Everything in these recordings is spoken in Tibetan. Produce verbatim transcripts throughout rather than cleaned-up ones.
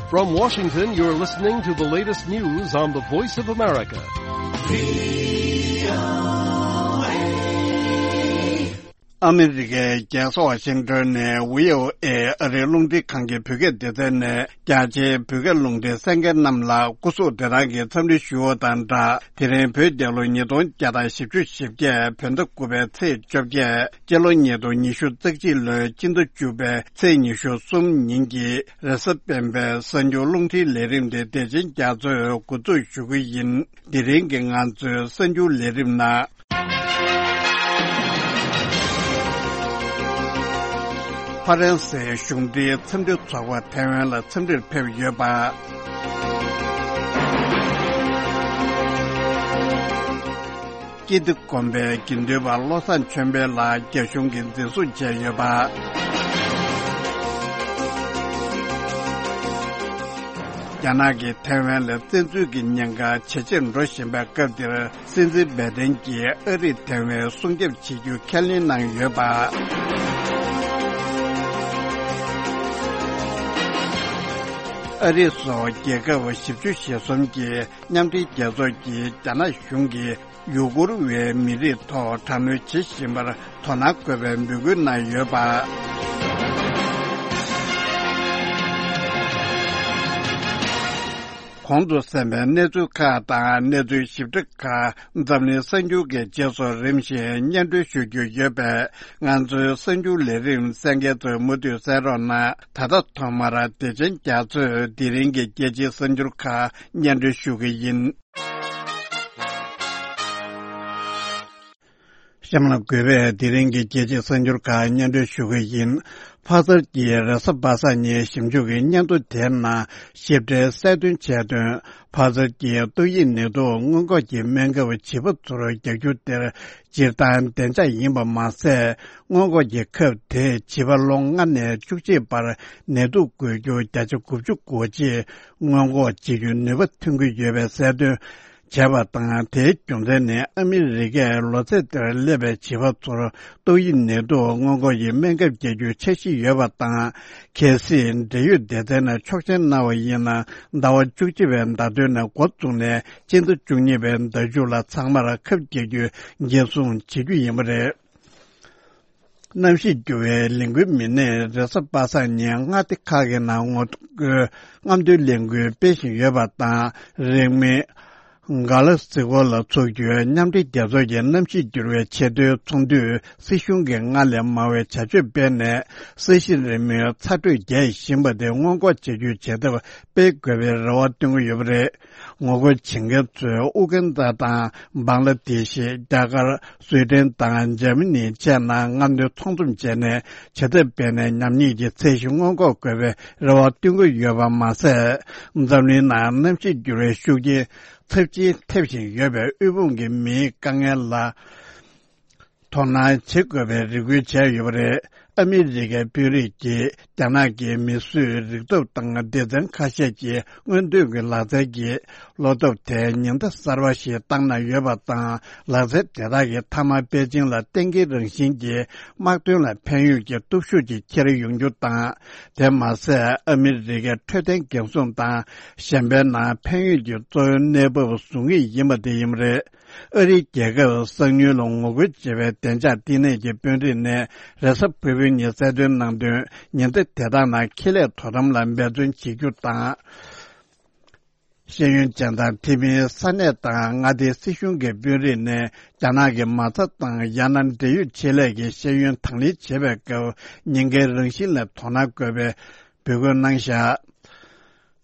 From Washington, you're listening to the latest news on the Voice of America. ཨ་མི་རི་ཀའི་རྒྱལ་ས་ཝ་ཤིང་ཏོན་ནས་བྷི་ཨོ་ཨེ་ཨ་རིའི་རླུང་འཕྲིན་ཁང་གི་བོད་སྐད་སྡེ་ཚན་ནས་རྒྱ་ཆེའི་བོད་སྐད་རླུང་འཕྲིན་གསན་མཁན་རྣམས་ལ་སྐུ་གཟུགས་བདེ་ཐང་གི་འཚམས་འདྲི་ཞུ་བ་དང་སྦྲགས། དེ་རིང་བོད་རྒྱལ་ལོ་ཉིས་སྟོང་བརྒྱ་དང་བཞི་བཅུ་ཞེ་བརྒྱད། བོད་ཟླ་དགུ་པའི་ཚེས་བཅོ་བརྒྱད། སྤྱི་ལོ་ཉིས་སྟོང་ཉི་ཤུ་རྩ་གཅིག་ལོའི་སྤྱི་ཟླ་བཅུ་པའི་ཚེས་ཉི་ཤུ་གསུམ་ཉིན་གྱི་རེས་གཟའ་སྤེན་པའི་གསར་འགྱུར་རླུང་འཕྲིན་ལས་རིམ་དེ་བདེ་ཆེན་རྒྱ་མཚོས་འགོ་འཛུགས་ཞུ་གི་ཡིན། དེ་རིང་གི་ང་ཚོའི་གསར་འགྱུར་ལས་རིམ་ནང་། ཧྥ་རན་སིའི་གཞུང་འབྲེལ་འཚམས་འདྲི་ཚོགས་པ་ཐའེ་ཝན་ལ་འཚམས་འདྲིར་ཕེབས་ཡོད་པ། སྐྱིད་སྡེ་དགོན་པའི་དགེ་འདུན་པ་བློ་བཟང་ཆོས་འཕེལ་ལགས་རྒྱ་གཞུང་གིས་འཛིན་བཟུང་བྱས་ཡོད་པ། རྒྱ་ནག་གིས་ཐའེ་ཝན་ལ་བཙན་འཛུལ་གྱི་ཉེན་ཁ་ཇེ་ཆེར་འགྲོ་བཞིན་པའི་སྐབས་འདིར། སྲིད་འཛིན་བའི་ཏན་གྱིས་ཨ་རིས་ཐའེ་ཝན་སྲུང་སྐྱོབ་བྱེད་རྒྱུ་ཁས་ལེན་གནང་ཡོད་པ། ཨ་རི་སོགས་རྒྱལ་ཁབ་བཞི་བཅུ་ཞེ་གསུམ་གྱི་མཉམ་འབྲེལ་རྒྱལ་ཚོགས་ཀྱིས་རྒྱ་ནག་གཞུང་གིས་ཡུ་གུར་བའི་མི་རིགས་ཐོག་དྲག་གནོན་བྱེད་བཞིན་པར་དོ་སྣང་དགོས་པའི་འབོད་སྐུལ་གནང་ཡོད་པ། གོང་དུ་གསན་པའི་གནས་ཚུལ་ཁག་དང་གནས་ཚུལ་ཞིབ་ཕྲ་ཁག་འཛམ་གླིང་གསར་འགྱུར་གྱི་རྗེས་སུ་རིམ་བཞིན་སྙན་སྒྲོན་ཞུ་རྒྱུ་ཡོད་པས། ང་ཚོའི་གསར་འགྱུར་ལས་རིམ་གསན་མཁན་ཚོས་མུ་མཐུད་གསན་རོགས་གནང་། ད་ལྟ་ཐོག་མར་བདེ་ཆེན་རྒྱ་མཚོས་དེ་རིང་གི་རྒྱལ་སྤྱིའི་གསར་འགྱུར་ཁག་སྙན་སྒྲོན་ཞུ་གི་ཡིན། གཤམ་ལ་གུས་པས་དེ་རིང་གི་རྒྱལ་སྤྱིའི་གསར་འགྱུར་ཁག་སྙན་སྒྲོན་ཞུ་གི་ཡིན། ཕག་གསར་གྱིས་རེས་གཟའ་པ་སངས་ཉིན་ཞིབ་འཇུག་གི་སྙན་ཐོ་དེའི་ནང་ཞིབ་ཕྲའི་གསལ་སྟོན་བྱས་དོན། ཕག་གསར་གྱིས་ཏོག་དབྱིབས་ནད་དུག་སྔོན་འགོག་གི་སྨན་ཁབ་བྱིས་པ་ཚོར་རྒྱག་རྒྱུ་དེར་སྤྱིར་བཏང་བདེ་འཇགས་ཡིན་པ་མ་ཟད། སྔོན་འགོག་གི་ཁབ་དེས་བྱིས་པ་ལོ་ལྔ་ནས་བཅུ་གཅིག་བར་ནད་དུག་འགོས་རྒྱུ་བརྒྱ་ཆ་དགུ་བཅུ་གོ་གཅིག་སྔོན་འགོག་བྱེད་རྒྱུའི་ནུས་པ་ཐོན་གྱི་ཡོད་པའི་གསལ་སྟོན་བྱས་པ་དང་། དེའི་རྒྱུ་མཚན་ནི་ཨ་མི་རི་ཀས་ལོ་ཚད་དེར་སླེབས་པའི་བྱིས་པ་ཚོར་ཏོག་དབྱིབས་ནད་དུག་སྔོན་འགོག་གི་སྨན་ཁབ་བརྒྱབ་རྒྱུའི་འཆར་གཞི་ཡོད་པ་དང་། གལ་སྲིད་འབྲེལ་ཡོད་སྡེ་ཚན་ནས་ཆོག་མཆན་གནང་བ་ཡིན་ན། ཟླ་བ་བཅུ་གཅིག་པའི་ཟླ་སྟོད་ནས་འགོ་བཙུགས་ནས་སྤྱི་ཟླ་བཅུ་གཉིས་པའི་ཟླ་མཇུག་ལ་ཚང་མར་ཁབ་བརྒྱབ་རྒྱུའི་འགན་སྲུང་བྱེད་རྒྱུ་ཡིན་པ་རེད། གནམ་གཤིས་འགྱུར་བའི་ལས་འགུལ་མི་སྣས་རེས་གཟའ་པ་སངས་ཉིན་མངའ་སྡེ་ཁག་གི་ནང་ངོ་རྒོལ་རྔམ་སྟོན་ལས་འགུལ་སྤེལ་བཞིན་ཡོད་པ་དང་། རིང་མིན་གྷ་ལ་སི་ཀོ་ལ་འཚོགས་རྒྱུའི་མཉམ་འབྲེལ་རྒྱལ་ཚོགས་ཀྱི་གནམ་གཤིས་འགྱུར་བའི་ཆེས་མཐོའི་ཚོགས་འདུས་སྲིད་གཞུང་གིས་སྔར་ལས་མང་བའི་བྱ་སྤྱོད་སྤེལ་ནས། ས་གཞི་རི་མོའི་ཚ་དྲོད་རྒྱས་བཞིན་པ་དེ་སྔོན་འགོག་བྱེད་རྒྱུའི་བྱེད་ཐབས་སྤེལ་དགོས་པའི་རེ་བ་བཏོན་གྱི་ཡོད་པ་རེད། ངོ་རྒོལ་བྱེད་མཁན་ཚོས་ཨུ་གན་ཌ་དང་། བང་ལ་དེ་ཤི། རྒྱ་གར། སུའེ་ཏེན་དང་འཇར་མ་ནི་བཅས་ནང་རྔམ་སྟོན་ཚོགས་འཛོམས་བྱས་ནས། བྱེད་ཐབས་སྤེལ་ནས་ཉམས་ཉེས་ཀྱི་ཚད་གཞི་སྔོན་འགོག་དགོས་པའི་རེ་བ་བཏོན་གྱི་ཡོད་པ་མ་ཟད། འཛམ་གླིང་ནང་གནམ་གཤིས་འགྱུར་བའི་ཤུགས་རྐྱེན་ཚབས་ཆེན་ཐེབས་བཞིན་ཡོད་པའི་དབུལ་ཕོངས་ཀྱི་མིའི་དཀའ་ངལ་ལ་དོ་སྣང་བྱེད་དགོས་པའི་རེ་སྐུལ་བྱས་ཡོད་པ་རེད། ཨ་མི་རི་ཀའི་དཔོན་རིགས་ཀྱིས་རྒྱ་ནག་གི་མིས་བཟོས་རིག་སྟོབས་དང་སྡེ་ཚན་ཁ་ཤས་ཀྱི་སྔོན་ཐོན་གྱི་ལག་རྩལ་གྱི་བློ་སྟོབས་དེ་ཉེན་བརྡ་གསར་པ་ཞིག་བཏང་གནང་ཡོད་པ་དང་། ལག་རྩལ་དེ་དག་གི་མཐའ་མ་པེ་ཅིང་ལ་གཏན་འཁེལ་རང་བཞིན་གྱི་དམག་དོན་ལ་ཕན་ཡོད་ཀྱི་སྟོབས་ཤུགས་ཀྱིས་འཁྱེར་ཡོང་རྒྱུ་དང་། དེ་མ་ཟད། ཨ་མི་རི་ཀའི་འཕྲོད་བསྟེན་འགན་སྲུང་དང་གཞན་པའི་ནང་ཕན་ཡོད་ཀྱི་གཙོ་བོའི་གནས་བབ་བཟུང་གི་ཡིན་པ་དེ་ཡིན་པ་རེད། ཨ་རིའི་རྒྱལ་ཁབ་གསང་ཉུལ་ལ་ངོ་རྒོལ་བྱེད་པའི་བདེ་འཇགས་བསྟི་གནས་ཀྱི་དཔོན་རིགས་ནས་རེས་གཟའ་ཕུར་བུའི་ཉིན་གསལ་སྟོན་གནང་དོན། ཉེན་བརྡ་དེ་དག་ནང་ཁེ་ལས་དོ་དམ་ལ་འབད་བརྩོན་བྱེད་རྒྱུ་དང་། ཤེས་ཡོན་ཅན་དང་། དེ་མིན་ས་གནས་དང་མངའ་སྡེའི་སྲིད་གཞུང་གི་དཔོན་རིགས་ནས་རྒྱ་ནག་གི་མ་རྩ་དང་། ཡང་ན་འབྲེལ་ཡོད་ཆེད་ལས་ཀྱི་ཤེས་ཡོན་དང་ལེན་བྱེད་པའི་སྐབས་ཉེན་ཁའི་རང་བཞིན་ལ་དོ་སྣང་དགོས་པའི་འབོད་སྐུལ་གནང་བཞག་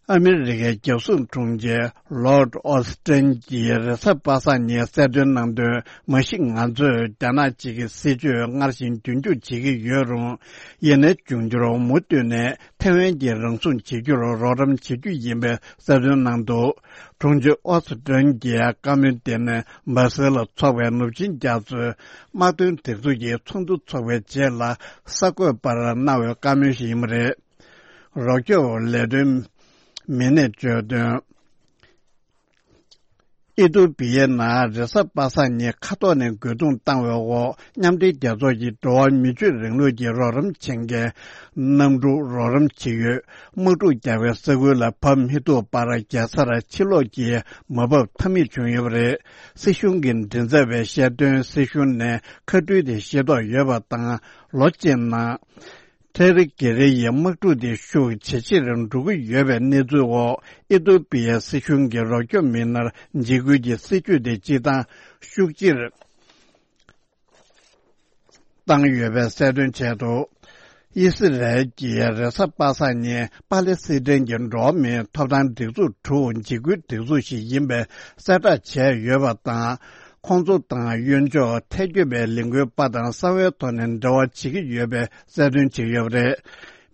ཨ་མི་རི་ཀའི་རྒྱལ་སྲུང་དྲུང་ཆེ་ལོར་ཌི་ཨོ་སི་ཏན་གྱིས་རེས་གཟའ་པ་སངས་ཉིན་གསལ་སྟོན་གནང་དོན། མ་གཞི་ང་ཚོས་རྒྱ་ནག་གཅིག་གི་སྲིད་བྱུས་སྔར་བཞིན་རྒྱུན་འཁྱོངས་བྱེད་ཀྱི་ཡོད་རུང་། ཡིན་ནའི་འབྱུང་འགྱུར་མུ་མཐུད་ནས་ཐའེ་ཝན་གྱིས་རང་སྲུང་བྱེད་རྒྱུར་རོགས་རམ་བྱེད་རྒྱུ་ཡིན་པའི་གསལ་སྟོན་གནང་འདུག་དྲུང་ཆེ་ཨོ་སི་ཏན་གྱིས་བཀའ་མོལ་དེ་ནི་སྦར་སེལ་ལ་འཚོགས་པའི་ནུབ་ཆིངས་རྒྱ་མཚོའི་དམག་དོན་སྒྲིག་འཛུགས་ཀྱི་ཚོགས་འདུ་འཚོགས་པའི་རྗེས་ལ་གསར་འགོད་པར་གནང་བའི་བཀའ་མོལ་ཞིག་ཡིན་པ་རེད། རོགས་སྐྱོབ་ལས་དོན་མི་སྣས་བརྗོད་དོན། ཨི་ཏུ་པི་ཡའི་ནང་རེས་གཟའ་པ་སངས་ཉིན་མཁའ་ཐོག་ནས་རྒོལ་རྡུང་བཏང་བའི་འོག་མཉམ་འབྲེལ་རྒྱལ་ཚོགས་ཀྱི་འགྲོ་བ་མི་ཆོས་རིང་ལུགས་ཀྱི་རོགས་རམ་བྱེད་མཁན་གནམ་གྲུ་རོགས་རམ་བྱེད་ཡུལ་དམག་འཁྲུག་རྒྱག་པའི་ས་ཁུལ་ལ་བབས་མི་ཐུབ་པར་རྒྱལ་སར་ཕྱིར་ལོག་གིས་མ་བབས་ཐབས་མེད་བྱུང་ཡོད་པ་རེད། སྲིད་གཞུང་གི་མགྲིན་ཚབ་པས་བཤད་དོན། སྲིད་གཞུང་ནས་ཁ་སྤྲོད་དེ་ཤེས་རྟོགས་ཡོད་པ་དང་། ལོ་གཅིག་ནང་། ཐེ་རི་གེ་རེ་ཡི་དམག་འཁྲུག་དེ་ཤུགས་ཇེ་ཆེར་འགྲོ་གི་ཡོད་པའི་གནས་ཚུལ་འོག་ཨི་ཏུ་པི་ཡའི་སྲིད་གཞུང་གིས་རོགས་སྐྱོབ་མི་སྣར་འཇིགས་སྐུལ་གྱི་སྲིད་བྱུས་དེ་སྤྱི་བཏང་ཤུགས་ཆེར་བཏང་ཡོད་པའི་གསལ་སྟོན་བྱས་འདུག་ཨི་སི་རལ་གྱིས་རེས་གཟའ་པ་སངས་ཉིན་པ་ལེ་སི་ཐན་གྱི་འགྲོ་བ་མིའི་ཐོབ་ཐང་སྒྲིག་འཛུགས་དྲུག་འཇིགས་སྐུལ་སྒྲིག་འཛུགས་ཤིག་ཡིན་པའི་གསལ་བསྒྲགས་བྱས་ཡོད་པ་དང་། ཁོང་ཚོ་དང་གཡོན་ཕྱོགས་ཐལ་འགྱུར་བའི་ལས་འགུལ་པ་དང་གསང་བའི་ཐོག་ནས་འབྲེལ་བ་བྱེད་ཀྱི་ཡོད་པའི་གསལ་སྟོན་བྱས་ཡོད་པ་རེད།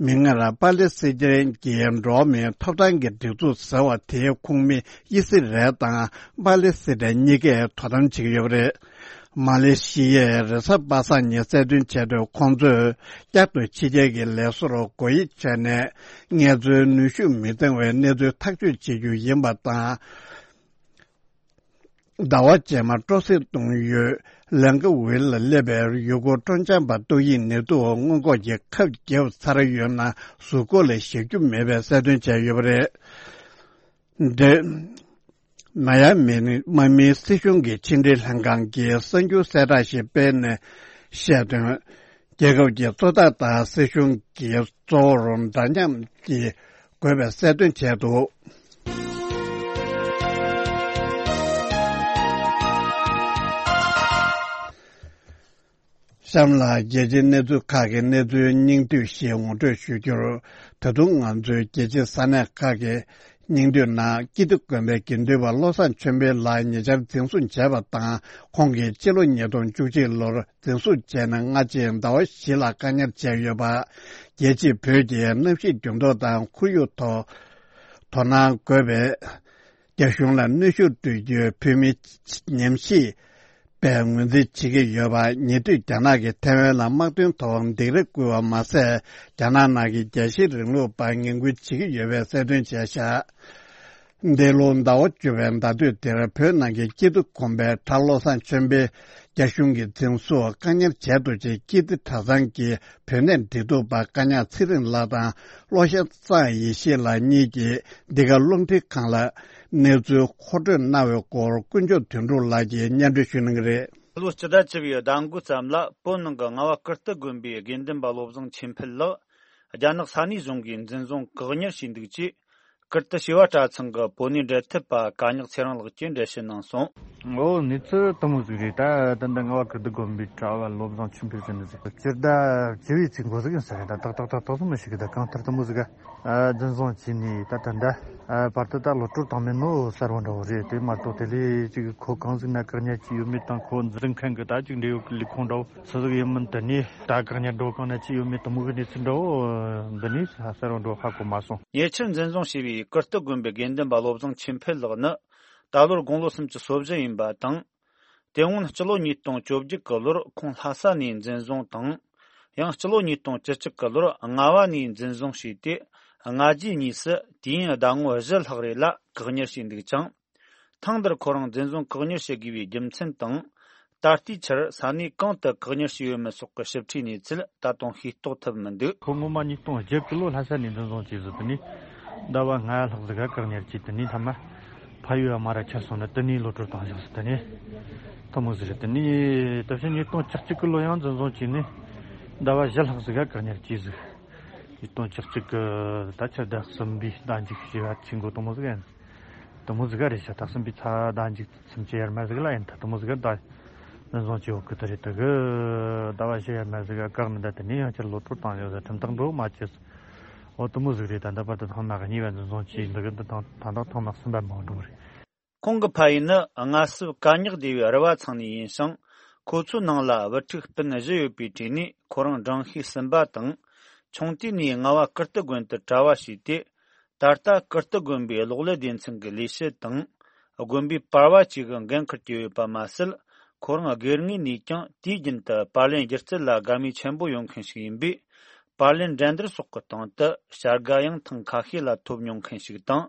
མིག་སྔར་པ་ལེ་སི་ཐན་གྱི་འགྲོ་བ་མིའི་ཐོབ་ཐང་གི་སྒྲིག་འཛུགས་ཟེར་བ་དེའི་ཁོངས་མི་ཨི་སི་རལ་དང་པ་ལེ་སི་ཐན་གཉིས་ཀས་དོ་དམ་བྱེད་ཀྱི་ཡོད་པ་རེད། མ་ལེ་ཤི་ཡས་རེས་གཟའ་པ་སངས་ཉིན་གསལ་སྟོན་བྱས་དོན། ཁོང་ཚོས་བསྐྱར་དུ་ཕྱི་རྒྱལ་གྱི་ལས་བཟོར་སྒོ་དབྱེ་བྱས་ནས་ངལ་རྩོལ་ནུས་ཤུགས་མི་འདང་བའི་གནས་ཚུལ་ཐག་གཅོད་བྱེད་རྒྱུ་ཡིན་པ་དང་། ཟླ་བ་རྗེས་མ་སྤྲོ་གསེང་གཏོང་ཡུལ་ལན་ཀ་ཝིལ་ལ་སླེབས་པའི་ཡུལ་སྐོར་སྤྲོ་འཆམ་པ་ཏོག་དབྱིབས་ནད་དུག་སྔོན་འགོག་གི་ཁབ་བརྒྱབ་ཚར་ཡོད་ན་གཟུགས་པོ་ལ་བཞག་རྒྱུ་མེད་པའི་གསལ་སྟོན་བྱས་ཡོད་པ་རེད། འདི། མ་ཡ་མི་མ་མིའི་སྲིད་གཞུང་གི་ཕྱི་འབྲེལ་ལྷན་ཁང་གིས་གསར་འགྱུར་གསལ་བསྒྲགས་ཤིག་སྤེལ་ནས་བཤད་དོན། རྒྱལ་ཁབ་ཀྱི་གཙོ་བདག་དང་སྲིད་གཞུང་གིས་གཙོ་བོར་འདྲ་མཉམ་གྱིས་དགོས་པའི་གསལ་སྟོན་བྱས་འདུག་གཤམ་ལ་རྒྱལ་སྤྱིའི་གནས་ཚུལ་ཁག་གི་གནས་ཚུལ་སྙིང་བསྡུས་ཤིག་ངོ་སྤྲོད་ཞུ་རྒྱུར། ད་དུང་ང་ཚོའི་རྒྱལ་སྤྱིའི་ས་གནས་ཁག་གི་སྙིང་བསྡུས་ནང་ཀིརྟི་དགོན་པའི་དགེ་འདུན་པ་བློ་བཟང་ཆོས་འཕེལ་ལགས་ཉེ་ཆར་འཛིན་བཟུང་བྱས་པ་དང་། ཁོང་གིས་ཕྱི་ལོ་ཉིས་སྟོང་བཅུ་གཅིག་ལོར་འཛིན་བཟུང་བྱས་ནས་སྔ་ཕྱི་ཟླ་བ་བཞི་ལ་བཀག་ཉར་བྱས་ཡོད་པ། རྒྱལ་སྤྱིའི་བོད་ཀྱི་གནམ་གཤིས་འགྱུར་ལྡོག་དང་ཁོར་ཡུག་ཐོག་དོ་སྣང་དགོས་པའི། རྒྱ་གཞུང་ལ་གནོན་ཤུགས་སྤྲོད་རྒྱུའི་བོད་མི་ཉམས་ཞིབ་པས་ངོས་འཛིན་བྱེད་ཀྱི་ཡོད་པ། ཉེ་དུས་རྒྱ་ནག་གིས་ཐའེ་ཝན་ལ་དམག་དོན་ཐོག་སྡིགས་ར་བསྐུལ་བ་མ་ཟད། རྒྱ་ནག་ནང་གི་རྒྱལ་སྤྱིའི་རིང་ལུགས་པར་ངན་སྐུལ་བྱེད་ཀྱི་ཡོད་པའི་གསལ་སྟོན་བྱས་བཞག་འདི་ལོ་ཟླ་བ་བཅུ་པའི་ཟླ་སྟོད་འདིར་བོད་ནང་གི་ཀིརྟི་དགོན་པའི་གྲྭ་བློ་བཟང་ཆོས་འཕེལ་རྒྱ་གཞུང་གིས་འཛིན་བཟུང་བཀག་ཉར་བྱས་འདུག་ཅེས་ཀིརྟི་གྲྭ་ཚང་གི་བོད་གནས་འབྲེལ་གཏུག་པ་བཀའ་ཉག་ཚེ་རིང་ལགས་དང་བློ་བཟང་གཙང་ཡེ་ཤེས་ལགས་གཉིས་ཀྱིས་འདི་ག་རླུང་འཕྲིན་ཁང་ལ་གནས་ཚུལ་མཁོ་སྤྲོད་གནང་བའི་སྐོར་དཀོན་མཆོག་དོན་གྲུབ་ལགས་ཀྱིས་སྙན་སྒྲོན་ཞུ་གནང་གི་རེད། ལོ་སྤྱི་ཟླ་བཅུ་པའི་ཟླ་འགོ་ཙམ་ལ་བོད་ནང་གི་རྔ་བ་ཀིརྟི་དགོན་པའི་དགེ་འདུན་པ་བློ་བཟང་ཆོས་འཕེལ་ལགས་རྒྱ་ནག་ས་གནས་གཞུང་གིས་འཛིན་བཟུང་བཀག་ཉར་བྱས་འདུག་ཅེས། ཀིརྟི་བྱེས་པ་གྲྭ་ཚང་གི་བོད་གནས་འབྲེལ་མཐུད་པ་བཀའ་ཉག་ཚེ་རིང་ལགས་ཀྱིས་འགྲེལ་བཤད་གནང་སོང་། འོ་གནས་ཚུལ་དེ་མོ་ཟིག་རེད། ད་ད་ལྟ་རྔ་བ་ཀིརྟི་དགོན་པའི་གྲྭ་བ་བློ་བཟང་ཆོས་འཕེལ་ཟེར་ནི་ཟིག་སྤྱི་ཟླ་བཅུ་པའི་ཚེས་འགོ་ཟིག་ཡིན་ས་རེད། ད་ཏག་ཏག་ཏག་ཏག་ཚང་མ་ཤེས་གི། ད་གང་ལྟར་དེ་མོ་ཟིག་ག་འཛིན་བཟུང་བྱས་ནས་ད་ད་ལྟ་བར་དུ་ད་གློད་བཀྲོལ་བཏང་མེད་ནོ་གསར་བ་འདྲ་བོ་རེད། དེ་མ་གཏོགས་དེ་ལས་ཅིག་ཁོ་གང་ཟིག་ན་བཀག་ཉར་བྱས་ཡོད་མེད་དང་། ཁོ་འཛིན་མཁན་གི་ད་ཅིག་འབྲེལ་ཡོད་གི་ལས་ཁུངས་འདྲ་བོ་སུ་ཟིག་ཡིན་མིན། དེ་ནས་ད་བཀག་ཉར་འགྲོ་གང་ན་ཅི་ཡོད་མེད་དེ་མོ་གི་གནས་ཚུལ་འདྲ་བོ་འདི་ནས་གསར་བ་འགྲོ་ཧ་གོ་མ་སོང་། ཉེ་ཆར་འཛིན་བཟུང་བྱས་པའི་ཀིརྟི་དགོན་པའི་དགེ་འདུན་པ་བློ་བཟང་ཆོས་འཕེལ་ལགས་ནི་ད་ལོར་དགུང་ལོ་སུམ་ཅུ་སོ་བཞི་ཡིན་པ་དང་། དེ་སྔོན་སྤྱི་ལོ་ཉིས་སྟོང་བཅོ་བརྒྱད་ཀྱི་ལོར་ཁོང་ལྷ་ས་ནས་འཛིན་བཟུང་དང་། ཡང་སྤྱི་ལོ་ཉིས་སྟོང་བཅུ་གཅིག་གི་ལོར་རྔ་བ་ནས་འཛིན་བཟུང་བྱས་ཏེ། སྔ་རྗེས་གཉིས་སུ་དུས་ཡུན་ཟླ་ངོ་བཞི་ལྷག་རེ་ལ་བཀག་ཉར་བྱས་འདུག་ཅིང་། ཐེངས་འདིར་ཁོ་རང་འཛིན་བཟུང་བཀག་ཉར་བྱེད་དགོས་པའི་རྒྱུ་མཚན་དང་། ད་ལྟའི་ཆར་ས་གནས་གང་དུ་བཀག་ཉར་བྱས་ཡོད་མེད་སོགས་ཀྱི་ཞིབ་ཕྲའི་གནས་ཚུལ་ད་དུང་ཤེས་རྟོགས་ཐུབ་མི་འདུག་ཁོ་ངོ་མ་ཉིས་སྟོང་བརྒྱད་ཀྱི་ལོ་ལྷ་ས་ནས་འཛིན་བཟུང་བྱས་ཟིན། དེ་ནས་ཟླ་བ་ལྔ་ལྷག་ཟིག་ག་བཀག་ཉར་བྱས། དེ་ནས་མཐའ་མ་ཕ་ཡུལ་མ་ར་ཁྱེར་སོང་ནས་དེ་ནས་གློད་བཀྲོལ་བཏང་བཞག་ཟིག་དེ་ནས་དེ་མོ་ཟིག་རེད། དེ་ནས་ད་ཕྱིན་ཉིས་སྟོང་བཅུ་གཅིག་གི་ལོ་ཡང་འཛིན་བཟུང་བྱས་ནས་ཟླ་བ་བཞི་ལྷག་ཟིག་ག་བཀག་ཉར་བྱས་ཟིག་ཉིས་སྟོང་བཅུ་གཅིག་གི་ད་ཆ་ཟླ་གསུམ་པའི་ཟླ་མཇུག་བྱས་པ་ཆེན་པོ་དེ་མོ་ཟིག་ཡིན། དེ་མོ་ཟིག་ག་རེད་ཤག་ད་གསུམ་པའི་ཚ་ཟླ་མཇུག་སུམ་ཅུ་ཡར་མར་ཟིག་ལ་ཡིན། ད་དེ་མོ་ཟིག་ག་ད་འཛིན་བཟུང་བྱས་ཡོད་གི། དེ་རེད། དེ་གི་ཟླ་བ་བཞི་ཡར་མར་ཟིག་ག་བཀག་ནས་ད་དེ་ནས་ཡང་བསྐྱར་གློད་བཀྲོལ་བཏང་ཡོད་ཟེར། ཁྲིམས་ཐག་འགྲོ་མ་བྱས། འོ་དེ་མོ་ཟིག་རེད། ད་ལྟ་བར་དུ་ཐེངས་མ་གཉིས་པ་འཛིན་བཟུང་བྱས་འདུག་གི། འདི་དང་ད་ལྟ་ཐེངས་མ་གསུམ་པ་མོ་འགྲོ་གི་རེད། ཁོང་གི་ཕ་ཡུལ་ནི་རྔ་སིབ་ཀ་ཉག་སྡེ་བའི་རུ་བ་ཚང་ནས་ཡིན་ཞིང་། ཁོ་ཚོའི་ནང་ལ་བུ་ཕྲུག་སྤུན་བཞི་ཡོད་པའི་གྲས་ནས་ཁོ་རང་འབྲིང་ཤོས་གསུམ་པ་དང་། ཆུང་དུས་ནས་རྔ་བ་ཀིརྟི་དགོན་དུ་གྲྭ་བ་བྱས་ཏེ། ད་ལྟ་ཀིརྟི་དགོན་པའི་གློག་ཀླད་སྡེ་ཚན་གྱི་ལས་བྱེད་དང་། དགོན་པའི་པར་བ་བཅས་ཀྱི་འགན་འཁུར་གྱི་ཡོད་པ་མ་ཟད། ཁོ་རང་སྒེར་ངོས་ནས་ཀྱང་དུས་རྒྱུན་དུ་པར་ལེན་སྒྱུ་རྩལ་ལ་དགའ་མོས་ཆེན་པོ་ཡོད་མཁན་ཞིག་ཡིན་པས། པར་ལེན་འགྲན་བསྡུར་སོགས་ཀྱི་སྟེང་དུ་བྱ་དགའ་ཡང་ཐེངས་ཁ་ཤས་ལ་ཐོབ་མྱོང་མཁན་ཞིག་དང་།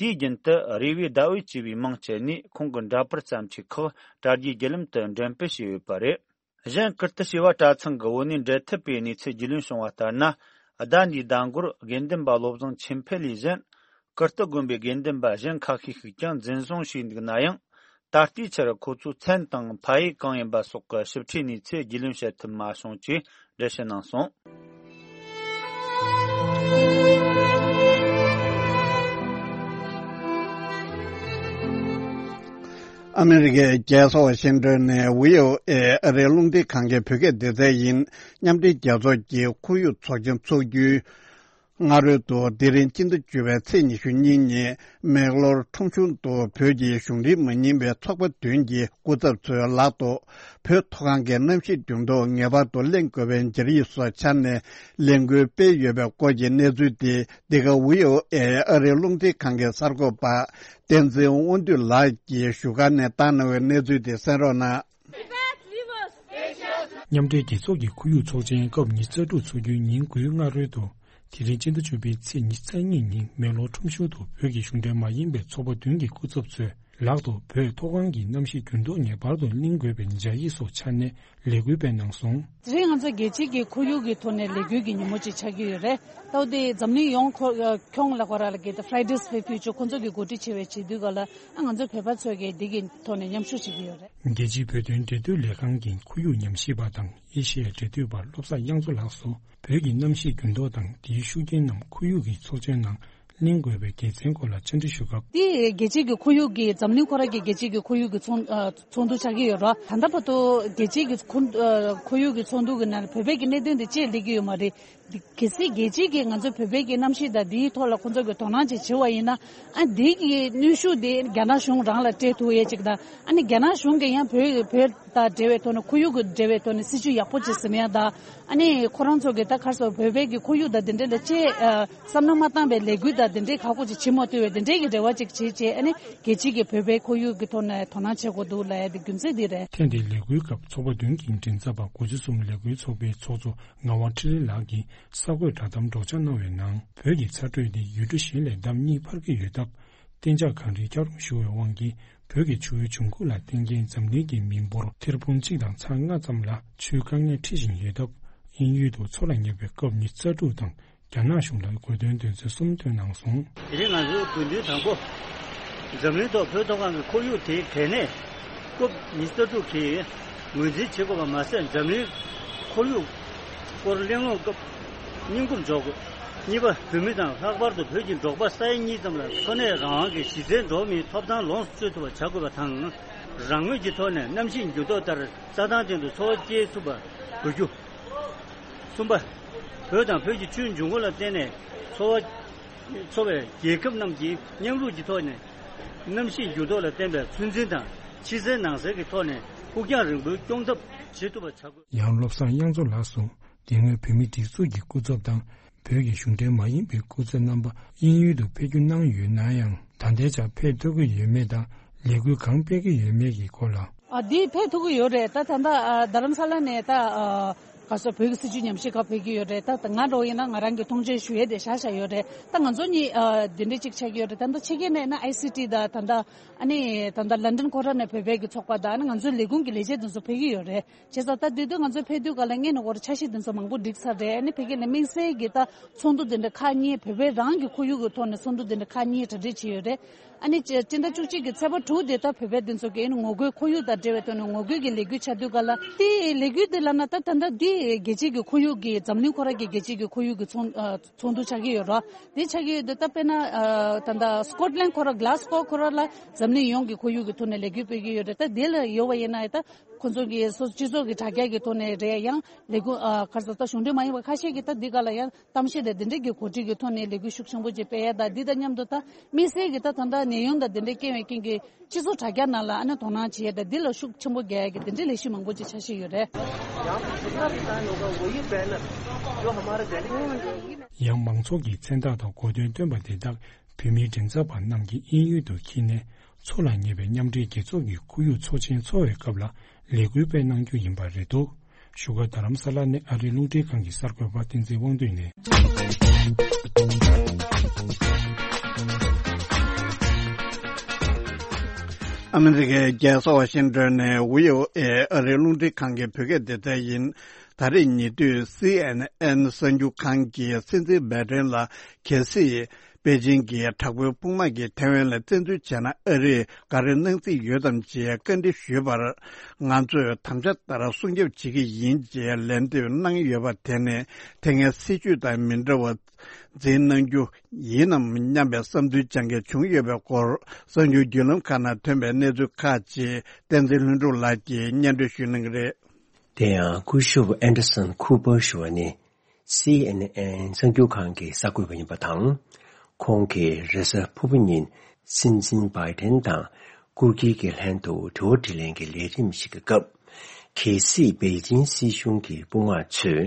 དེའི་རྒྱུན་དུ་རེ་བའི་ཟླ་འོད་ཅེས་པའི་མིང་སྤྱད་ནས་ཁོང་གི་འདྲ་པར་བརྩམས་ཆོས་ཁག་དྲ་རྒྱའི་བརྒྱུད་ལམ་དུ་འགྲེམས་སྤེལ་བྱས་ཡོད་པ་རེད། གཞན་ཀིརྟི་བྱེས་པ་གྲྭ་ཚང་གི་བོད་གནས་འབྲེལ་མཐུད་པའི་གནས་ཚུལ་རྒྱུས་ལོན་བྱུང་བ་ལྟར་ན། ཟླ་འདིའི་ཟླ་འགོར་དགེ་འདུན་པ་བློ་བཟང་ཆོས་འཕེལ་ལས་གཞན། ཀིརྟི་དགོན་པའི་དགེ་འདུན་པ་གཞན་ཁ་ཤས་ཤིག་ཀྱང་འཛིན་བཟུང་བྱས་འདུག་ན་ཡང་། ད་ལྟའི་ཆར་ཁོ་ཚོའི་མཚན་དང་ཕ་ཡུལ་གང་ཡིན་པ་སོགས་ཀྱི་ཞིབ་ཕྲའི་གནས་ཚུལ་རྒྱུས་ལོན་བྱེད་ཐུབ་མ་བྱུང་ཅེས་འགྲེལ་བཤད་གནང་སོང་། ཨ་མི་རི་ཀའི་རྒྱལ་ས་ཝ་ཤིང་ཏོན་ནས་བྷི་ཨོ་ཨེ་ཨ་རིའི་རླུང་འཕྲིན་ཁང་གི་བོད་སྐད་སྡེ་ཚན་ཡིན། མཉམ་འབྲེལ་རྒྱལ་ཚོགས་ཀྱི་ཁོར་ཡུག་ཚོགས་ཆེན་འཚོགས་རྒྱུའི་སྔ་རོལ་དུ་དེ་རིང་སྤྱི་ཟླ་བཅུ་པའི་ཚེས་ཉི་ཤུ་གཉིས་ཉིན་མེག་ལོར་ཁྲོམ་གཞུང་དུ་བོད་ཀྱི་གཞུང་འབྲེལ་མ་ཡིན་པའི་ཚོགས་པ་བདུན་གྱི་སྐུ་ཚབ་ཚོའི་ལག་ཏུ་བོད་མཐོ་སྒང་གི་གནམ་གཤིས་འགྱུར་ལྡོག་ངེས་པར་དུ་གླེང་དགོས་པའི་སྦྱར་ཡིག་སོགས་འཕྱར་ནས་ལས་འགུལ་སྤེལ་ཡོད་པའི་སྐོར་གྱི་གནས་ཚུལ་དེ་འདི་ག་བྷི་ཨོ་ཨེ་ཨ་རིའི་རླུང་འཕྲིན་ཁང་གི་གསར་འགོད་པ་བསྟན་འཛིན་དབང་འདུས་ལགས་ཀྱིས་བཞུགས་སྒར་ནས་བཏང་གནང་བའི་གནས་ཚུལ་དེ་གསན་རོགས་གནང་། མཉམ་འབྲེལ་རྒྱལ་ཚོགས་ཀྱི་ཁོར་ཡུག་ཚོགས་ཆེན་སྐབས་ཉི་ཤུ་རྩ་དྲུག་འཚོགས་རྒྱུའི་ཉིན་དགུའི་སྔ་རོལ་དུ། དེ་རིང་སྤྱི་ཟླ་བཅུ་པའི་ཚེས་ཉི་ཤུ་རྩ་གཉིས་ཉིན་མེག་ལོར་ཁྲོམ་གཞུང་དུ་བོད་ཀྱི་གཞུང་འབྲེལ་མ་ཡིན་པའི་ཚོགས་པ་བདུན་གྱི་སྐུ་ཚབ་ཚོས་ལག་ཏུ་བོད་མཐོ་སྒང་གི་གནམ་གཤིས་འགྱུར་ལྡོག་ངེས་པར་དུ་གླེང་དགོས་པའི་སྦྱར་ཡིག་སོགས་འཕྱར་ནས་ལས་འགུལ་སྤེལ་གནང་སོང་། དེ་རིང་ང་ཚོ་རྒྱལ་སྤྱིའི་གི་ཁོར་ཡུག་གི་ཐོག་ནས་ལས་འགུལ་གྱི་ཉིན་མོ་ཅིག་ཆགས་ཀྱི་ཡོད་རེད། ད་དེ་འཛམ་གླིང་ཡོངས་ཁོ་ཁྱོན་ལ་ཁོ་ར་ལ་གི་ད་Fridays for Future ཁོ་ཚོ་གི་གོ་སྒྲིག་བྱས་པའི་བྱེད་དུས་ག་ལ་ཨ་ང་ཚོ་བོད་པ་ཚོས་གི་འདི་གི་ཐོག་ནས་མཉམ་ཞུགས་བྱེད་ཀྱི་ཡོད་རེད། རྒྱལ་སྤྱིའི་བོད་དོན་འབྲེལ་མཐུད་ལས་ཁང་གི་ཁོར་ཡུག་ཉམས་ཞིབ་པ་དང་ཨེ་ཤེ་ཡའི་འབྲེལ་མཐུད་པ་བློ་བཟང་དབྱངས་མཚོ་ལགས་སུ། བོད་ཀྱི་གནམ་གཤིས་འགྱུར་ལྡོག་དང་དེའི་ཤུགས་རྐྱེན་རྣམས་ཁོར་ཡུག་གི་ཚོགས་ཆེན་ནང་གླེང་དགོས་པའི་དགེ་མཚན་སྐོར་ལ་བཅར་འདྲི་ཞུ་སྐབས། དེ་རྒྱལ་སྤྱིའི་གི་ཁོར་ཡུག་གི་འཛམ་གླིང་ཁོ་ར་གི་རྒྱལ་སྤྱིའི་གི་ཁོར་ཡུག་གི་ཚོགས་ཨ་ཚོགས་འདུ་ཆགས་ཀྱི་ཡོད་ར། ད་ལྟ་བར་དུ་རྒྱལ་སྤྱིའི་གི་ཁོར་ཨ་ཁོར་ཡུག་གི་ཚོགས་འདུ་གི་ནང་ལ་བོད་པའི་གི་གནད་དོན་དེ་ཅིག་སླེབས་ཀྱི་ཡོད་མ་རེད། འདི་གལ་སྲིད་རྒྱལ་སྤྱིའི་གི་ང་ཚོ་བོད་པའི་གི་གནམ་གཤིས་དང་འདིའི་ཐོག་ལ་ཁོང་ཚོ་གི་དོ་སྣང་ཅིག་བྱེད་པ་ཡིན་ན། ཨ་འདི་གི་གནོན་ཤུགས་དེ་རྒྱ་ནག་གཞུང་རང་ལ་སྤྲད་ཐུབ་ཡས་ཅིག་དང་། ཨ་ནི་རྒྱ་ནག་གཞུང་གིས་ཡང་བོད་བོད་དང་འབྲེལ་བའི་ཐོག་ནས་ཁོར་ཡུག་གི་འབྲེལ་བའི་ཐོག་ནས་སྲིད་ཇུས་ཡག་པོ་ཅིག་ཟིན་ཡ་དང་། ཨ་ནི་ཁོ་རང་ཚོ་གི་ད་ག་རེ་ཟེར་བོད་པའི་གི་ཁོར་ཡུག་དང་དེ་འདྲ་ལ་ཅིག་ཨ་བསམ་བློ་མ་བཏང་བའི་ལས་འགུལ་དང་དེ་འདྲའི་ཁག་པོ་ཅིག་བྱེད་མ་ཐུབ་པའི་དེ་འདྲའི་གི་འབྲེལ་བ་ཅིག་བྱེད་བྱས། ཨ་ནི་རྒྱལ་སྤྱིའི་གི་བོད་པའི་ཁོར་ཡུག་གི་ཐོག་ནས་དོ་སྣང་བྱེད་དགོས་འདུག་ལབ་ཡ་དེ་རྒྱུ་མཚན་འདི་རེད། ཐེངས་འདིའི་ལས་འགུལ་སྐབས་ཚོགས་པ་བདུན་གྱི་མགྲིན་ཚབ་པ་དགུ་བཅུ་གསུམ་ལས་འགུལ་ཚོགས་པའི་ཚོགས་གཙོ་ངག་དབང་འཕྲིན་ལས་ལགས་ཀྱིས་གསར་འགོད་བསྒྲགས་གཏམ་སྒྲོག་སྦྱང་གནང་བའི་ནང་། བོད་ཀྱི་ཚ་དྲོད་དེ་ཡུལ་གྲུ་གཞན་ལས་ལྡབ་གཉིས་འཕར་གྱི་ཡོད་སྟབས། གཏན་འཇགས་གངས་རིའི་འཁྱགས་རོམ་ཤོར་བའི་དབང་གིས། བོད་ཀྱི་ཆུའི་འབྱུང་ཁུངས་ལ་བརྟེན་མཁན་འཛམ་གླིང་གི་མི་འབོར་ཐེར་འབུམ་གཅིག་དང་ཚེག་ལྔ་ཙམ་ལ་ཆུའི་དཀའ་ངལ་འཕྲད་བཞིན་ཡོད་སྟབས། དབྱིན་ཡུལ་དུ་མཚོ་ལ་ཉེ་བའི་ཀོབ་ཉི་ཤུ་རྩ་དྲུག་དང་། རྒྱ་ནག་གཞུང་ལ་དགོས་དོན་དོན་ཚན་གསུམ་བཏོན་གནང་སོང་། དེ་རིང་ང་ཚོའི་དགོས་འདུན་དང་པོ། འཛམ་གླིང་ཐོག་བོད་མཐོ་སྒང་གི་ཁོར་ཡུག་དེའི་གལ་གནད། ཀོབ་ཉི་ཤུ་རྩ་དྲུག་གིས་ངོས་འཛིན་བྱེད་དགོས་པ་མ་ཟད། འཛམ་གླིང་ཁོར་ཡུག་སྐོར་གླེང་སློང་སྐབས་སྙིང་ཁུར་འཇོག་དགོས། གཉིས་པ། བོད་མི་དང་ལྷག་པར་དུ་བོད་ཀྱི་འབྲོག་པ་ས་ཡ་གཉིས་ཙམ་ལ་འཚོ་གནས་རང་དབང་གི་གཞི་རྩའི་འགྲོ་བ་མིའི་ཐོབ་ཐང་ལོངས་སུ་སྤྱོད་ཐུབ་པ་བྱ་དགོས་པ་དང་། རང་མོས་ཀྱི་ཐོག་ནས་གནམ་གཤིས་འགྱུར་ལྡོག་ལྟར་རྩྭ་ཐང་སྟེང་དུ་འཚོ་བ་སྐྱེལ་ཐུབ་པ་དགོས་རྒྱུ། གསུམ་པ། བོད་དང་བོད་ཀྱི་ཆུའི་འབྱུང་ཁུངས་ལ་བརྟེན་ནས་འཚོ་བ་འཚོ་བའི་རྒྱལ་ཁབ་རྣམས་ཀྱིས་མཉམ་རུབ་ཀྱི་ཐོག་ནས་གནམ་གཤིས་འགྱུར་ལྡོག་ལ་བརྟེན་པའི་ཚོད་འཛིན་དང་ཕྱི་གསལ་ནང་གསལ་གྱི་ཐོག་ནས་ཕུགས་རྒྱང་རིང་པོའི་སྐྱོང་ཐབས་བྱེད་ཐུབ་པ་བྱ་དགོས། ཡང་བློ་བཟང་དབྱངས་མཚོ་ལགས་སུ་དེ་སྔོན་བོད་མིའི་སྒྲིག་འཛུགས་ཀྱི་སྐུ་ཚབ་དང་། བོད་ཀྱི་གཞུང་འབྲེལ་མ་ཡིན་པའི་སྐུ་ཚབ་རྣམ་པ་དབྱིན་ཡུལ་དུ་ཕེབས་སྒྱུར་གནང་ཡོད་ན་ཡང་། ད་ལྟའི་ཆར་ཕེབས་ཐུབ་ཀྱི་ཡོད་མེད་དང་། ལས་འགུལ་གང་སྤེལ་གྱི་ཡོད་མེད་ཀྱི་སྐོར་ལ། ཨ་འདི་ཕེབས་ཐུབ་ཀྱི་ཡོད་རེད། ད་ད་ལྟ་ཨ་རྡ་རམ་ས་ལ་ནས་ད་ཨ་ག་སོ་བོད་ཀྱི་སྲིད་བྱུས་ཉམས་ཞིབ་ཁག་ཕེབས་ཀྱི་ཡོད་རེད། ད་ད་ང་འདྲ་བོ་ཡིན་ན་ང་རང་གི་མཐོང་ཆེན་ཞུ་ཡས་དེ་བཞག་བཞག་ཡོད་རེད། ད་ང་ཚོ་གཉིས་ཨ་འདི་འདྲ་ཅིག་ཆགས་ཀྱི་ཡོད་རེད། ད་ལྟ་ཕྱི་རྒྱལ་ནས་ན་ཨའི་སི་ཊི་དང་ད་ལྟ་ཨ་ནི་ད་ལྟ་ལན་ཌན་ཁོ་ར་ནས་བོད་པའི་གི་ཚོགས་པ་དང་ཨ་ནི་ང་ཚོའི་ལས་ཁུངས་ཀྱི་ལས་བྱེད་དེ་ཚོ་ཕེབས་ཀྱི་ཡོད་རེད། བྱས་ཙང་ད་དེ་དུས་ང་ཚོ་ཕེབས་དུས་ག་ལ་སྔོན་ནས་འོར་འཆར་གཞི་དེ་ཚོ་མང་པོ་བསྒྲིགས་ཚར་རེད། ཨ་ནི་ཕ་གི་ལ་དམིགས་བསལ་གྱི་ད་ཚོགས་འདུ་དེ་འདྲ་ཁག་གཉིས་བོད་པའི་རང་གི་ཁོར་ཡུག་གི་ཐོག་ནས་ཚོགས་འདུ་དེ་འདྲ་ཁག་གཉིས་གྲ་སྒྲིག་བྱས་ཡོད་རེད། ཨ་ནི་སྤྱི་ཟླ་བཅུ་གཅིག་གི་ཚེས་པ་དྲུག་དེ་ད་བོད་པའི་དེ་ཚོ་གི་ཨ་ནི་ངོ་རྒོལ་ཁོར་ཡུག་དང་འབྲེལ་བའི་ཐོག་ནས་ངོ་རྒོལ་གྱི་ལས་འགུལ་ཆགས་དུས་ག་ལ་དེ་ལས་འགུལ་དེ་ལབ་ན་ད་ད་ལྟ་དེ་རྒྱལ་སྤྱིའི་གི་ཁོར་ཡུག་གི་འཛམ་གླིང་ཁོ་ར་གི་རྒྱལ་སྤྱིའི་གི་ཁོར་ཡུག་གི་ཚོགས་ཚོགས་འདུ་ཆགས་ཀྱི་ཡོད་རེད། དེ་ཆགས་ཀྱི་ཡོད་དུས་ད་དཔེར་ན་ད་ལྟ་སི་ཀོཊ་ལན་ཁོ་ར་གྷ་ལ་སི་ཀོ་ཁོ་ར་ལ་འཛམ་གླིང་ཡོངས་ཀྱི་ཁོར་ཡུག་གི་ཐོག་ནས་ལས་འགུལ་སྤེལ་གྱི་ཡོད་རེད། ད་དེ་ལ་ཡོད་པ་ཡིན་ན་ད། ཁོ་ཚོ་གི་སོ་སྤྱི་ཚོགས་ཀྱི་དྲ་རྒྱ་གི་ཐོག་ནས་རེད། ཡང་ལས་ཁུངས་ཨ་ག་རེ་ཟེར་ད་གཞུང་འབྲེལ་མ་ཡིན་པ་ཁ་ཤས་ཀྱིས་ད་འདི་ག་ལ་ཡང་གཏམ་བཤད་དང་འདི་འདྲའི་གི་གོ་སྒྲིག་གི་ཐོག་ནས་ལས་འགུལ་ཤུགས་ཆེན་པོ་ཅིག་སྤེལ་ཡ་དང་འདི་དང་མཉམ་དུ་ད་དམིགས་བསལ་གྱི་ད་ད་ལྟ་ནད་ཡམས་དང་འདི་འདྲའི་རྐྱེན་པས་རྐྱེན་གྱིས་སྤྱི་ཚོགས་དྲ་རྒྱ་ནང་ལ་ཨ་ནི་དོ་སྣང་བྱེད་ཡ་དང་འདི་ལ་ཤུགས་ཆེན་པོ་རྒྱག་ཡ་གི་འདི་འདྲའི་ལས་གཞི་མང་པོ་ཅིག་འཆར་གཞི་ཡོད་རེད། ཡང་མང་ཚོགས་ཀྱི་མཚན་རྟགས་དང་གོ་སྟོན་སྟོན་པ་དེ་དག་བོད་མིའི་མགྲིན་ཚབ་པ་རྣམས་ཀྱིས་དབྱིན་ཡུལ་དུ་འཁྱེར་ནས། མཚོ་ལ་ཉེ་བའི་མཉམ་འབྲེལ་རྒྱལ་ཚོགས་ཀྱི་ཁོར་ཡུག་ཚོགས་ཆེན་འཚོགས་པའི་སྐབས་ལ་ལས་འགུལ་སྤེལ་གནང་རྒྱུ་ཡིན་པ་རེད་འདུག་བཞུགས་སྒར་རྡ་རམ་ས་ལ་ནས་ཨ་རིའི་རླུང་འཕྲིན་ཁང་གི་གསར་འགོད་པ་བསྟན་འཛིན་དབང་འདུས་ནས། ཨ་མི་རི་ཀའི་རྒྱལ་ས་ཝ་ཤིང་ཏོན་ནས་བྷི་ཨོ་ཨེ་ཨ་རིའི་རླུང་འཕྲིན་ཁང་གི་བོད་སྐད་སྡེ་ཚན་ཡིན། ད་རེས་ཉེ་དུས་སི་ཨེན་ཨེན་གསར་འགྱུར་ཁང་གིས་སྲིད་འཛིན་བྷའི་ཏན་ལ་གལ་སྲིད་པེ་ཅིང་གི་དྲག་པོའི་དཔུང་དམག་གིས་ཐའེ་ཝན་ལ་བཙན་འཛུལ་བྱས་ན་ཨ་རིས་ག་རེ་གནང་རྩིས་ཡོད་དམ་ཅེས་བཀའ་འདྲི་ཞུས་པར། ང་ཚོས་དམ་བཅའ་ལྟར་སྲུང་སྐྱོབ་བྱེད་ཀྱི་ཡིན་ཅེས་ལན་འདེབས་གནང་ཡོད་པ་དེ་ནི་དེ་སྔའི་སྲིད་བྱུས་དང་མི་འདྲ་བ་འཛིན་གནང་རྒྱུ་ཡིན་ནམ་སྙམ་པའི་བསམ་ཚུལ་སྦྱང་མཁན་བྱུང་ཡོད་པའི་སྐོར། གསར་འགྱུར་བརྒྱུད་ལམ་ཁག་ནང་ཐོན་པའི་གནས་ཚུལ་ཁག་ཅིག་བསྟན་འཛིན་ལྷུན་གྲུབ་ལགས་ཀྱིས་སྙན་སྒྲོན་ཞུ་གནང་གི་རེད། དེ་ཡང་སྐུ་ཞབས་ཨན་ཌར་སན་ཁུ་པར་ཞུ་བ་ནི་སི་ཨེན་ཨེན་གསར་འགྱུར་ཁང་གི་གསར་འགོད་པ་ཡིན་པ་དང་། ཁོང་གིས་རེས་གཟའ་ཕུར་བུ་ཉིན་སྲིད་འཛིན་བྷའི་ཏན་དང་སྐུ་སྒེར་གྱི་ལྷན་དུ་དྲི་བ་དྲིས་ལན་གྱི་ལས་རིམ་ཞིག་གི་སྐབས། གལ་སྲིད་པེ་ཅིང་སྲིད་གཞུང་གི་དཔུང་དམག་ཚོས་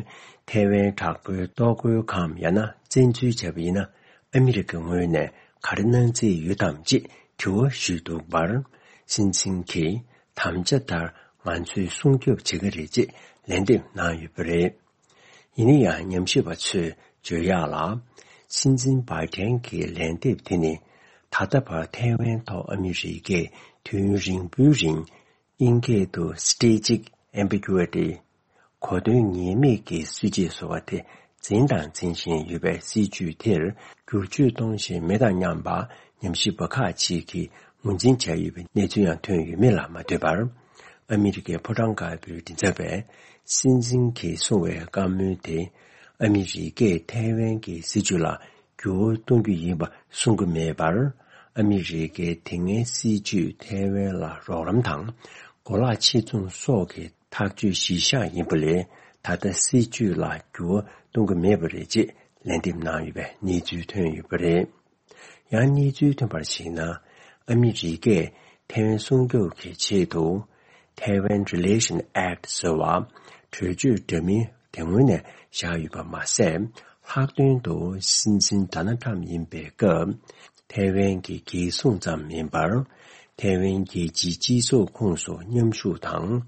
ཐའེ་ཝན་དྲག་པོའི་གཏོར་རྒོལ་གམ་ཡང་ན་བཙན་འཛུལ་བྱས་པ་ཡིན་ན་ཨ་མི་རི་ཀའི་ངོས་ནས་ག་རེ་གནང་རྩིས་ཡོད་དམ་ཅེས་དྲི་བ་ཞུས་འདུག་པར། སྲིད་འཛིན་གྱིས་དམ་བཅའ་ལྟར་ང་ཚོས་སྲུང་སྐྱོབ་བྱེད་ཀྱི་རེད་ཅེས་ལན་འདེབས་གནང་ཡོད་པ་རེད། ཡིན་ན་ཡང་ཉམས་ཞིབ་པ་ཚོས་བརྗོད་ཡག་ལ། སྲིད་འཛིན་བྷའི་ཏན་གྱི་ལན་འདེབས་དེ་ནི་ད་ལྟ་བར་ཐའེ་ཝན་ཐོག་ཨ་མི་རི་ཀས་དུས་ཡུན་རིང་པོའི་རིང་དབྱིན་སྐད་དུ་strategic ambiguity གོ་དོན་ངེས་མེད་ཀྱི་སྲིད་བྱུས་བཟོ་བ་དེ་འཛིན་དང་འཛིན་བཞིན་ཡོད་པའི་སྲིད་བྱུས་དེར་བསྒྱུར་བཅོས་གཏོང་བཞིན་མེད་དང་མཉམ་པ་ཉམས་ཞིབ་པ་ཁག་ཅིག་གིས་ངོས་འཛིན་བྱས་ཡོད་པའི་གནས་ཚུལ་ཡང་ཐོན་ཡོད་མེད་ལ་མ་ལྟོས་པར། ཨ་མི་རི་ཀའི་ཕོ་བྲང་དཀར་པོའི་མགྲིན་ཚབ་པས་སྲིད་འཛིན་གྱིས་གསུངས་པའི་བཀའ་མོལ་དེ་ཨ་མི་རི་ཀས་ཐའེ་ཝན་གྱི་སྲིད་བྱུས་ལ་འགྱུར་བ་གཏོང་རྒྱུ་ཡིན་པ་གསུང་གི་མེད་པར། ཨ་མི་རི་ཀའི་དེ་སྔའི་སྲིད་བྱུས་ཐའེ་ཝན་ལ་རོགས་རམ་དང་གོ་ལག་ཕྱིར་ཚོང་སོགས་ཀྱི་ཐག་གཅོད་གཞི་བཞག་ཡིན་པ་ལས་ད་ལྟ་སྲིད་བྱུས་ལ་འགྱུར་བ་གཏོང་གི་མེད་པ་རེད་ཅེས་ལན་འདེབས་གནང་ཡོད་པའི་གནས་ཚུལ་ཐོན་ཡོད་པ་རེད། ཡང་གནས་ཚུལ་ཐོན་པར་གཞིགས་ན། ཨ་མི་རི་ཀས་ཐའེ་ཝན་སྲུང་སྐྱོབ་ཀྱི་ཆེད་དུ། Taiwan Relation Act ཟེར་བ་གྲོས་ཆོད་འདྲ་མིན་དེ་སྔོན་ནས་བཞག་ཡོད་པ་མ་ཟད། ལྷག་དོན་དུ་སྲིད་འཛིན་ཌོ་ནལ་ཊམ་ཡིན་པའི་སྐབས། ཐའེ་ཝན་གྱི་རྒྱལ་སྲུང་ཙམ་མིན་པར། ཐའེ་ཝན་རྒྱལ་སྤྱིའི་སྤྱི་ཚོགས་ཁོངས་སུ་མཉམ་ཞུགས་དང་།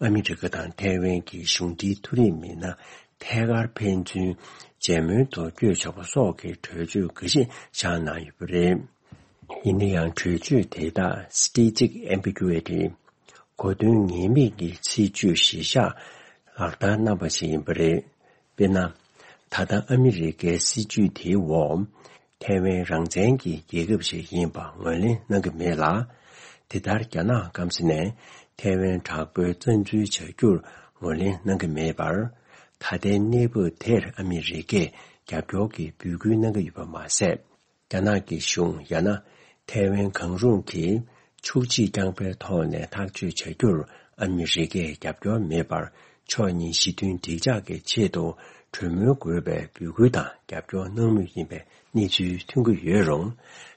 ཨ་མི་རི་ཀ་དང་ཐའེ་ཝན་གྱི་གཞུང་འབྲེལ་མཐོ་རིམ་མི་སྣ་ཐད་ཀར་ཕན་ཚུན་མཇལ་མོལ་དུ་བསྐྱོད་ཆོག་པ་སོགས་ཀྱི་གྲོས་ཆོད་འགའ་ཤས་བཞག་གནང་ཡོད་པ་རེད། ཡིན་ན་ཡང་གྲོས་ཆོད་དེ་དག་strategic ambiguity གོ་དོན་ངེས་མེད་ཀྱི་སྲིད་བྱུས་གཞི་བཞག་ལག་བསྟར་གནང་པ་ཞིག་ཡིན་པ་རེད། དཔེར་ན། ད་ལྟ་ཨ་མི་རི་ཀའི་སྲིད་བྱུས་དེའི་འོག་ཐའེ་ཝན་རང་བཙན་གྱི་རྒྱལ་ཁབ་ཞིག་ཡིན་པ་ངོས་ལེན་གནང་གི་མེད་ལ། དེ་ལྟར་རྒྱ་ནག་སྐམ་ས་ནས་ཐའེ་ཝན་དྲག་པོའི་བཙན་འཛུལ་བྱ་རྒྱུར་ངོས་ལེན་གནང་གི་མེད་པར། ད་ལྟའི་གནས་བབ་དེར་ཨ་མི་རི་ཀས་རྒྱབ་སྐྱོར་གྱི་འབོད་སྐུལ་གནང་གི་ཡོད་པ་མ་ཟད། རྒྱ་ནག་གི་གཞུང་ཡང་ན་ཐའེ་ཝན་གང་རུང་གིས་ཕྱོགས་གཅིག་རྐྱང་པའི་ཐོག་ནས་ཐག་གཅོད་བྱ་རྒྱུར་ཨ་མི་རི་ཀས་རྒྱབ་སྐྱོར་མེད་པར། ཕྱོགས་གཉིས་ཞི་མཐུན་འགྲིག་འཇགས་ཀྱི་ཆེད་དུ་གྲོས་མོལ་དགོས་པའི་འབོད་སྐུལ་དང་རྒྱབ་སྐྱོར་གནང་མུས་ཡིན་པའི་གནས་ཚུལ་ཐོན་གྱི་ཡོད་རུང་།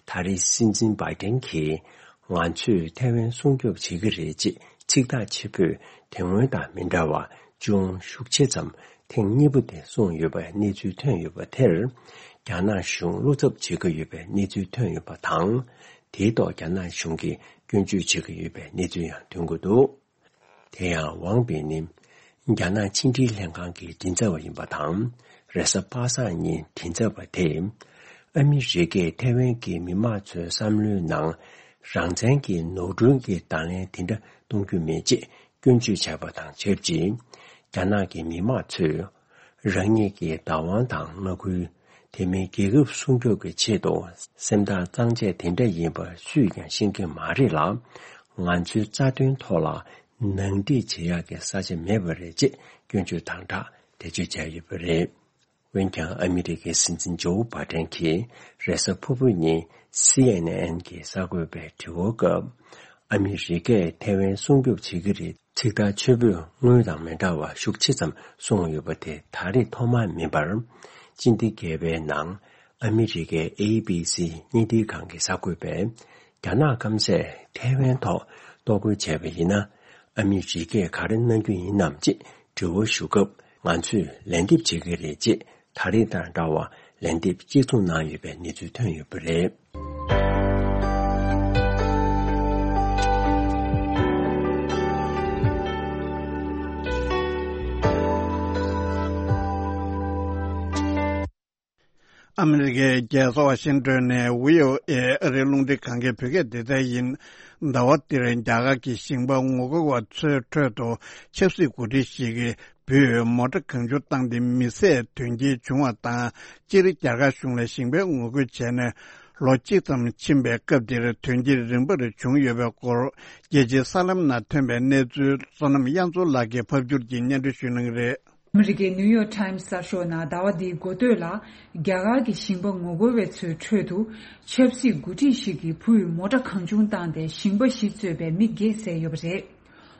ད་རེས་སྲིད་འཛིན་བྷའི་ཏན་གྱིས་ང་ཚོས་ཐའེ་ཝན་སྲུང་སྐྱོབ་བྱེད་ཀྱི་རེད་ཅེས་ཚིག་ཐག་ཆོད་པོས་དེ་སྔོན་དང་མི་འདྲ་བར་ཅུང་ཤུགས་ཆེ་ཙམ་ཐེངས་གཉིས་པ་དེ་གསུངས་ཡོད་པའི་གནས་ཚུལ་ཐོན་ཡོད་པ་དེར། རྒྱ་ནག་གཞུང་བློ་འཚབ་བྱེད་ཀྱི་ཡོད་པའི་གནས་ཚུལ་ཐོན་ཡོད་པ་དང་། དེའི་ཐོག་རྒྱ་ནག་གཞུང་གིས་སྐྱོན་བརྗོད་བྱེད་ཀྱི་ཡོད་པའི་གནས་ཚུལ་ཡང་ཐོན་གྱི་འདུག་དེ་ཡང་ཝང་པི་ནི་རྒྱ་ནག་ཕྱི་འབྲེལ་ལྷན་ཁང་གི་མགྲིན་ཚབ་པ་ཡིན་པ་དང་། རེས་གཟའ་པ་སངས་ཉིན་མགྲིན་ཚབ་པ་དེས་ཨ་མི་རི་ཀས་ཐའེ་ཝན་གྱི་མི་མང་ཚོའི་བསམ་བློའི་ནང་རང་བཙན་གྱི་ནོར་འཁྲུལ་གྱི་དང་ལེན་དེ་འདྲ་གཏོང་རྒྱུ་མེད་ཅེས་སྐྱོན་བརྗོད་བྱས་པ་དང་ཆབས་ཅིག་རྒྱ་ནག་གི་མི་མང་ཚོས་རང་ཉིད་ཀྱི་བདག་དབང་དང་མངའ་ཁུལ། དེ་མིན་རྒྱལ་ཁབ་སྲུང་སྐྱོབ་ཀྱི་ཆེད་དུ་སེམས་ཐག་གཙང་བཅད་དེ་འདྲ་ཡིན་པ་སུས་ཀྱང་ཤེས་ཀྱི་མ་རེད་ལ། ང་ཚོའི་རྩ་དོན་ཐོག་ལ་ནང་འགྲིག་བྱེད་ཡག་གི་ས་ཆ་མེད་པ་རེད་ཅེས་སྐྱོན་བརྗོད་དང་སྦྲགས་འགྲེལ་བརྗོད་བྱས་ཡོད་པ་རེད། འོན་ཀྱང་ཨ་མི་རི་ཀའི་སྲིད་འཛིན་ཇོ་བྷའི་ཏན་གྱིས་རེས་གཟའ་ཕུར་བུ་ཉིན་སི་ཨེན་ཨེན་གྱི་གསར་འགོད་པའི་དྲི་བ་སྐབས། ཨ་མི་རི་ཀས་ཐའེ་ཝན་སྲུང་སྐྱོབ་བྱེད་ཀྱི་རེད། ཚིག་ཐག་ཆོད་པོས་སྔོན་དང་མི་འདྲ་བ་ཤུགས་ཆེ་ཙམ་གསུངས་ཡོད་པ་དེ་ད་རེས་ཐོག་མ་མིན་པར། སྤྱི་ཟླ་བརྒྱད་པའི་ནང་ཨ་མི་རི་ཀའི་ཨེ་བི་སི་བརྙན་འཕྲིན་ཁང་གི་གསར་འགོད་པས། རྒྱ་ནག་སྐམ་སས་ཐའེ་ཝན་ཐོག་གཏོར་རྒོལ་བྱས་པ་ཡིན་ན། ཨ་མི་རི་ཀས་ག་རེ་གནང་རྒྱུ་ཡིན་ནམ་ཅེས་དྲི་བ་ཞུ་སྐབས། ང་ཚོས་ལན་འདེབས་བྱེད་ཀྱི་རེད་ཅེས། ད་རེས་དང་འདྲ་བར་ལན་འདེབས་གཅིག་མཚུངས་གནང་ཡོད་པའི་གནས་ཚུལ་ཐོན་ཡོད་པ་རེད། ཨ་མི་རི་ཀའི་རྒྱལ་ས་ཝ་ཤིང་ཏོན་ནས་བྷི་ཨོ་ཨེ་ཨ་རིའི་རླུང་འཕྲིན་ཁང་གི་བོད་སྐད་སྡེ་ཚན་ཡིན། ཟླ་བ་འདིར་རྒྱ་གར་གྱི་ཞིང་པ་ངོ་རྒོལ་བ་ཚོའི་ཁྲོད་དུ་ཆབ་སྲིད་འགོ་ཁྲིད་ཞིག་གིས་བུས་མོ་ཊ་གང་བྱུང་བཏང་སྟེ་མི་བསད་དོན་རྐྱེན་བྱུང་བ་དང་། སྤྱིར་རྒྱ་གར་གཞུང་ལ་ཞིང་པའི་ངོ་རྒོལ་བྱས་ནས་ལོ་གཅིག་ཙམ་ཕྱིན་པའི་སྐབས་འདིར་དོན་རྐྱེན་རིམ་པར་བྱུང་ཡོད་པའི་སྐོར། རྒྱལ་སྤྱིའི་གསར་ལམ་ནང་ཐོན་པའི་གནས་ཚུལ་བསོད་ནམས་དབྱངས་མཚོ་ལགས་ཀྱིས་ཕབ་སྒྱུར་གྱིས་སྙན་སྒྲོན་ཞུ་གནང་གི་རེད། ཨ་མི་རི་ཀའི་ནིའུ་ཡོག་ཊའིམ་གསར་ཤོག་ནང་ཟླ་བ་འདིའི་འགོ་སྟོད་ལ། རྒྱ་གར་གྱི་ཞིང་པ་ངོ་རྒོལ་བ་ཚོའི་ཁྲོད་དུ་ཆབ་སྲིད་འགོ་ཁྲིད་ཞིག་གི་བུས་མོ་ཊ་གང་བྱུང་བཏང་སྟེ་ཞིང་པ་བཞི་གཙོས་པའི་མི་བརྒྱད་བསད་ཡོད་པ་རེད།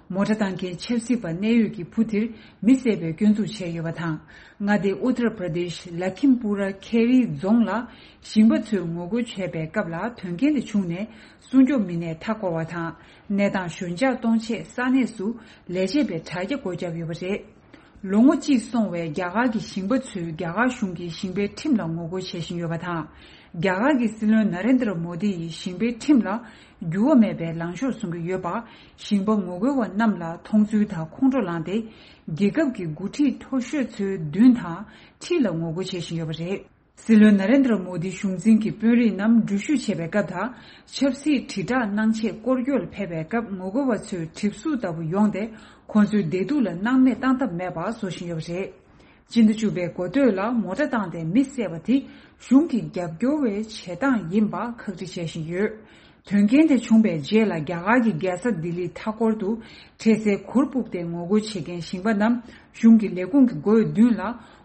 མོ་ཊ་བཏང་མཁན་ཆབ་སྲིད་པ་གནད་ཡོད་ཀྱི་བུ་དེར་མི་བསད་པའི་སྐྱོན་འཛུགས་བྱས་ཡོད་པ་དང་། མངའ་སྡེ་ཨུ་ཏར་པྲ་དེཤ་ལ་ཁིམ་པུ་ར་ཁེ་རི་རྫོང་ལ་ཞིང་པ་ཚོས་ངོ་རྒོལ་བྱས་པའི་སྐབས་ལ་དོན་རྐྱེན་དེ་བྱུང་ནས་སྲུང་སྐྱོབ་མི་སྣས་མཐའ་བསྐོར་བ་དང་། གནས་སྟངས་ཞོད་འཇགས་གཏོང་ཆེད་ས་གནས་སུ་ལས་བྱེད་པའི་དྲ་རྒྱ་སྒོ་བརྒྱབ་ཡོད་པ་རེད། ལོ་ངོ་གཅིག་སོང་བའི་རྒྱ་གར་གྱི་ཞིང་པ་ཚོས་རྒྱ་གར་གཞུང་གི་ཞིང་པའི་ཁྲིམས་ལ་ངོ་རྒོལ་བྱེད་བཞིན་ཡོད་པ་དང་། རྒྱ་གར་གྱི་སྲིད་བློན་ན་རེན་དྲ་མོ་དི་ཡིས་ཞིང་པའི་ཁྲིམས་ལ་འགྱུར་བ་མེད་པའི་ལངས་ཕྱོགས་བཟུང་གི་ཡོད་པ། ཞིང་པ་ངོ་རྒོལ་བ་རྣམས་ལ་མཐོང་ཚུལ་དང་ཁོང་ཁྲོ་ལངས་ཏེ། རྒྱལ་ཁབ་ཀྱི་འགོ་ཁྲིད་མཐོ་ཤོས་ཚོའི་མདུན་དང་འཁྲིས་ལ་ངོ་རྒོལ་བྱེད་བཞིན་ཡོད་པ་རེད། སྲིད་བློན་ན་རེན་དྲ་མོ་དི་གཞུང་འཛིན་གྱི་དཔོན་རིགས་རྣམས་འགྲུལ་བཞུད་བྱེད་པའི་སྐབས་དང་། ཆབ་སྲིད་དྲིལ་བསྒྲགས་གནང་ཆེད་སྐོར་སྐྱོད་ལ་ཕེབས་པའི་སྐབས་ངོ་རྒོལ་བ་ཚོས་གྲིབ་གཟུགས་ལྟ་བུ་ཡོང་སྟེ། ཁོང་ཚོའི་བདེ་སྡུག་ལ་སྣང་མེད་བཏང་ཐབས་མེད་པ་བཟོ་བཞིན་ཡོད་པ་རེད། སྤྱི་ཟླ་བཅུ་པའི་འགོ་སྟོད་ལ་མོ་ཊ་བཏང་སྟེ་མི་བསད་པ་དེ་གཞུང་གི་རྒྱབ་སྐྱོར་བའི་བྱེད་སྟངས་ཡིན་པ་ཁག་དཀྲི་བྱེད་བཞིན་ཡོད། དོན་རྐྱེན་དེ་བྱུང་བའི་རྗེས་ལ་རྒྱ་གར་གྱི་རྒྱལ་ས་ལྡི་ལིའི་མཐའ་འཁོར་དུ་འཕྲལ་སེལ་གུར་ཕུབ་སྟེ་ངོ་རྒོལ་བྱེད་མཁན་ཞིང་པ་རྣམས་གཞུང་གི་ལས་ཁུངས་ཀྱི་སྒོའི་མདུན་ལ་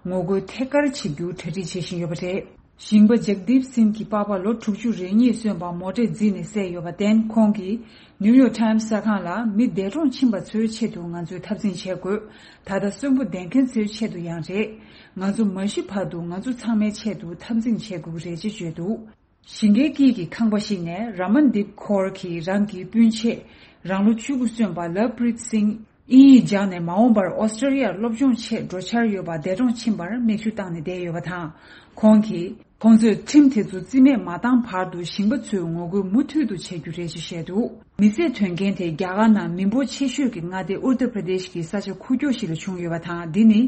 ངོ་རྒོལ་ཐད་ཀར་བྱེད་རྒྱུ་གྲ་སྒྲིག་བྱེད་བཞིན་ཡོད་པ་རེད། ཞིང་པ་ཇག་དིབ་སིན་གྱི་པ་ཕ་ལོ་དྲུག་ཅུ་རེ་གཉིས་སོན་པ་མོ་ཊས་བརྫིས་ནས་བསད་ཡོད་པར་བརྟེན། ཁོང་གིས་ནིའུ་ཡོག་ཊའིམ་གསར་ཁང་ལ། མི་འདས་གྲོངས་ཕྱིན་པ་ཚོའི་ཆེད་དུ་ང་ཚོས་འཐབ་འཛིང་བྱེད་དགོས། ད་ལྟ་གསོན་པོ་བསྡད་མཁན་ཚོའི་ཆེད་དུ་ཡང་རེད། ང་ཚོ་མ་ཤི་བར་དུ་ང་ཚོ་ཚང་མའི་ཆེད་དུ་འཐབ་འཛིང་བྱེད་དགོས་ཀྱི་རེད་ཅེས་བརྗོད་འདུག་ཞིང་ཁའི་དཀྱིལ་གྱི་ཁང་པ་ཞིག་ནས་ར་མན་དིབ་ཁོར་གྱིས་རང་གི་སྤུན་མཆེད་རང་ལོ་བཅུ་དགུ་སོན་པ་ལབ་པྲིད་སིང་དབྱིན་ཡིག་སྦྱངས་ནས་མ་འོངས་པར་ཨོ་སི་ཀྲི་ཡར་སློབ་སྦྱོང་ཆེད་འགྲོ་འཆར་ཡོད་པ་འདས་གྲོངས་ཕྱིན་པར་མིག་ཆུ་བཏང་ནས་བསྡད་ཡོད་པ་དང་། ཁོང་གིས། ཁོང་ཚོས་ཁྲིམས་དེ་ཚོ་རྩིས་མེད་མ་བཏང་བར་དུ་ཞིང་པ་ཚོའི་ངོ་རྒོལ་མུ་མཐུད་དུ་བྱེད་རྒྱུ་རེད་ཅེས་བཤད་འདུག་མི་བསད་དོན་རྐྱེན་དེ་རྒྱ་གར་ནང་མི་འབོར་ཆེ་ཤོས་ཀྱི་མངའ་སྡེ་ཨུར་ཏར་པྲ་དེཤ་གི་ས་ཆ་ཁུག་ཀྱོག་ཞིག་ལ་བྱུང་ཡོད་པ་དང་། འདི་ནི་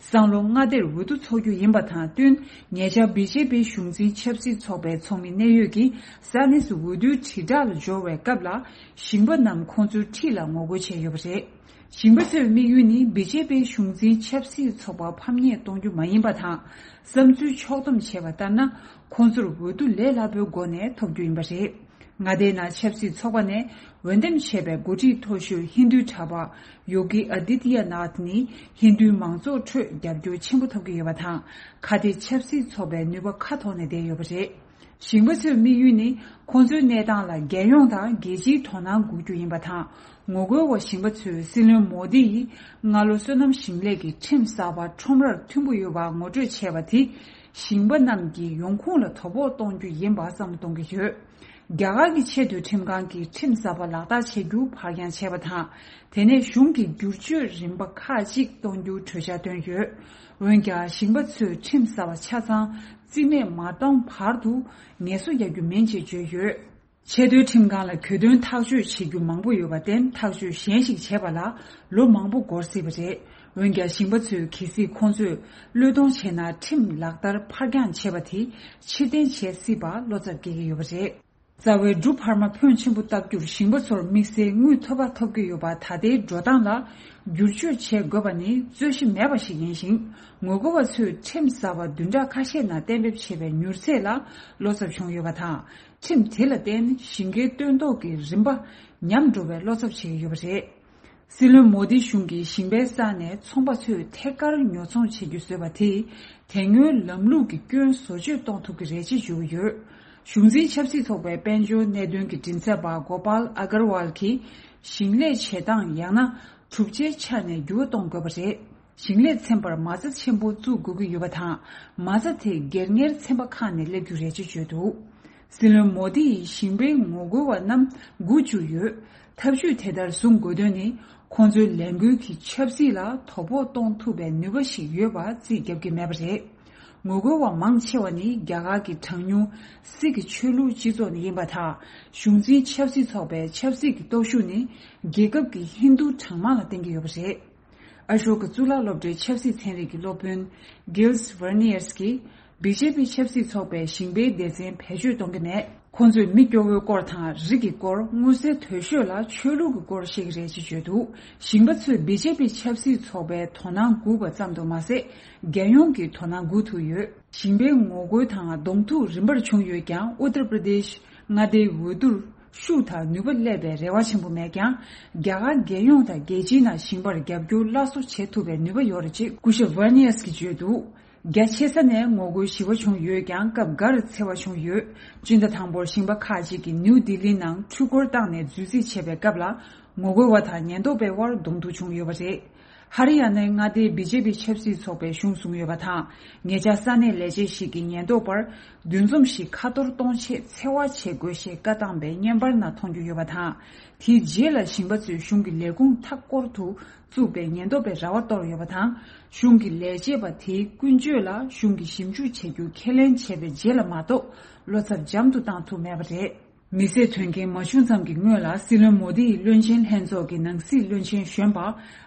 སང་ལོ་མངའ་སྡེར་འོས་བསྡུ་འཚོགས་རྒྱུ་ཡིན་པ་དང་བསྟུན། ཉེ་ཆར་བི་ཇེ་པི་གཞུང་འཛིན་ཆབ་སྲིད་ཚོགས་པའི་ཚོགས་མི་གནད་ཡོད་ཀྱིས་ས་གནས་སུ་འོས་བསྡུའི་དྲིལ་བསྒྲགས་ལ་འབྱོར་བའི་སྐབས་ལ། ཞིང་པ་རྣམས་ཁོང་ཚོའི་འཁྲིས་ལ་ངོ་རྒོལ་བྱས་ཡོད་པ་རེད། ཞིང་པ་ཚོའི་དམིགས་ཡུལ་ནི་བི་ཇེ་པི་གཞུང་འཛིན་ཆབ་སྲིད་ཚོགས་པ་ཕམ་ཉེས་གཏོང་རྒྱུ་མ་ཡིན་པ་དང་། བསམ་ཚུལ་ཕྱོགས་བསྡོམས་བྱས་པ་ལྟར་ན། ཁོང་ཚོར་འོས་བསྡུ་ལས་སླ་པོའི་སྒོ་ནས་ཐོབ་རྒྱུ་ཡིན་པ་རེད། མངའ་སྡེའི་ནང་ཆབ་སྲིད་ཚོགས་པ་ནས་འོས་འདེམས་བྱས་པའི་འགོ་ཁྲིད་མཐོ་ཤོས་ཧིན་རྡུའི་གྲྭ་པ་ཡོ་གི་ཨ་དི་ཏི་ཡ་ནཱཐ་ནི་ཧིན་རྡུའི་མང་ཚོགས་ཁྲོད་རྒྱབ་སྐྱོར་ཆེན་པོ་ཐོབ་ཀྱི་ཡོད་པ་དང་། ཁ་གཏད་ཆབ་སྲིད་ཚོགས་པའི་ནུས་པ་ཁ་ཐོར་ནས་བསྡད་ཡོད་པ་རེད། ཞིང་པ་ཚོའི་དམིགས་ཡུལ་ནི་ཁོང་ཚོའི་གནས་སྟངས་ལ་རྒྱལ་ཡོངས་དང་རྒྱལ་སྤྱིའི་དོ་སྣང་དགོས་རྒྱུ་ཡིན་པ་དང་། ངོ་རྒོལ་བ་ཞིང་པ་ཚོས་སྲིད་བློན་མོ་དི་ཡིས་སྔ་ལོ་སོ་ནམ་ཞིང་ལས་ཀྱི་ཁྲིམས་གསར་པ་ཁྲོམ་རར་མཐུན་པོ་ཡོད་པ་ངོ་སྤྲོད་བྱས་པ་དེས་ཞིང་པ་རྣམས་ཀྱི་ཡོང་ཁུངས་ལ་དོ་ཕོག་གཏོང་རྒྱུ་ཡིན་པ་བསམ་བློ་གཏོང་གི་ཡོད། རྒྱ་གར་གྱི་ཆེས་མཐོའི་ཁྲིམས་ཁང་གིས་ཁྲིམས་གསར་པ་ལག་བསྟར་བྱེད་རྒྱུ་ཕར་འགྱངས་བྱས་པ་དང་། དེ་ནས་གཞུང་གིས་བསྒྱུར་བཅོས་རིམ་པ་ཁག་ཅིག་གཏོང་རྒྱུའི་གྲོས་འཆར་བཏོན་ཡོད། འོན་ཀྱང་ཞིང་པ་ཚོས་ཁྲིམས་གསར་པ་ཆ་ཚང་རྩིས་མེད་མ་གཏོང་བར་དུ་ངལ་གསོ་རྒྱག་རྒྱུ་མིན་ཅེས་བརྗོད་ཡོད། ཆེས་མཐོའི་ཁྲིམས་ཁང་ལ་གྱོད་དོན་ཐག་གཅོད་བྱེད་རྒྱུ་མང་པོ་ཡོད་པར་བརྟེན། ཐག་གཅོད་གཞན་ཞིག་བྱེད་པ་ལ་ལོ་མང་པོ་འགོར་སྲིད་པ་རེད། འོན་ཀྱང་ཞིང་པ་ཚོས་གལ་སྲིད་ཁོང་ཚོས་བློས་གཏོང་བྱས་ན། ཁྲིམས་ལག་བསྟར་ཕར་འགྱངས་བྱས་པ་དེ་ཕྱིར་འཐེན་བྱེད་སྲིད་པར་བློ་འཚབ་སྐྱེ་གི་ཡོད་པ་རེད། རྩ་བའི་འབྲུ་འཕར་མ་ཕོན་ཆེན་པོ་བཏབ་རྒྱུར་ཞིང་པ་ཚོར་དམིགས་བསལ་དངུལ་ཐོབ་པ་ཐོབ་ཀྱི་ཡོད་པ། ད་ལྟའི་འགྲོ་སྟངས་ལ་བསྒྱུར་བཅོས་བྱེད་དགོས་པ་ནི་རྩོད་གཞི་མེད་པ་ཞིག་ཡིན་ཞིང་། ངོ་རྒོལ་བ་ཚོས་ཁྲིམས་གསར་པ་བདུན་ཕྲག་ཁ་ཤས་ནང་གཏན་འབེབས་བྱས་པའི་མྱུར་ཚད་ལ་བློ་འཚབ་བྱུང་ཡོད་པ་དང་། ཁྲིམས་དེ་ལ་བརྟེན་ཞིང་ཁའི་སྟོན་ཐོག་གི་རིམ་པ་ཉམས་འགྲོ་བའི་བློ་འཚབ་བྱེད་ཀྱི་ཡོད་པ་རེད། སྲིད་བློན་མོ་དི་གཞུང་གིས་ཞིང་པའི་ས་ནས་ཚོང་པ་ཚོས་ཐད་ཀར་ཉོ་ཚོང་བྱེད་རྒྱུ་བཟོས་པ་དེས། དེ་སྔོན་ལམ་ལུགས་ཀྱི་སྐྱོན་བཟོ་བཅོས་གཏོང་ཐུབ་ཀྱི་རེད་ཅེས་བརྗོད་ཀྱི་ཡོད། གཞུང་འཛིན་ཆབ་སྲིད་ཚོགས་པའི་དཔལ་འབྱོར་གནད་དོན་གྱི་མགྲིན་ཚབ་པ་གོ་པཱལ་ཨ་གར་ཝལ་གྱིས། ཞིང་ལས་བྱེད་སྟངས་ཡང་ན་གྲུབ་ཆའི་ཆ་ནས་འགྱུར་བ་གཏོང་དགོས་པ་རེད། ཞིང་ལས་ཚན་པར་མ་རྩ་ཆེན་པོ་བཙུགས་དགོས་ཀྱི་ཡོད་པ་དང་། མ་རྩ་དེ་སྒེར་གཉེར་ཚན་པ་ཁག་ནས་སླེབས་རྒྱུ་རེད་ཅེས་བརྗོད་འདུག་སྲིད་བློན་མོ་དི་ཡིས་ཞིང་པའི་ངོ་རྒོལ་བ་རྣམས་སྒུག་བཅུག་ཡོད། ཐབས་ཇུས་དེ་ལྟར་བཟུང་དགོས་དོན་ནི། ཁོང་ཚོའི་ལས་འགུལ་གྱིས་ཆབ་སྲིད་ལ་དོ་ཕོག་གཏོང་ཐུབ་པའི་ནུས་པ་ཞིག་ཡོད་པ་རྩིས་རྒྱབ་ཀྱི་མེད་པ་རེད། ངོ་རྒོལ་བ་མང་ཆེ་བ་ནི་རྒྱ་གར་གྱི་གྲངས་ཉུང་སིག་གི་ཆོས་ལུགས་སྤྱི་ཚོགས་ནས་ཡིན་པ་དང་། གཞུང་འཛིན་ཆབ་སྲིད་ཚོགས་པའི་ཆབ་སྲིད་ཀྱི་སྟོབས་ཤུགས་ནི་རྒྱལ་ཁབ་ཀྱི་ཧིན་རྡུ་གྲངས་མང་ལ་བརྟེན་གྱི་ཡོད་པ་རེད། ཨ་ཤོ་ཀ་གཙུག་ལག་སློབ་གྲྭའི་ཆབ་སྲིད་ཚན་རིག་གི་སློབ་དཔོན་Gilles Verniers གྱིས། བི་ཇེ་པི་ཆབ་སྲིད་ཚོགས་པས་ཞིང་པའི་སྡེ་ཚན་བེད་སྤྱོད་གཏོང་གི་མེད། ཁོང་ཚོས་མི་སྐྱོ་བོའི་སྐོར་དང་། རིགས་ཀྱི་སྐོར། མངོན་གསལ་དོད་ཤོས་ལ་ཆོས་ལུགས་ཀྱི་སྐོར་བཤད་ཀྱི་རེད་ཅེས་བརྗོད་འདུག་ཞིང་པ་ཚོས་བི་ཇེ་པི་ཆབ་སྲིད་ཚོགས་པའི་དོ་སྣང་སྒུག་པ་ཙམ་དུ་མ་ཟད། རྒྱལ་ཡོངས་ཀྱི་དོ་སྣང་སྒུག་ཐུབ་ཡོད། ཞིང་པའི་ངོ་རྒོལ་དང་གདོང་ཐུག་རིམ་པར་བྱུང་ཡོད་ཀྱང་། ཨུ་ཏར་པྲ་དེཤ་མངའ་སྡེའི་འོས་བསྡུར་ཤུགས་དང་ནུས་པ་སླེབས་པའི་རེ་བ་ཆེན་པོ་མེད་ཀྱང་། རྒྱ་གར་རྒྱལ་ཡོངས་དང་རྒྱལ་སྤྱིའི་ནང་ཞིང་པར་རྒྱབ་སྐྱོར་སླར་གསོ་བྱེད་ཐུབ་པའི་ནུས་པ་ཡོད་རེད་ཅེས་སྐུ་ཞབས་ཝར་ནི་ཡས་ཀྱིས་བརྗོད་འདུག་རྒྱ་ཆེ་ས་ནས་ངོ་རྒོལ་ཞི་བ་བྱུང་ཡོད་ཀྱང་། སྐབས་འགར་འཚེ་བ་བྱུང་ཡོད། སྤྱི་ཟླ་དང་པོར་ཞིང་པ་ཁག་ཅིག་གིས་ནིའུ་ལྡི་ལིའི་ནང་འཕྲུལ་འཁོར་བཏང་ནས་རྫུས་རྩིས་བྱས་པའི་སྐབས་ལ། ངོ་རྒོལ་བ་དང་ཉེན་རྟོག་པའི་དབར་གདོང་ཐུག་བྱུང་ཡོད་པ་རེད། ཧ་རི་ཡ་ནའི་མངའ་སྡེའི་བི་ཇེ་པི་ཆབ་སྲིད་ཚོགས་པས་གཞུང་བཟུང་ཡོད་པ་དང་། ཉེ་ཆར་ས་གནས་ལས་བྱེད་ཞིག་གིས་ཉེན་རྟོག་པར་འདུ་འཛོམས་ཤིག་ཁ་གཏོར་གཏོང་ཆེད་འཚེ་བ་བྱེད་དགོས་ཞེས་བཀའ་བཏང་པའི་བརྙན་པར་ནང་མཐོང་རྒྱུ་ཡོད་པ་དང་། དེའི་རྗེས་ལ་ཞིང་པ་ཚོས་གཞུང་གི་ལས་ཁུངས་མཐའ་སྐོར་དུ་བཙུགས་པའི་ཉེན་རྟོག་པའི་ར་བ་གཏོར་ཡོད་པ་དང་། གཞུང་གི་ལས་བྱེད་པ་དེའི་ཀུན་སྤྱོད་ལ་གཞུང་གིས་ཞིབ་འཇུག་བྱེད་རྒྱུ་ཁས་ལེན་བྱས་པའི་རྗེས་ལ་མ་གཏོགས། བློ་འཚབ་འཇམ་དུ་བཏང་ཐུབ་མེད་པ་རེད། མི་བསད་དོན་རྐྱེན་མ་བྱུང་ཙམ་གྱི་སྔོན་ལ། སྲིད་བློན་མོ་དི་ཡི་བློན་ཆེན་ལྷན་ཚོགས་ཀྱི་ནང་སྲིད་བློན་ཆེན་གཞོན་པ་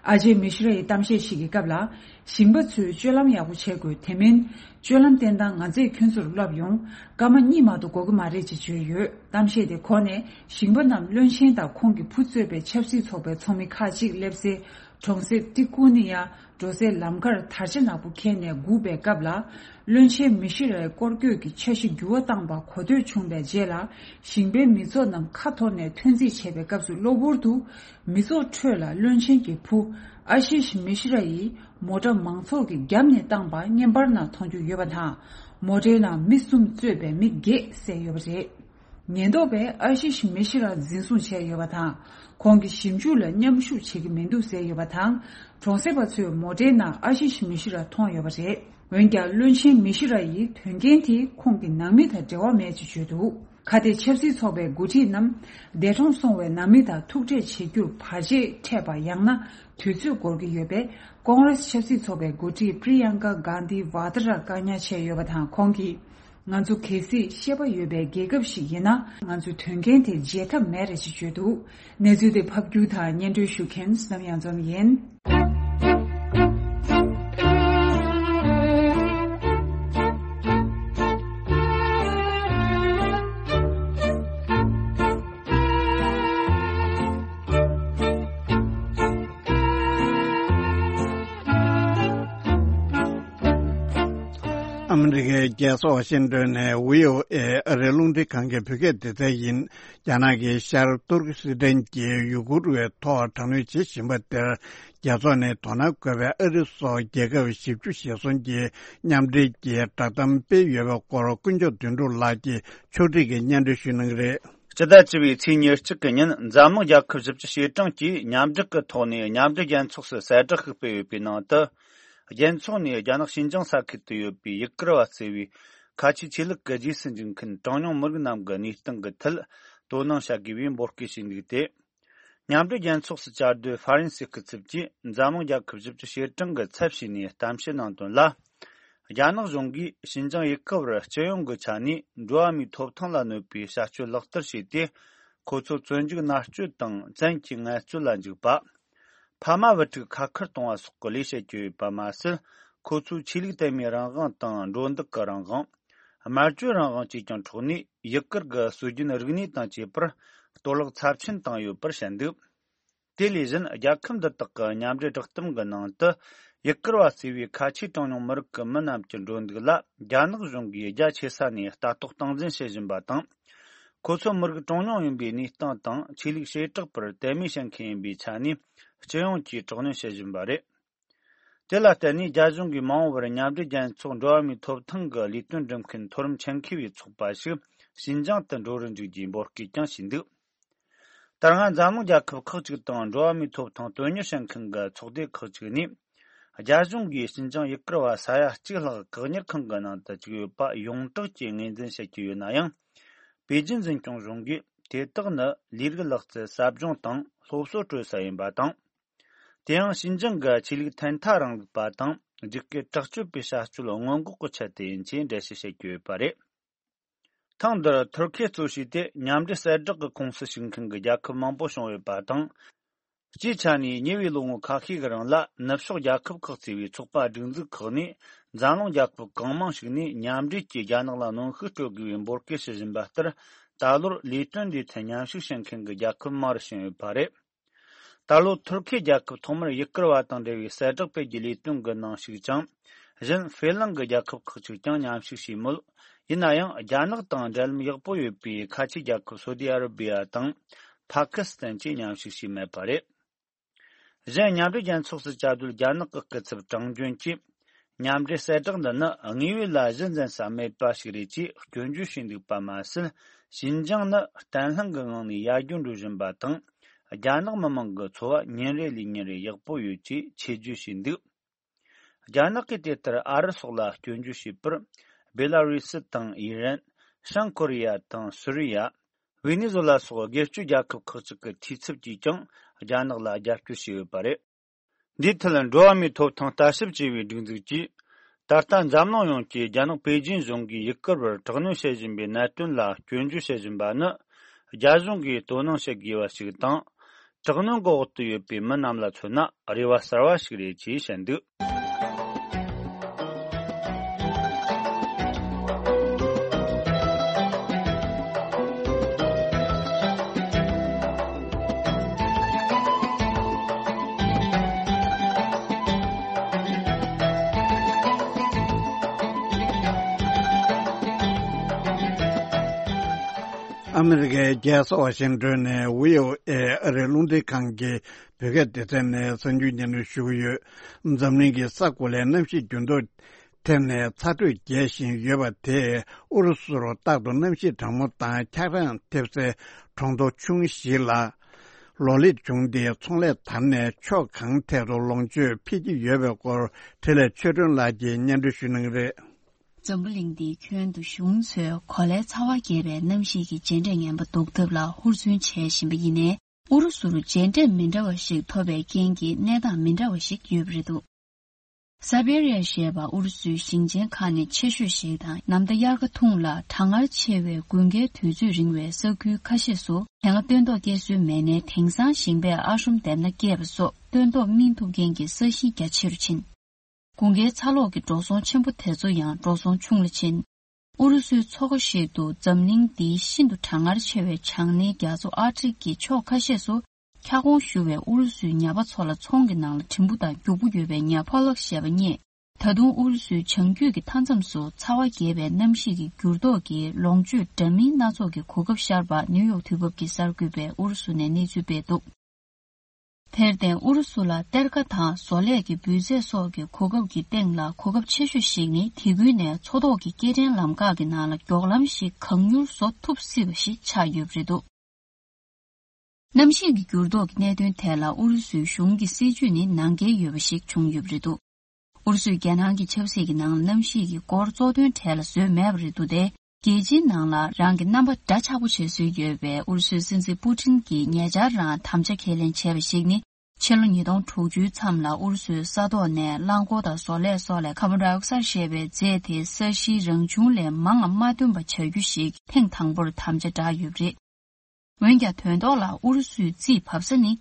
ཨ་ཇེ་མི་ཤི་ར་ཡིས་གཏམ་བཤད་ཞིག་གི་སྐབས་ལ། ཞིང་པ་ཚོས་སྤྱོད་ལམ་ཡག་པོ་བྱེད་དགོས། དེ་མིན། སྤྱོད་ལམ་བསྟེན་སྟངས་ང་ཚོས་ཁྱོད་ཚོར་བསླབ་ཡོང་། སྐར་མ་གཉིས་མ་གཏོགས་འགོར་གྱི་མ་རེད་ཅེས་བརྗོད་ཡོད། གཏམ་བཤད་དེ་གོ་ནས། ཞིང་པ་རྣམས་བློན་ཆེན་དང་ཁོང་གི་བུ་གཙོས་པའི་ཆབ་སྲིད་ཚོགས་པའི་ཚོགས་མི་ཁག་ཅིག་སླེབས་སའི་གྲོང་གསེབ་ཏི་ཀུ་ནི་ཡ་འགྲོ་སའི་ལམ་ཁར་དར་ཆ་ནག་པོ་འཁྱེར་ནས་སྒུག་པའི་སྐབས་ལ། བློན་ཆེན་མི་ཤི་རའི་སྐོར་སྐྱོད་ཀྱི་འཆར་གཞི་འགྱུར་བ་བཏང་པ་གོ་ཐོས་བྱུང་བའི་རྗེས་ལ། ཞིང་པའི་མི་ཚོགས་རྣམས་ཁ་འཐོར་ནས་ཐོན་རྩིས་བྱས་པའི་སྐབས་སུ། གློ་བུར་དུ་མི་ཚོགས་ཁྲོད་ལ་བློན་ཆེན་གྱི་བུ་ཨ་ཤིཤ་མི་ཤི་ར་ཡིས་མོ་ཊ་མང་ཚོགས་ཀྱིས་བརྒྱབ་ནས་བཏང་པ་བརྙན་པར་ནང་མཐོང་རྒྱུ་ཡོད་པ་དང་། མོ་ཊའི་ནང་མི་གསུམ་གཙོས་པའི་མི་བརྒྱད་བསད་ཡོད་པ་རེད། ཉེན་རྟོག་པས་ཨ་ཤིཤ་མི་ཤི་ར་འཛིན་བཟུང་བྱས་ཡོད་པ་དང་། ཁོང་གི་ཞིབ་འཇུག་ལ་མཉམ་ཞུགས་བྱེད་ཀྱི་མི་འདུག་ཟེར་ཡོད་པ་དང་། གྲོང་གསེབ་པ་ཚོས་མོ་ཊའི་ནང་ཨ་ཤིཤ་མི་ཤི་ར་མཐོང་ཡོད་པ་རེད། འོན་ཀྱང་། བློན་ཆེན་མི་ཤི་ར་ཡིས་དོན་རྐྱེན་དེ་ཁོང་གི་ནང་མི་དང་འབྲེལ་བ་མེད་ཅེས་བརྗོད་འདུག་ཁ་གཏད་ཆབ་སྲིད་ཚོགས་པའི་འགོ་ཁྲིད་རྣམས་འདས་གྲོངས་སོང་བའི་ནང་མི་དང་ཐུག་འཕྲད་བྱེད་རྒྱུར་བར་ཆད་འཕྲད་པ། ཡང་ན་དུས་ཚོད་འགོར་གྱི་ཡོད་པས། ཀོང་རེས་ཆབ་སྲིད་ཚོགས་པའི་འགོ་ཁྲིད་པྲི་ཡང་ཀ་གྷན་དྷི་ཝ་ཏྲ་བཀག་ཉར་བྱས་ཡོད་པ་དང་། ཁོང་གིས། ང་ཚོ་གལ་སྲིད་ཤེས་པ་ཡོད་པའི་རྒྱལ་ཁབ་ཞིག་ཡིན་ན། ང་ཚོས་དོན་རྐྱེན་དེ་བརྗེད་ཐབས་མེད་རེད་ཅེས་བརྗོད་འདུག་གནས་ཚུལ་དེ་ཕབ་སྒྱུར་དང་སྙན་སྒྲོན་ཞུ་མཁན་བསོད་ནམས་གཡང་འཛོམས་ཡིན། ཨ་མི་རི་ཀའི་རྒྱལ་ས་ཝ་ཤིང་ཏོན་ནས་བྷི་ཨོ་ཨེ་ཨ་རིའི་རླུང་འཕྲིན་ཁང་གི་བོད་སྐད་སྡེ་ཚན་ཡིན། རྒྱ་ནག་གི་ཤར་ཏུར་ཀི་སི་ཐན་གྱི་ཡུ་གུར་བའི་ཐོག་དྲག་གནོན་བྱེད་བཞིན་པ་དེར། རྒྱལ་ཚོགས་ནས་དོ་སྣང་དགོས་པའི་ཨ་རི་སོགས་རྒྱལ་ཁབ་བཞི་བཅུ་ཞེ་གསུམ་གྱིས་མཉམ་འབྲེལ་གྱིས་བསྒྲགས་གཏམ་སྤེལ་ཡོད་པའི་སྐོར། དཀོན་མཆོག་དོན་གྲུབ་ལགས་ཀྱིས་ཕྱོགས་སྒྲིག་གིས་སྙན་སྒྲོན་ཞུ་གནང་གི་རེད། སྤྱི་ཟླ་བཅུ་པའི་ཚེས་ཉེར་གཅིག་གི་ཉིན། འཛམ་གླིང་རྒྱལ་ཁབ་བཞི་བཅུ་ཞེ་གྲངས་ཀྱིས་མཉམ་འབྲེལ་གྱི་ཐོག་ནས་མཉམ་འབྲེལ་རྒྱལ་ཚོགས་སུ་གསལ་བསྒྲགས་ཤིག་སྤེལ་ཡོད་པའི་ནང་དུ། རྒྱལ་ཚོགས་ནས་རྒྱ་ནག་ཤིན་ཅང་ས་ཁུལ་དུ་ཡོད་པའི་ཡུ་གུར་བ་ཟེར་བའི་ཁ་ཆེའི་ཆོས་ལུགས་ཀྱི་རྗེས་སུ་འཇུག་མཁན་གྲངས་ཉུང་མི་རིགས་རྣམས་ཀྱི་གནས་སྟངས་ཀྱི་ཐད་དོ་སྣང་བྱ་དགོས་པའི་འབོད་སྐུལ་བྱས་འདུག་སྟེ། མཉམ་འབྲེལ་རྒྱལ་ཚོགས་སུ་བཅའ་སྡོད་ཧྥ་རན་སིའི་སྐུ་ཚབ་ཀྱིས་འཛམ་གླིང་རྒྱལ་ཁབ་བཞི་བཅུ་ཞེ་གྲངས་ཀྱི་ཚབ་བྱས་ནས་གཏམ་བཤད་གནང་དོན་ལ། རྒྱ་ནག་གཞུང་གིས་ཤིན་ཅང་ཡུ་གུར་བར་སྤྱི་ཡོངས་ཀྱི་ཆ་ནས་འགྲོ་བ་མིའི་ཐོབ་ཐང་ལ་གནོད་པའི་བྱ་སྤྱོད་ལག་བསྟར་བྱས་ཏེ། ཁོ་ཚོ་བཙོན་འཇུག་མནར་གཅོད་དང་བཙན་གྱིས་ངལ་རྩོལ་ལ་འཇུག་པ། ཕ་མ་བུ་ཕྲུག་ཁ་ཁུར་གཏོང་བ་སོགས་ཀྱི་ལས་བྱེད་ཀྱི་ཡོད་པ་མ་ཟད། ཁོ་ཚོའི་ཆོས་ལུགས་དད་མོས་རང་དབང་དང་འགྲོ་འདུག་གི་རང་དབང་། སྨྲ་བརྗོད་རང་དབང་བཅས་ཀྱང་འཕྲོག་ནས། ཡུ་གུར་གྱི་སྲོལ་རྒྱུན་རིག་གནས་དང་བཅས་པར་གཏོར་བརླག་ཚབས་ཆེན་བཏང་ཡོད་པར་བཤད་འདུག་དེ་ལས་གཞན། རྒྱལ་ཁབ་འདི་དག་གི་མཉམ་འབྲེལ་བསྒྲགས་གཏམ་གྱི་ནང་དུ། ཡུ་གུར་བ་ཟེར་བའི་ཁ་ཆེའི་གྲངས་ཉུང་མི་རིགས་ཀྱི་མི་རྣམས་ཀྱི་འགྲོ་འདུག་ལ། རྒྱ་ནག་གཞུང་གིས་རྒྱ་ཆེ་ས་ནས་ལྟ་རྟོག་སྟངས་འཛིན་བྱེད་བཞིན་པ་དང་། ཁོ་ཚོ་མི་རིགས་གྲངས་ཉུང་ཡིན་པའི་གནས་སྟངས་དང་། ཆོས་ལུགས་བྱེ་བྲག་པར་དད་མོས་བྱེད་མཁན་ཡིན་པའི་ཆ་ནས། སྤྱི་ཡོངས་ཀྱིས་དྲག་གནོན་བྱེད་བཞིན་པ་རེད། དེ་ལ་བརྟེན་ནས། རྒྱ་གཞུང་གིས་མ་འོངས་པར་མཉམ་འབྲེལ་རྒྱལ་ཚོགས་འགྲོ་བ་མིའི་ཐོབ་ཐང་གི་ལས་དོན་སྒྲུབ་མཁན་མཐོ་རིམ་ཆེད་མཁས་པའི་ཚོགས་པ་ཞིག་ཤིན་ཅང་དུ་འགྲོ་རུ་འཇུག་རྒྱུའི་འབོད་སྐུལ་ཀྱང་བྱས་འདུག་ད་སྔ་འཛམ་གླིང་རྒྱལ་ཁབ་ཁག་ཅིག་དང་། འགྲོ་བ་མིའི་ཐོབ་ཐང་དོན་གཉེར་བྱེད་མཁན་གྱི་ཚོགས་སྡེ་ཁག་ཅིག་ནས། རྒྱ་གཞུང་གིས་ཤིན་ཅང་ཡུ་གུར་བ་ས་ཡ་གཅིག་ལྷག་བཀག་ཉར་ཁང་གི་ནང་དུ་བཅུག་ཡོད་པ་ཡོངས་གྲགས་ཀྱིས་ངོས་འཛིན་བྱེད་ཀྱི་ཡོད་ན་ཡང་། པེ་ཅིན་འཛིན་སྐྱོང་གཞུང་གིས་དེ་དག་ནི་ལས་རིགས་ལག་རྩལ་ཟབ་སྦྱོང་དང་སློབ་གསོ་སྤྲོད་ས་ཡིན་པ་དང་། དེ་ཡང་ཤིན་ཅང་གི་ཆོས་ལུགས་ཐོག་མཐའ་རིང་ལུགས་པ་དང་། རྒྱུད་སྐུལ་དྲག་སྤྱོད་པའི་བྱ་སྤྱོད་སྔོན་འགོག་གི་ཆེད་དུ་ཡིན་ཅེས་འགྲེལ་བཤད་བྱེད་ཀྱི་ཡོད་པ་རེད། ཐེངས་འདིར་ཐུར་ཁེ་གཙོས་བྱས་ཏེ། མཉམ་འབྲེལ་གསལ་བསྒྲགས་ཀྱི་ཁོངས་སུ་ཞུགས་མཁན་གྱི་རྒྱལ་ཁབ་མང་པོ་བྱུང་ཡོད་པ་དང་། སྤྱིའི་ཆ་ནས་ཉེ་བའི་ལོ་ངོ་ཁ་ཤས་ཀྱི་རིང་ལ། ནུབ་ཕྱོགས་རྒྱལ་ཁབ་ཁག་ཅེས་པའི་ཚོགས་པ་སྒྲིག་འཛུགས་ཁག་ནས། འཛམ་གླིང་རྒྱལ་ཁབ་གང་མང་ཞིག་ནས་མཉམ་འབྲེལ་གྱིས་རྒྱ་ནག་ལ་གནོན་ཤུགས་སྤྲོད་དགོས་པའི་འབོད་སྐུལ་བྱེད་བཞིན་པ་ལྟར། ད་ལོར་ལས་དོན་འདིའི་ཐད་མཉམ་ཞུགས་བྱེད་མཁན་གྱི་རྒྱལ་ཁབ་མང་རུ་ཕྱིན་ཡོད་པ་རེད། ད་ལོ་ཐུར་ཁེ་རྒྱལ་ཁབ་ཐོག་མར་ཡུ་གུར་བ་དང་འབྲེལ་བའི་གསལ་བསྒྲགས་སྤེལ་རྒྱུའི་ལས་དོན་གྱི་ནང་ཞུགས་ཅིང་། གཞན་ཧྥེ་གླིང་གི་རྒྱལ་ཁབ་ཁག་ཅིག་ཀྱང་མཉམ་ཞུགས་བྱས་མོད། ཡིན་ན་ཡང་རྒྱ་ནག་དང་འབྲེལ་ལམ་ཡག་པོ་ཡོད་པའི་ཁ་ཆེ་རྒྱལ་ཁབ་སོ་ཏི་ཨ་ར་བི་ཡ་དང་། ཕ་ཁི་སི་ཐན་བཅས་མཉམ་ཞུགས་བྱས་མེད་པ་རེད། གཞན་མཉམ་འབྲེལ་རྒྱལ་ཚོགས་སུ་བཅའ་སྡོད་རྒྱ་ནག་གི་སྐུ་ཚབ་ཀྲང་ཅུན་གྱིས། མཉམ་འབྲེལ་གསལ་བསྒྲགས་འདི་ནི་དངོས་ཡོད་ལ་གཞི་འཛིན་ས་མེད་པ་ཞིག་རེད་ཅེས་སྐྱོན་བརྗོད་བྱས་འདུག་པ་མ་ཟད། ཞིན་ཅང་ནི་བརྟན་ལྷིང་གི་ངང་ནས་ཡར་རྒྱས་འགྲོ་བཞིན་པ་དང་། རྒྱ་ནག་མི་དམངས་ཀྱི་འཚོ་བ་ཉིན་རེ་ལས་ཉིན་རེ་ཡག་པོ་ཡོད་ཅེས་ཆེད་བརྗོད་བྱས་འདུག་རྒྱ་ནག་གིས་དེ་ལྟར་ཨ་རི་སོགས་ལ་སྐྱོན་བརྗོད་བྱས་པར། སྦེ་ལ་རུས་སི་དང་ཨི་རན། བྱང་ཀོ་རི་ཡ་དང་སུ་རི་ཡ། ཝེ་ནེ་ཛུ་ལ་སོགས་སྒེར་གཅོད་རྒྱལ་ཁབ་ཁག་ཅིག་གི་འཐུས་ཚབ་ཀྱིས་ཀྱང་རྒྱ་ནག་ལ་རྒྱབ་སྐྱོར་བྱས་ཡོད་པ་རེད། འདིའི་ཐད་འགྲོ་བ་མིའི་ཐོབ་ཐང་ལྟ་ཞིབ་ཅེས་པའི་སྒྲིག་འཛུགས་ཀྱིས། ད་ལྟ་འཛམ་གླིང་ཡོངས་ཀྱིས་རྒྱ་ནག་པེ་ཅིན་གཞུང་གིས་ཡུ་གུར་བར་དྲག་གནོན་བྱེད་བཞིན་པའི་གནད་དོན་ལ་སྐྱོན་བརྗོད་བྱེད་བཞིན་པ་ནི། རྒྱ་གཞུང་གིས་དོ་སྣང་བྱེད་དགོས་པ་ཞིག་དང་། དྲག་གནོན་གྱི་འོག་ཏུ་ཡོད་པའི་མི་རྣམས་ལ་མཚོན་ན་རེ་བ་གསར་བ་ཞིག་རེད་ཅེས་བཤད་འདུག་ཨ་མི་རི་ཀའི་རྒྱལ་ས་ཝ་ཤིང་ཏོན་ནས་བྷི་ཨོ་ཨེ་ཨ་རིའི་རླུང་འཕྲིན་ཁང་གི་བོད་སྐད་སྡེ་ཚན་ནས་གསར་འགྱུར་སྙན་སྒྲོན་ཞུ་གི་ཡོད། འཛམ་གླིང་གི་ས་གོ་ལའི་གནམ་གཤིས་འགྱུར་ལྡོག་ཐེབས་ནས་ཚ་དྲོད་རྒྱས་བཞིན་ཡོད་པ་དེས་ཨུ་རུ་སུར་རྟག་ཏུ་གནམ་གཤིས་གྲང་མོ་དང་འཁྱགས་རོམ་ཐེབས་སའི་གྲོང་རྡལ་ཆུང་ཞིག་ལ་ལོ་ལེགས་བྱུང་སྟེ་ཚོང་ལས་དར་ནས་ཕྱོགས་གང་ཐད་དུ་ལོངས་སྤྱོད་འཕེལ་གྱི་ཡོད་པའི་སྐོར་འཕྲིན་ལས་ཆོས་སྒྲོན་ལགས་ཀྱིས་སྙན་སྒྲོན་ཞུ་གནང་གི་རེད། འཛམ་བུ་གླིང་འདིའི་ཁྱོན་དུ་གཞུང་ཚོས་གོ་ལའི་ཚ་བ་རྒྱས་པའི་གནམ་གཤིས་ཀྱི་རྗེས་འབྲས་ངན་པ་ཟློག་ཐབས་ལ་ཧུར་བརྩོན་བྱེད་བཞིན་པ་ཡིན་ནའི། ཨུ་རུ་སུར་རྗེས་འབྲས་མི་འདྲ་བ་ཞིག་ཐོབ་པའི་རྐྱེན་གྱིས་གནས་སྟངས་མི་འདྲ་བ་ཞིག་ཡོད་པ་རེད་འདུག་ས་བེ་རི་ཡ་ཞེས་པ་ཨུ་རུ་སུའི་ཞིང་ཆེན་ཁག་ནས་ཆེ་ཤོས་ཤིག་དང་། ནམ་ཟླ་དབྱར་ཁ་ཐུང་ལ་གྲང་ངར་ཆེ་བའི་དགུན་ཁའི་དུས་ཚོད་རིང་བའི་ས་ཁུལ་ཁ་ཤས་སུ་དེ་སྔ་སྟོན་ཐོག་སྐྱེལ་སྲོལ་མེད་ནའི། དེང་སང་ཞིང་པས་ཨ་ཧྲུམ་འདེབས་སྣ་སྐྱེས་པ་སོགས་སྟོན་ཐོག་སྨིན་ཐུབ་མཁན་གྱི་ས་གཞི་རྒྱ་ཆེ་རུ་ཕྱིན། དགུན་ཁའི་ཚ་གློག་གི་འགྲོ་སོང་ཆེན་པོ་དེ་ཚོ་ཡང་འགྲོ་སོང་ཆུང་ལ་ཕྱིན། ཨུ་རུ་སུའི་མཚོ་ཁ་ཞིག་ཏུ་འཛམ་གླིང་འདིའི་ཤིན་ཏུ་གྲང་ངར་ཆེ་བའི་བྱང་སྣེའི་རྒྱ་མཚོ་ཨར་ཀྲིག་གི་ཕྱོགས་ཁ་ཤས་སུ་འཁྱགས་གོང་ཞུ་བའི་ཨུ་རུ་སུའི་ཉ་པ་ཚོ་ལ་ཚོང་གི་ནང་ལ་གྲིམ་བུ་དང་རྒྱུག་པོ་ཡོད་པའི་ཉ་ཕོ་ལག་ཞེས་པ་རྙེད། ད་དུང་ཨུ་རུ་སུའི་བྱང་རྒྱུད་ཀྱི་མཐའ་མཚམས་སུ་ཚ་བ་རྒྱས་པའི་གནམ་གཤིས་ཀྱི་འགྱུར་ལྡོག་གིས་ལོངས་སྤྱོད་འདྲ་མིན་སྣ་ཚོགས་ཀྱི་གོ་སྐབས་ཤར་བ་ནིའུ་ཡོག་དུས་བབ་ཀྱིས་གསར་འགོད་པས་ཨུ་རུ་སུ་ནས་གནས་ཚུལ་སྤེལ་འདུག་དེར་བརྟེན་ཨུ་རུ་སུ་ལ་གཏེར་ཁ་དང་བཟོ་ལས་ཀྱི་འབུལ་རྫས་སོགས་ཀྱི་གོ་སྐབས་ཀྱི་སྟེང་ལ་གོ་སྐབས་ཆེ་ཤོས་ཤིག་ནི་དེ་ཁུལ་ནས་མཚོ་ཐོག་གི་སྐྱེལ་འདྲེན་ལམ་ཁག་གི་ནང་ལ་མགྱོགས་ལམ་ཞིག་གང་མྱུར་བཟོ་ཐུབ་སྲིད་པ་ཞིག་ཆགས་ཡོད་པ་རེད་འདུག་གནམ་གཤིས་ཀྱི་འགྱུར་ལྡོག་གི་གནད་དོན་ཐད་ལ་ཨུ་རུ་སུའི་གཞུང་གི་སྲིད་ཇུས་ནི་ནང་འགལ་ཡོད་པ་ཞིག་བྱུང་ཡོད་པ་རེད་འདུག་ཨུ་རུ་སུས་རྒྱལ་ནང་གི་ཆབ་སྲིད་ཀྱི་ནང་ལ་གནམ་གཤིས་ཀྱི་སྐོར་གཙོ་དོན་གྲས་ལ་བཟོས་མེད་པ་རེད་འདུག་སྟེ། རྒྱལ་སྤྱིའི་ནང་ལ་རང་གི་རྣམ་པ་འདྲ་ཆགས་པོ་བྱེད་སྲོལ་ཡོད་པའི་ཨུ་རུ་སུའི་སྲིད་འཛིན་པུ་ཏིན་གྱིས་ཉེ་ཆར་རང་དམ་བཅའ་ཁས་ལེན་བྱས་པ་ཞིག་ནི། ཕྱི་ལོ་ཉིས་སྟོང་དྲུག་ཅུའི་མཚམས་ལ་ཨུ་རུ་སུའི་ས་ཐོག་ནས་རླངས་འཁོར་དང་བཟོ་ལས་སོགས་ལས་ཀར་བོན་ཌའི་ཨོག་སཱིཌ་ཞེས་པའི་རྫས་དེ་ས་གཞིའི་རང་བྱུང་ལས་མང་ང་མ་ཐོན་པ་བྱ་རྒྱུ་ཞིག་ཐེངས་དང་པོར་དམ་བཅའ་བསྒྲགས་ཡོད་པ་རེད། འོན་ཀྱང་དོན་ཐོག་ལ་ཨུ་རུ་སུའི་རྩིས་བབས་ས་ནི།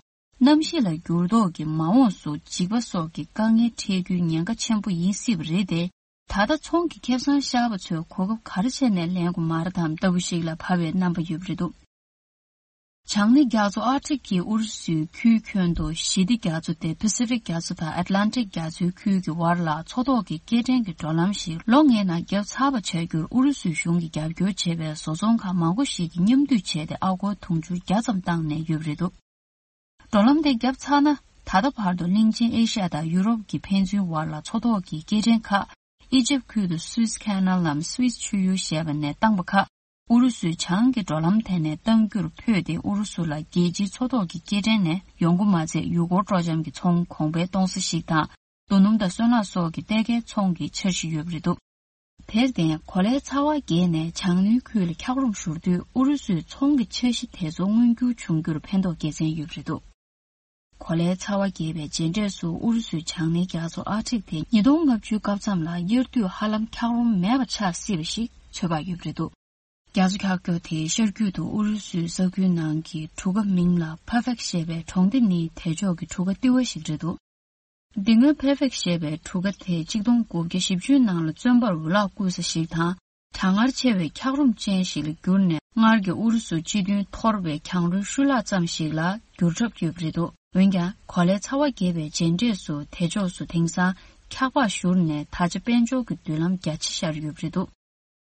གནམ་གཤིས་ལ་འགྱུར་ལྡོག་གིས་མ་འོངས་སུ་འཇིགས་པ་སོགས་ཀྱི་དཀའ་ངལ་འཕྲད་རྒྱུའི་ཉེན་ཁ་ཆེན་པོ་ཡིན་སྲིད་པ་རེད་དེ། ད་ལྟ་ཚོང་གི་ཁེ་བཟང་ཤར་བ་ཚོས་གོ་སྐབས་ག་རེ་བྱས་ནས་ལེན་དགོས་མ་རེད་དམ་ལྟ་བུ་ཞིག་ལ་བབས་པའི་རྣམ་པ་ཡོད་པ་རེད་འདུག་བྱང་སྣེ་རྒྱ་མཚོ་ཨར་ཀྲིག་གི་ཨུ་རུ་སུའི་ཁུལ་ཁྱོན་དུ་ཞི་བདེ་རྒྱ་མཚོ་སྟེ་པ་སི་ཕིག་རྒྱ་མཚོ་དང་ཨེཊ་ལན་ཊིག་རྒྱ་མཚོའི་ཁུལ་གྱི་བར་ལ་མཚོ་ཐོག་གི་སྐྱེལ་འདྲེན་གྱི་འགྲོ་ལམ་ཞིག་ལོ་ལྔའི་ནང་བརྒྱབ་ཚར་བ་བྱ་རྒྱུར་ཨུ་རུ་སུའི་གཞུང་གིས་རྒྱབ་སྐྱོར་བྱེད་པའི་བཟོ་ཚོང་ཁང་མང་པོ་ཞིག་གིས་མཉམ་འདུས་བྱས་ཏེ་ཨ་སྒོར་དུང་ཕྱུར་བརྒྱ་ཙམ་བཏང་ནས་ཡོད་པ་རེད་འདུག་འགྲོ་ལམ་དེ་བརྒྱབ་ཚར་ན། ད་ལྟ་བར་དུ་གླིང་ཆེན་ཨེ་ཤ་ཡ་དང་ཡུ་རོབ་ཀྱི་ཕན་ཚུན་བར་ལ་མཚོ་ཐོག་གི་སྐྱེལ་འདྲེན་ཁག་ཨི་ཇིབ་ཁུལ་དུ་སུའེ་ཁེ་ནལ་ལམ་སུའེ་ཆུ་ཡུར་ཞེས་པ་ནས་བཏང་པ་ཁག་ཨུ་རུ་སུའི་བྱང་གི་འགྲོ་ལམ་དེ་ནས་གཏང་རྒྱུར་ཕོད་དེ། ཨུ་རུ་སུ་ལ་རྒྱལ་སྤྱིའི་མཚོ་ཐོག་གི་སྐྱེལ་འདྲེན་ནས་ཡོང་སྒོ་མ་ཚད་ཡུལ་སྐོར་སྤྲོ་འཆམ་གྱི་ཚོང་གོང་འཕེལ་གཏོང་ས་ཞིག་དང་། རྡོ་སྣུམ་དང་སོལ་རླངས་སོགས་ཀྱི་གཏེར་ཁའི་ཚོང་གི་འཆར་གཞི་ཡོད་པ་རེད་འདུག་དེར་བརྟེན་གོ་ལའི་ཚ་བ་རྒྱས་ནས་བྱང་སྣེའི་ཁུལ་ལ་འཁྱགས་རོམ་ཤོར་དུས་ཨུ་རུ་སུའི་ཚོང་གི་འཆར་གཞི་དེ་ཚོ་མངོན་འགྱུར་བྱུང་རྒྱུར་ཕན་ཐོགས་དགེ་མཚན་ཡོད་པ་རེད་འདུག་གོ་ལའི་ཚ་བ་རྒྱས་པའི་རྗེས་འབྲས་སུ་ཨུ་རུ་སུའི་བྱང་སྣེའི་རྒྱ་མཚོ་ཨར་ཀྲིག་དེ་ཉིས་སྟོང་ལྔ་བཅུའི་སྐབས་མཚམས་ལ་དབྱར་དུས་ཧ་ལམ་འཁྱགས་རོམ་མེད་པ་ཆགས་སྲིད་པ་ཞིག་ཚོད་དཔག་ཡོད་པ་རེད་འདུག་རྒྱ་མཚོ་འཁྱགས་འགྱུར་དེའི་ཤར་རྒྱུད་དུ་ཨུ་རུ་སུའི་ས་ཁུལ་ནང་གི་གྲུ་ཁ་མིང་ལ་ཕ་ཕེག་ཞེས་པའི་གྲོང་སྡེ་ནི་དེ་ཕྱོགས་ཀྱི་གྲུ་ཁ་ལྟེ་བ་ཞིག་རེད་འདུག་འདི་སྔོན་ཕེ་ཕེག་ཞེས་པའི་གྲུ་ཁ་དེ་གཅིག་སྟོང་དགུ་བརྒྱ་བཞི་བཅུའི་ནང་ལ་བཙོན་པར་འུ་ལག་བསྐུར་ས་ཞིག་དང་། གྲང་ངར་ཆེ་བའི་འཁྱགས་རོམ་ཅན་ཞིག་ལ་གྱུར་ནས། སྔར་གྱི་ཨུ་རུ་སུ་སྤྱི་མཐུན་འཐོར་བའི་གྱང་རོའི་ཤུལ་ལྷག་ཙམ་ཞིག་ལ་འགྱུར་གྲབས་ཡོད་པ་རེད་འདུག་འོན་ཀྱང་། གོ་ལའི་ཚ་བ་རྒྱས་པའི་རྗེས་འབྲས་སུ། དེ་ཕྱོགས་སུ་དེང་སང་འཁྱགས་པ་བཞུར་ནས། ད་ཆ་དཔལ་འབྱོར་གྱི་མདུན་ལམ་རྒྱ་ཆེ་ཤར་ཡོད་པ་རེད་འདུག་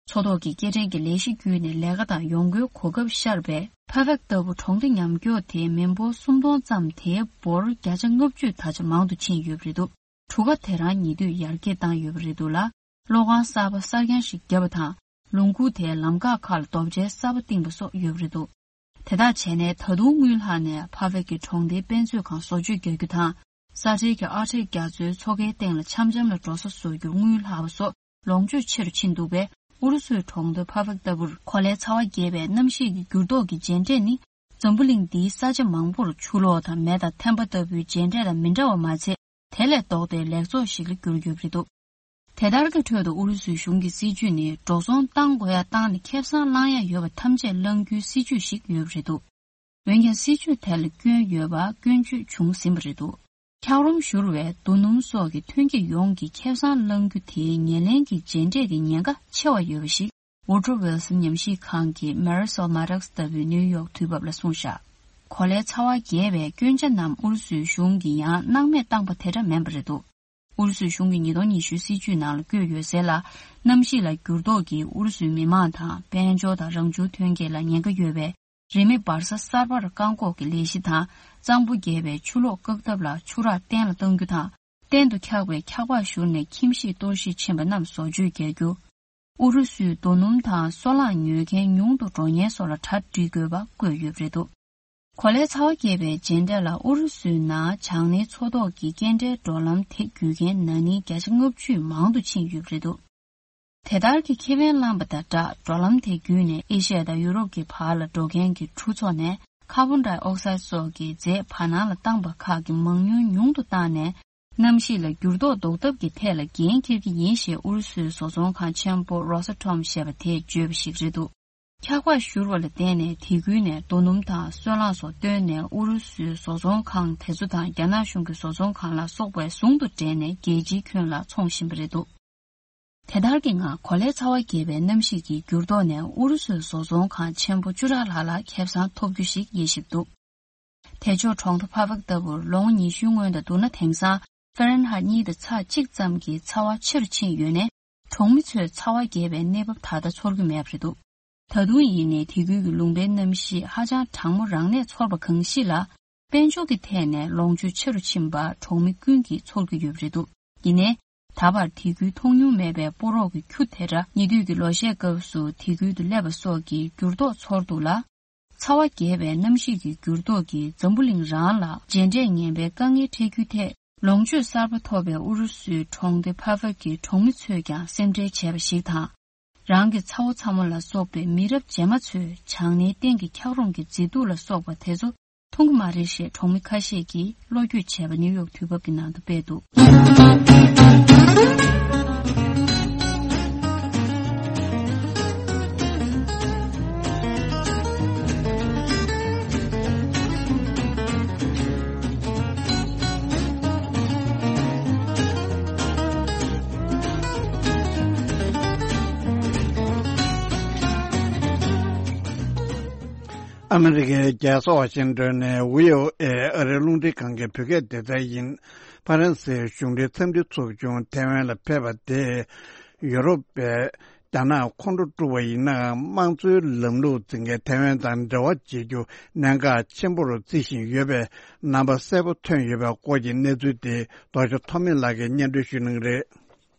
མཚོ་ཐོག་གི་སྐྱེལ་འདྲེན་གྱི་ལས་གཞི་བརྒྱུད་ནས་ལས་ཀ་དང་ཡོང་སྒོའི་གོ་སྐབས་ཤར་བས། ཕ་ཕེག་ལྟ་བུ་གྲོང་སྡེ་ཉམས་མགྱོགས་དེའི་མི་འབོར་སུམ་སྟོང་ཙམ་དེའི་འབོར་བརྒྱ་ཆ་ལྔ་བཅུ་ད་ཆ་མང་དུ་ཕྱིན་ཡོད་པ་རེད་འདུག་གྲུ་ཁ་དེ་རང་ཉེ་དུས་ཡར་རྒྱས་བཏང་ཡོད་པ་རེད་འདུག་ལ། གློག་ཁང་གསར་པ་གསར་རྐྱང་ཞིག་བརྒྱབ་པ་དང་། ལུང་ཁུག་དེའི་ལམ་འགག་ཁག་ལ་རྡོ་གཅལ་གསར་པ་བཏིང་པ་སོགས་ཡོད་པ་རེད་འདུག་དེ་ལྟར་བྱས་ནས། ད་དུང་དངུལ་ལྷག་ནས་ཕ་ཕེག་གི་གྲོང་སྡེའི་དཔེ་མཛོད་ཁང་བཟོ་བཅོས་རྒྱག་རྒྱུ་དང་། ས་ཁྲལ་གྱི་ཨ་ཁྲལ་རྒྱག་རྩོལ་མཚོ་ཁའི་སྟེང་ལ་འཆམ་འཆམ་ལ་འགྲོ་ས་བཟོ་རྒྱུར་དངུལ་ལྷག་པ་སོགས་ལོངས་སྤྱོད་ཆེ་རུ་ཕྱིན་འདུག་པས། ཨུ་རུ་སུའི་གྲོང་སྡེ་ཕ་ཕེག་ལྟ་བུར་གོ་ལའི་ཚ་བ་རྒྱས་པའི་གནམ་གཤིས་ཀྱི་འགྱུར་ལྡོག་གི་རྗེས་འབྲས་ནི། འཛམ་བུ་གླིང་འདིའི་ས་ཆ་མང་པོར་ཆུ་ལོག་དང་མེ་དང་ཐན་པ་ལྟ་བུའི་རྗེས་འབྲས་དང་མི་འདྲ་བ་མ་ཚད། དེ་ལས་ལྡོག་སྟེ་ལེགས་ཚོགས་ཤིག་ལ་འགྱུར་ཡོད་པ་རེད་འདུག་དེ་ལྟར་གྱི་ཁྲོད་དུ་ཨུ་རུ་སུའི་གཞུང་གི་སྲིད་ཇུས་ནི། འགྲོ་སོང་བཏང་དགོས་ཡ་བཏང་ནས། ཁེ་བཟང་བླང་ཡ་ཡོད་པ་ཐམས་ཅད་བླང་རྒྱུའི་སྲིད་ཇུས་ཤིག་ཡོད་པ་རེད་འདུག་འོན་ཀྱང་། སྲིད་ཇུས་དེ་ལ་སྐྱོན་ཡོད་པ་སྐྱོན་བརྗོད་བྱུང་ཟིན་པ་རེད་འདུག་འཁྱགས་རོམ་བཞུར་བས་རྡོ་སྣུམ་སོགས་ཀྱི་ཐོན་སྐྱེད་ཡོངས་ཀྱི་ཁེ་བཟང་བླང་རྒྱུ་དེའི་ཉེར་ལེན་གྱི་རྗེས་འབྲས་ཀྱི་ཉེན་ཁ་ཆེ་བ་ཡོད་པ་ཞིག Woodrow Wilson ཉམས་ཞིབ་ཁང་གི་Marisol Maddox ལྟ་བུའི་ནིའུ་ཡོག་དུས་བབ་ལ་གསུངས་བཞག་གོ་ལའི་ཚ་བ་རྒྱས་པའི་སྐྱོན་ཆ་རྣམས་ཨུ་རུ་སུའི་གཞུང་གིས་ཡང་སྣང་མེད་བཏང་པ་དེ་འདྲ་མིན་པ་རེད་འདུག་ཨུ་རུ་སུའི་གཞུང་གིས་ཉིས་སྟོང་ཉི་ཤུ་སྲིད་ཇུས་ནང་ལ་བཀོད་ཡོད་གསལ་ལ། གནམ་གཤིས་ལ་འགྱུར་ལྡོག་གིས་ཨུ་རུ་སུའི་མི་མང་དང་དཔལ་འབྱོར་དང་རང་བྱུང་ཐོན་སྐྱེད་ལ་ཉེན་ཁ་ཡོད་པས། རིན་མེད་འབར་ས་གསར་པར་བཀག་འགོག་གི་ལས་གཞི་དང་། གཙང་པོ་རྒྱས་པའི་ཆུ་ལོག་བཀག་ཐབས་ལ་ཆུ་རགས་གཏན་ལ་གཏོང་རྒྱུ་དང་། གཏན་དུ་འཁྱགས་པའི་འཁྱགས་པ་བཞུར་ནས་ཁྱིམ་གཞིས་གཏོར་བཤིག་ཕྱིན་པ་རྣམས་བཟོ་བཅོས་རྒྱག་རྒྱུ། ཨུ་རུ་སུའི་རྡོ་སྣུམ་དང་སོལ་རླངས་ཉོ་མཁན་ཉུང་དུ་འགྲོ་ཉེན་སོགས་ལ་གྲ་སྒྲིག་དགོས་པ་བཀོད་ཡོད་པ་རེད་འདུག་གོ་ལའི་ཚ་བ་རྒྱས་པའི་རྗེས་འབྲས་ལ། ཨུ་རུ་སུའི་ནང་བྱང་སྣེའི་མཚོ་ཐོག་གི་སྐྱེལ་འདྲེན་འགྲོ་ལམ་དེ་བརྒྱུད་མཁན་ན་ནིང་བརྒྱ་ཆ་ལྔ་བཅུ་མང་དུ་ཕྱིན་ཡོད་པ་རེད་འདུག་དེ་ལྟར་གྱི་ཁེ་ཕན་བླངས་པ་དང་སྦྲགས། འགྲོ་ལམ་དེ་བརྒྱུད་ནས་ཨེ་ཤི་ཡ་དང་ཡུ་རོབ་ཀྱི་བར་ལ་འགྲོ་མཁན་གྱི་གྲུ་ཚོགས་ནས་ཀར་བོན་ཌའི་ཨོག་སའིད་སོགས་ཀྱི་རྫས་བར་སྣང་ལ་བཏང་པ་ཁག་གི་མང་ཉུང་ཉུང་དུ་བཏང་ནས། གནམ་གཤིས་ལ་འགྱུར་ལྡོག་ཟློག་ཐབས་ཀྱི་ཐད་ལ་འགན་འཁྱེར་གྱི་ཡིན་ཞེས་ཨུ་རུ་སུའི་བཟོ་ཚོང་ཁང་ཆེན་པོ་Rosatom ཞེས་པ་དེས་བརྗོད་པ་ཞིག་རེད་འདུག་འཁྱགས་པ་བཞུར་བ་ལ་བརྟེན་ནས་དེ་ཁུལ་ནས་རྡོ་སྣུམ་དང་སོལ་རླངས་སོགས་བཏོན་ནས། ཨུ་རུ་སུའི་བཟོ་ཚོང་ཁང་དེ་ཚོ་དང་རྒྱ་ནག་གཞུང་གི་བཟོ་ཚོང་ཁང་ལ་སོགས་པའི་ཟུང་དུ་འབྲེལ་ནས་རྒྱལ་སྤྱིའི་ཁྱོན་ལ་འཚོང་བཞིན་པ་རེད་འདུག་དེ་ལྟར་གྱི་ངང་གོ་ལའི་ཚ་བ་རྒྱས་པའི་གནམ་གཤིས་ཀྱི་འགྱུར་ལྡོག་ནས་ཨུ་རུ་སུའི་བཟོ་ཚོང་ཁང་ཆེན་པོ་བཅུ་ཕྲག་ལྷག་ལ་ཁེ་བཟང་ཐོབ་རྒྱུ་ཞིག་དབྱེ་ཞིབ་འདུག་དེ་ཕྱོགས་གྲོང་མཐའ་ཕ་ཕེག་ལྟ་བུར་ལོ་ངོ་ཉི་ཤུའི་སྔོན་དང་བསྡུར་ན། དེང་སང་ཧྥ་རན་ཧའེ་གཉིས་དང་ཚེག་གཅིག་ཙམ་གྱི་ཚ་བ་ཆེ་རུ་ཕྱིན་ཡོད་ནས། གྲོང་མི་ཚོས་ཚ་བ་རྒྱས་པའི་གནས་བབ་ད་ལྟ་ཚོར་གྱི་མེད་པ་རེད་འདུག་ད་དུང་ཡིན་ནའི་དེ་ཁུལ་གྱི་ལུང་པའི་གནམ་གཤིས་ཧ་ཅང་གྲང་མོ་རང་གནས་ཚོར་བ་གང་ཞིག་ལ། དཔལ་འབྱོར་གྱི་ཐད་ནས་ལོངས་སྤྱོད་ཆེ་རུ་ཕྱིན་པ་གྲོང་མི་ཀུན་གྱིས་ཚོར་གྱི་ཡོད་པ་རེད་འདུག་ཡིན་ནའི། ད་བར་དེ་ཁུལ་མཐོང་མྱོང་མེད་པའི་ཕོ་རོག་གི་ཁྱུ་དེ་འདྲ་ཉེ་དུས་ཀྱི་ལོ་ཤས་སྐབས་སུ་དེ་ཁུལ་དུ་སླེབས་པ་སོགས་ཀྱི་འགྱུར་ལྡོག་ཚོར་འདུག་ལ། ཚ་བ་རྒྱས་པའི་གནམ་གཤིས་ཀྱི་འགྱུར་ལྡོག་གིས་འཛམ་བུ་གླིང་རང་ལ་རྗེས་འབྲས་ངན་པའི་དཀའ་ངལ་འཕྲད་རྒྱུའི་ཐད། ལོངས་སྤྱོད་གསར་པ་ཐོབ་པའི་ཨུ་རུ་སུའི་གྲོང་སྡེ་ཕ་ཕ་གི་གྲོང་མི་ཚོས་ཀྱང་སེམས་ཁྲལ་བྱས་པ་ཞིག་དང་། རང་གི་ཚ་བོ་ཚ་མོ་ལ་སོགས་པའི་མི་རབས་རྗེས་མ་ཚོས་བྱང་སྣེའི་སྟེང་གི་འཁྱགས་རོམ་གྱི་མཛེས་སྡུག་ལ་སོགས་པ་དེ་ཚོ་མཐོང་གི་མ་རེད་ཞེས་གྲོང་མི་ཁ་ཤས་ཀྱིས་བློ་འགྱོད་བྱས་པ་ནིའུ་ཡོག་དུས་བབ་ཀྱི་ནང་དུ་སྤེལ་འདུག་ཨ་མི་རི་ཀའི་རྒྱལ་ས་ཝ་ཤིང་ཏོན་ནས་བྷི་ཨོ་ཨེ་ཨ་རིའི་རླུང་འཕྲིན་ཁང་གི་བོད་སྐད་སྡེ་ཚན་ཡིན། ཕ་རན་སིའི་གཞུང་འབྲེལ་འཚམས་འདྲི་ཚོགས་ཆུང་ཐེ་ཝན་ལ་ཕེབས་པ་དེས། ཡོ་རོབ་པས་རྒྱ་ནག་ཁོང་ཁྲོ་སྤྲོད་པ་ཡིན་ནའང་། དམངས་གཙོའི་ལམ་ལུགས་འཛིན་མཁན་ཐེ་ཝན་དང་འབྲེལ་བ་བྱེད་རྒྱུ་གནད་འགག་ཆེན་པོར་བརྩི་བཞིན་ཡོད་པའི་རྣམ་པ་གསལ་པོ་ཐོན་ཡོད་པའི་སྐོར་གྱི་གནས་ཚུལ་དེ་རྡོ་རྗེ་ཐོགས་མེད་ལགས་ཀྱིས་སྙན་སྒྲོན་ཞུ་གནང་གི་རེད།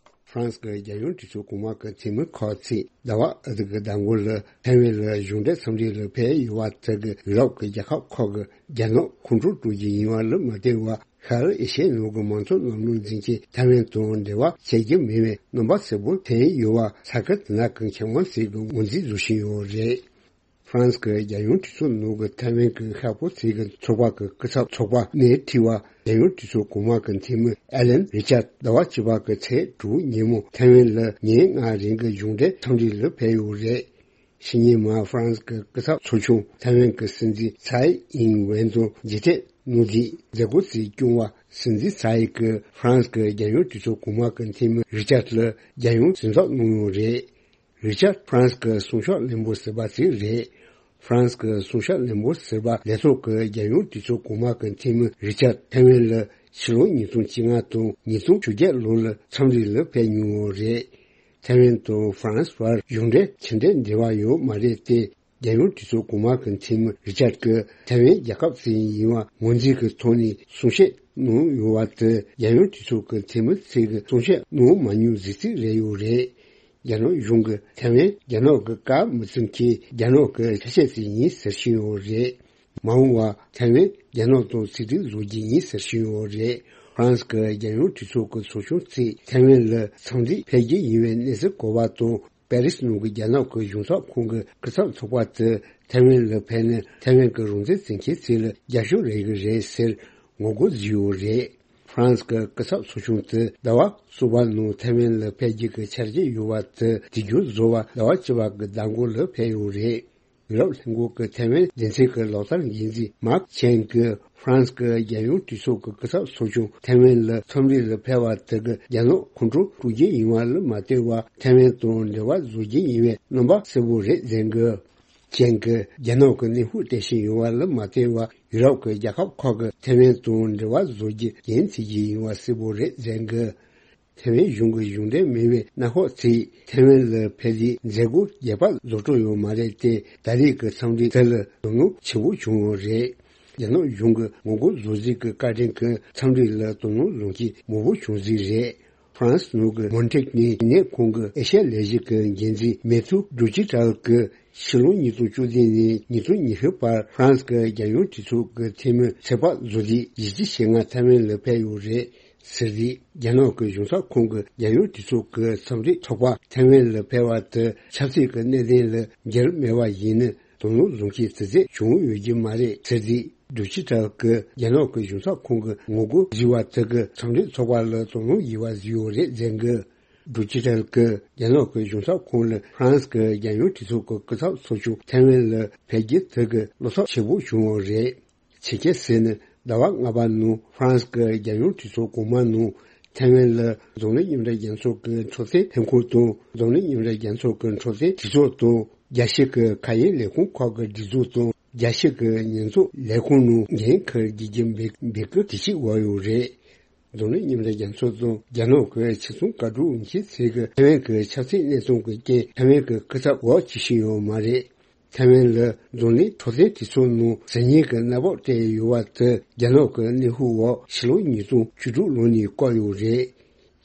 ཧྥ་རན་སི་གི་རྒྱལ་ཡོངས་གྲོས་ཚོགས་གོང་མ་གི་འཐུས་མི་ཁོ་ཚེ་ཟླ་བ་ཨ་ཐི་གི་ཟླ་མགོ་ལ་ཐའེ་ཝན་ལ་གཞུང་འབྲེལ་འཚམས་འདྲི་ལ་ཕེབས་ཡོད་པ་དེ་གིས་ཡུ་རོབ་ཀྱི་རྒྱལ་ཁབ་ཁག་གི་རྒྱ་ནག་ཁོང་ཁྲོ་སྤྲོད་རྒྱུ་ཡིན་པ་ལ་མ་བལྟས་པར། ཤར་ཨེ་ཤི་ཡའི་ནང་གི་མང་གཙོ་ལམ་ལུགས་འཛིན་ཆེད་ཐའེ་ཝན་དང་འབྲེལ་བ་བྱེད་ཀྱི་མེད་པའི་རྣམ་པ་གསལ་པོ་ཐོན་ཡོད་པ་ས་ཁུལ་དེ་ན་གི་མཁས་དབང་ཞིག་གིས་ངོས་འཛིན་བཟོ་བཞིན་ཡོད་རེད། ཧྥ་རན་སི་གི་རྒྱལ་ཡོངས་གྲོས་ཚོགས་ནང་གི་ཐའེ་ཝན་གྱི་ཤར་ཕྱོགས་ཚོགས་པ་གི་སྐུ་ཚབ་ཚོགས་པ་ནས་དྲིས་པར། རྒྱལ་ཡོངས་གྲོས་ཚོགས་གོང་མ་གི་འཐུས་མི་ཨེ་ལན་རི་ཅར་ཟླ་བ་བཅུ་པ་གི་ཚེས་དྲུག་ཉིན་མོ་ཐའེ་ཝན་ལ་ཉིན་ལྔ་རིང་གི་གཞུང་འབྲེལ་འཚམས་འདྲི་ལ་ཕེབས་ཡོད་རེད། ཕྱི་ཉིན་མར་ཧྥ་རན་སི་གི་སྐུ་ཚབ་ཚོགས་ཆུང་ཐའེ་ཝན་གྱི་སྲིད་འཛིན་ཚའེ་ཨིང་ཝེན་དང་མཇལ་འཕྲད་ ནོར་འཛིན་མཛད་སྒོ་དེའི་སྐྱོང་བ་སྲིད་འཛིན་ཚའེ་ཀྱིས་ཧྥ་རན་སི་གི་རྒྱལ་ཡོངས་གྲོས་ཚོགས་གོང་མ་གི་འཐུས་མི་རི་ཅར་ལ་རྒྱལ་ཡོངས་གཟེངས་རྟགས་གནང་ཡོད་རེད། རི་ཅར་ཧྥ་རན་སི་གི་སྲུང་སྐྱོབ་བློན་པོ་ཟུར་པ་ཞིག་རེད། ཧྥ་རན་སི་གི་སྲུང་སྐྱོབ་བློན་པོ་ཟུར་པ་ལས་ཐོག་གི་རྒྱལ་ཡོངས་གྲོས་ཚོགས་གོང་མ་གི་འཐུས་མི་རི་ཅར་ཐའེ་ཝན་ལ་ཕྱི་ལོ་ཉིས་སྟོང་བཅོ་ལྔ་དང་ཉིས་སྟོང་བཅོ་བརྒྱད་ལོ་ལ་འཚམས་འདྲི་ལ་ཕེབས་མྱོང་ཡོད་རེད། ཐའེ་ཝན་དང་ཧྥ་རན་སི་བར་གཞུང་འབྲེལ་ཕྱི་འབྲེལ་འབྲེལ་བ་ཡོད་མ་རེད་དེ། རྒྱལ་ཡོངས་གྲོས་ཚོགས་གོང་མ་གི་འཐུས་མི་རི་ཅར་གྱིས་ཐའེ་ཝན་རྒྱལ་ཁབ་ཅིག་ཡིན་པ་ངོས་འཛིན་གྱི་ཐོག་ནས་གསུང་བཤད་གནང་ཡོད་པ་དེ་རྒྱལ་ཡོངས་གྲོས་ཚོགས་ཀྱི་འཐུས་མི་ཚོས་ཀྱི་གསུང་བཤད་གནང་མ་མྱོང་གཟི་བརྗིད་རེད་ཡོད་རེད། རྒྱ་ནག་གཞུང་གིས་ཐའེ་ཝན་རྒྱ་ནག་གི་བཀའ་མི་བརྩི་མཁན་རྒྱ་ནག་གི་ཆ་ཤས་ཤིག་ཡིན་ཟེར་བཞིན་ཡོད་རེད། མ་འོངས་པར་ཐའེ་ཝན་རྒྱ་ནག་དང་ཆིག་སྒྲིལ་བཟོ་རྒྱུ་ཡིན་ཟེར་བཞིན་ཡོད་རེད། ཧྥ་རན་སི་གི་རྒྱལ་ཡོངས་གྲོས་ཚོགས་ཀྱི་ཚོགས་ཆུང་ཚོས་ཐའེ་ཝན་ལ་འཚམས་འདྲིར་ཕེབས་རྒྱུ་ཡིན་པའི་གནས་ཚུལ་གོ་བ་དང་། པེ་རིས་ནང་གི་རྒྱ་ནག་གི་གཞུང་ཚབ་ཁང་གི་སྐུ་ཚབ་ཚོགས་པ་དེ་ཐའེ་ཝན་ལ་ཕེབས་ནས་ཐའེ་ཝན་གྱི་རང་བཙན་བརྩི་མཁན་ཚོ་ལ་རྒྱབ་སྐྱོར་རག་གི་རེད་ཟེར་ངོ་རྒོལ་བཟོས་ཡོད་རེད། ཧྥ་རན་སི་གི་སྐུ་ཚབ་ཚོགས་ཆུང་དེ་ཟླ་བ་གསུམ་པ་ནང་ཐའེ་ཝན་ལ་ཕེབས་རྒྱུ་གི་འཆར་གཞི་ཡོད་པ་དེ་དུས་རྒྱུན་བཟོ་བར་ཟླ་བ་བཅུ་པ་གི་ཟླ་འགོ་ལ་ཕེབས་ཡོད་རེད། ཡུ་རོབ་ལྷན་ཁང་གི་ཐའེ་ཝན་སྡེ་ཚན་གྱི་ལག་བསྟར་འགན་འཛིན་མཱག་ཆེན་གྱིས་ཧྥ་རན་སི་གི་རྒྱལ་ཡོངས་གྲོས་ཚོགས་ཀྱི་སྐུ་ཚབ་ཚོགས་ཆུང་ཐའེ་ཝན་ལ་འཚམས་འདྲི་ལ་ཕེབས་པ་དེ་གིས་རྒྱ་ནག་ཁོང་ཁྲོ་སྤྲོད་རྒྱུ་ཡིན་པ་ལ་མ་ལྟོས་པར་ཐའེ་ཝན་དང་འབྲེལ་བ་བཟོ་རྒྱུ་ཡིན་པའི་རྣམ་པ་གསལ་པོ་རེད་ཟེར་གི། ཅན་གྱིས་རྒྱ་ནག་གི་གནོན་ཤུགས་སྤྲད་བཞིན་ཡོད་པ་ལ་མ་ལྟོས་པར་ཡུ་རོབ་ཀྱི་རྒྱལ་ཁབ་ཁག་གིས་ཐའེ་ཝན་དང་འབྲེལ་བ་བཟོ་རྒྱུ་འགན་འཁྱེར་གྱི་ཡིན་པ་གསལ་པོ་རེད་ཟེར་གི། ཐའེ་ཝན་གཞུང་གི་གཞུང་འབྲེལ་མིན་པའི་གནམ་འོག་ཚོས་ཐའེ་ཝན་ལ་ཕེབས་རྒྱུའི་མཛད་སྒོ་རྒྱས་པ་བཟོ་འགྲོ་ཡོད་མ་རེད་དེ། ད་རེས་ཀྱི་འཚམས་འདྲི་དེ་ལ་དོ་སྣང་ཆེན་པོ་བྱུང་ཡོད་རེད། རྒྱ་ནག་གཞུང་གི་ངོ་རྒོལ་བཟོ་རྩིས་ཀྱི་བཀའ་དྲིན་གྱིས་འཚམས་འདྲི་ལ་དོ་སྣང་བཟོ་མཁན་མང་པོ་བྱུང་རྩིས་རེད། ཧྥ་རན་སི་ནང་གི་མོན་ཊེག་ནི་ཡིན་ནས་ཁོང་གི་ཨེ་ཤ་ཡ་ལས་གཞི་གི་འགན་འཛིན་མེ་ཐུ་ཌུ་ཅི་ཏྲལ་གྱིས་ཕྱི་ལོ་ཉིས་སྟོང་བཅུ་བདུན་ནས་ཉིས་སྟོང་ཉི་ཤུ་བར་ཧྥ་རན་སི་གི་རྒྱལ་ཡོངས་གྲོས་ཚོགས་ཀྱི་འཐུས་མི་ཚོད་དཔག་བཟོ་རྒྱུའི་གཞི་རྒྱ་ཆེ་ང་ཐའེ་ཝན་ལ་ཕེབས་ཡོད་རེད་ཟེར་རྗེས། རྒྱ་ནག་གི་གཞུང་ཚབ་ཁང་གི་རྒྱལ་ཡོངས་གྲོས་ཚོགས་ཀྱི་འཚམས་འདྲི་ཚོགས་པ་ཐའེ་ཝན་ལ་ཕེབས་པ་དེ་ཆབ་སྲིད་ཀྱི་གནད་དོན་ལ་འགྱུར་མེད་པ་ཡིན་ན་དོ་སྣང་བཟུང་མཁན་དེ་ཚོ་བྱུང་ཡོད་ཀྱི་མ་རེད་ཟེར་རྗེས། ཌུ་ཅི་ཏྲལ་གྱིས་རྒྱ་ནག་གི་གཞུང་ཚབ་ཁང་གི་ངོ་རྒོལ་བཟོས་པ་དེ་གིས་འཚམས་འདྲི་ཚོགས་པ་ལ་དོ་སྣང་ཡོད་པ་བཟོས་ཡོད་རེད་ཟེར་གི། ཌུ་ཅི་ཏྲལ་གྱིས་རྒྱ་ནག་གི་གཞུང་ཚབ་ཁང་ལ་ཧྥ་རན་སི་གི་རྒྱལ་ཡོངས་གྲོས་ཚོགས་ཀྱི་སྐུ་ཚབ་ཚོགས་ཆུང་ཐའེ་ཝན་ལ་ཕེབས་རྒྱུ་དེ་གིས་བློ་འཚབ་ཆེན་པོ་བྱུང་ཡོད་རེད། ཆེད་མཁས་ཟེར་ནས་ཟླ་བ་ལྔ་པ་ནང་ཧྥ་རན་སི་གི་རྒྱལ་ཡོངས་གྲོས་ཚོགས་གོང་མ་ནང་ཐའེ་ཝན་ལ་འཛམ་གླིང་མཉམ་འབྲེལ་རྒྱལ་ཚོགས་ཀྱི་འཕྲོད་བསྟེན་ལྷན་ཁང་དང་འཛམ་གླིང་མཉམ་འབྲེལ་རྒྱལ་ཚོགས་ཀྱི་འཕྲོད་བསྟེན་གྲོས་ཚོགས་དང་རྒྱལ་སྤྱི་གི་ཁ་ཡན་ལས་ཁུངས་ཁག་གི་སྒྲིག་འཛུགས་དང་རྒྱལ་སྤྱི་གི་ཉེས་འཛུགས་ལས་ཁུངས་ནང་འགན་འཁུར་རྒྱུ་གི་འབོད་འབོད་སྐུལ་དེ་ཞིག་འོག་ཡོད་རེད། འཛམ་གླིང་མཉམ་འབྲེལ་རྒྱལ་ཚོགས་དང་རྒྱ་ནག་གི་ཕྱི་སྲུང་བཀའ་འཁྲོལ་འོས་ཤོག་ཚོས་ཀྱི་ཐའེ་ཝན་གྱི་ཆབ་སྲིད་གནས་སྟངས་ཀྱི་རྐྱེན་ཐའེ་ཝན་གྱི་སྐུ་ཚབ་འོག་བྱེད་བཞིན་ཡོད་མ་རེད། ཐའེ་ཝན་ལ་འཛམ་གླིང་འཕྲོད་བསྟེན་གྲོས་ཚོགས་ནང་ཟུར་ཉན་གྱི་གནས་བབ་སྤྲད་ཡོད་པ་དེ་རྒྱ་ནག་གི་གནོན་ཤུགས་འོག་ཕྱི་ལོ་ཉིས་སྟོང་བཅུ་དྲུག་ལོ་ནས་བཀག་ཡོད་རེད།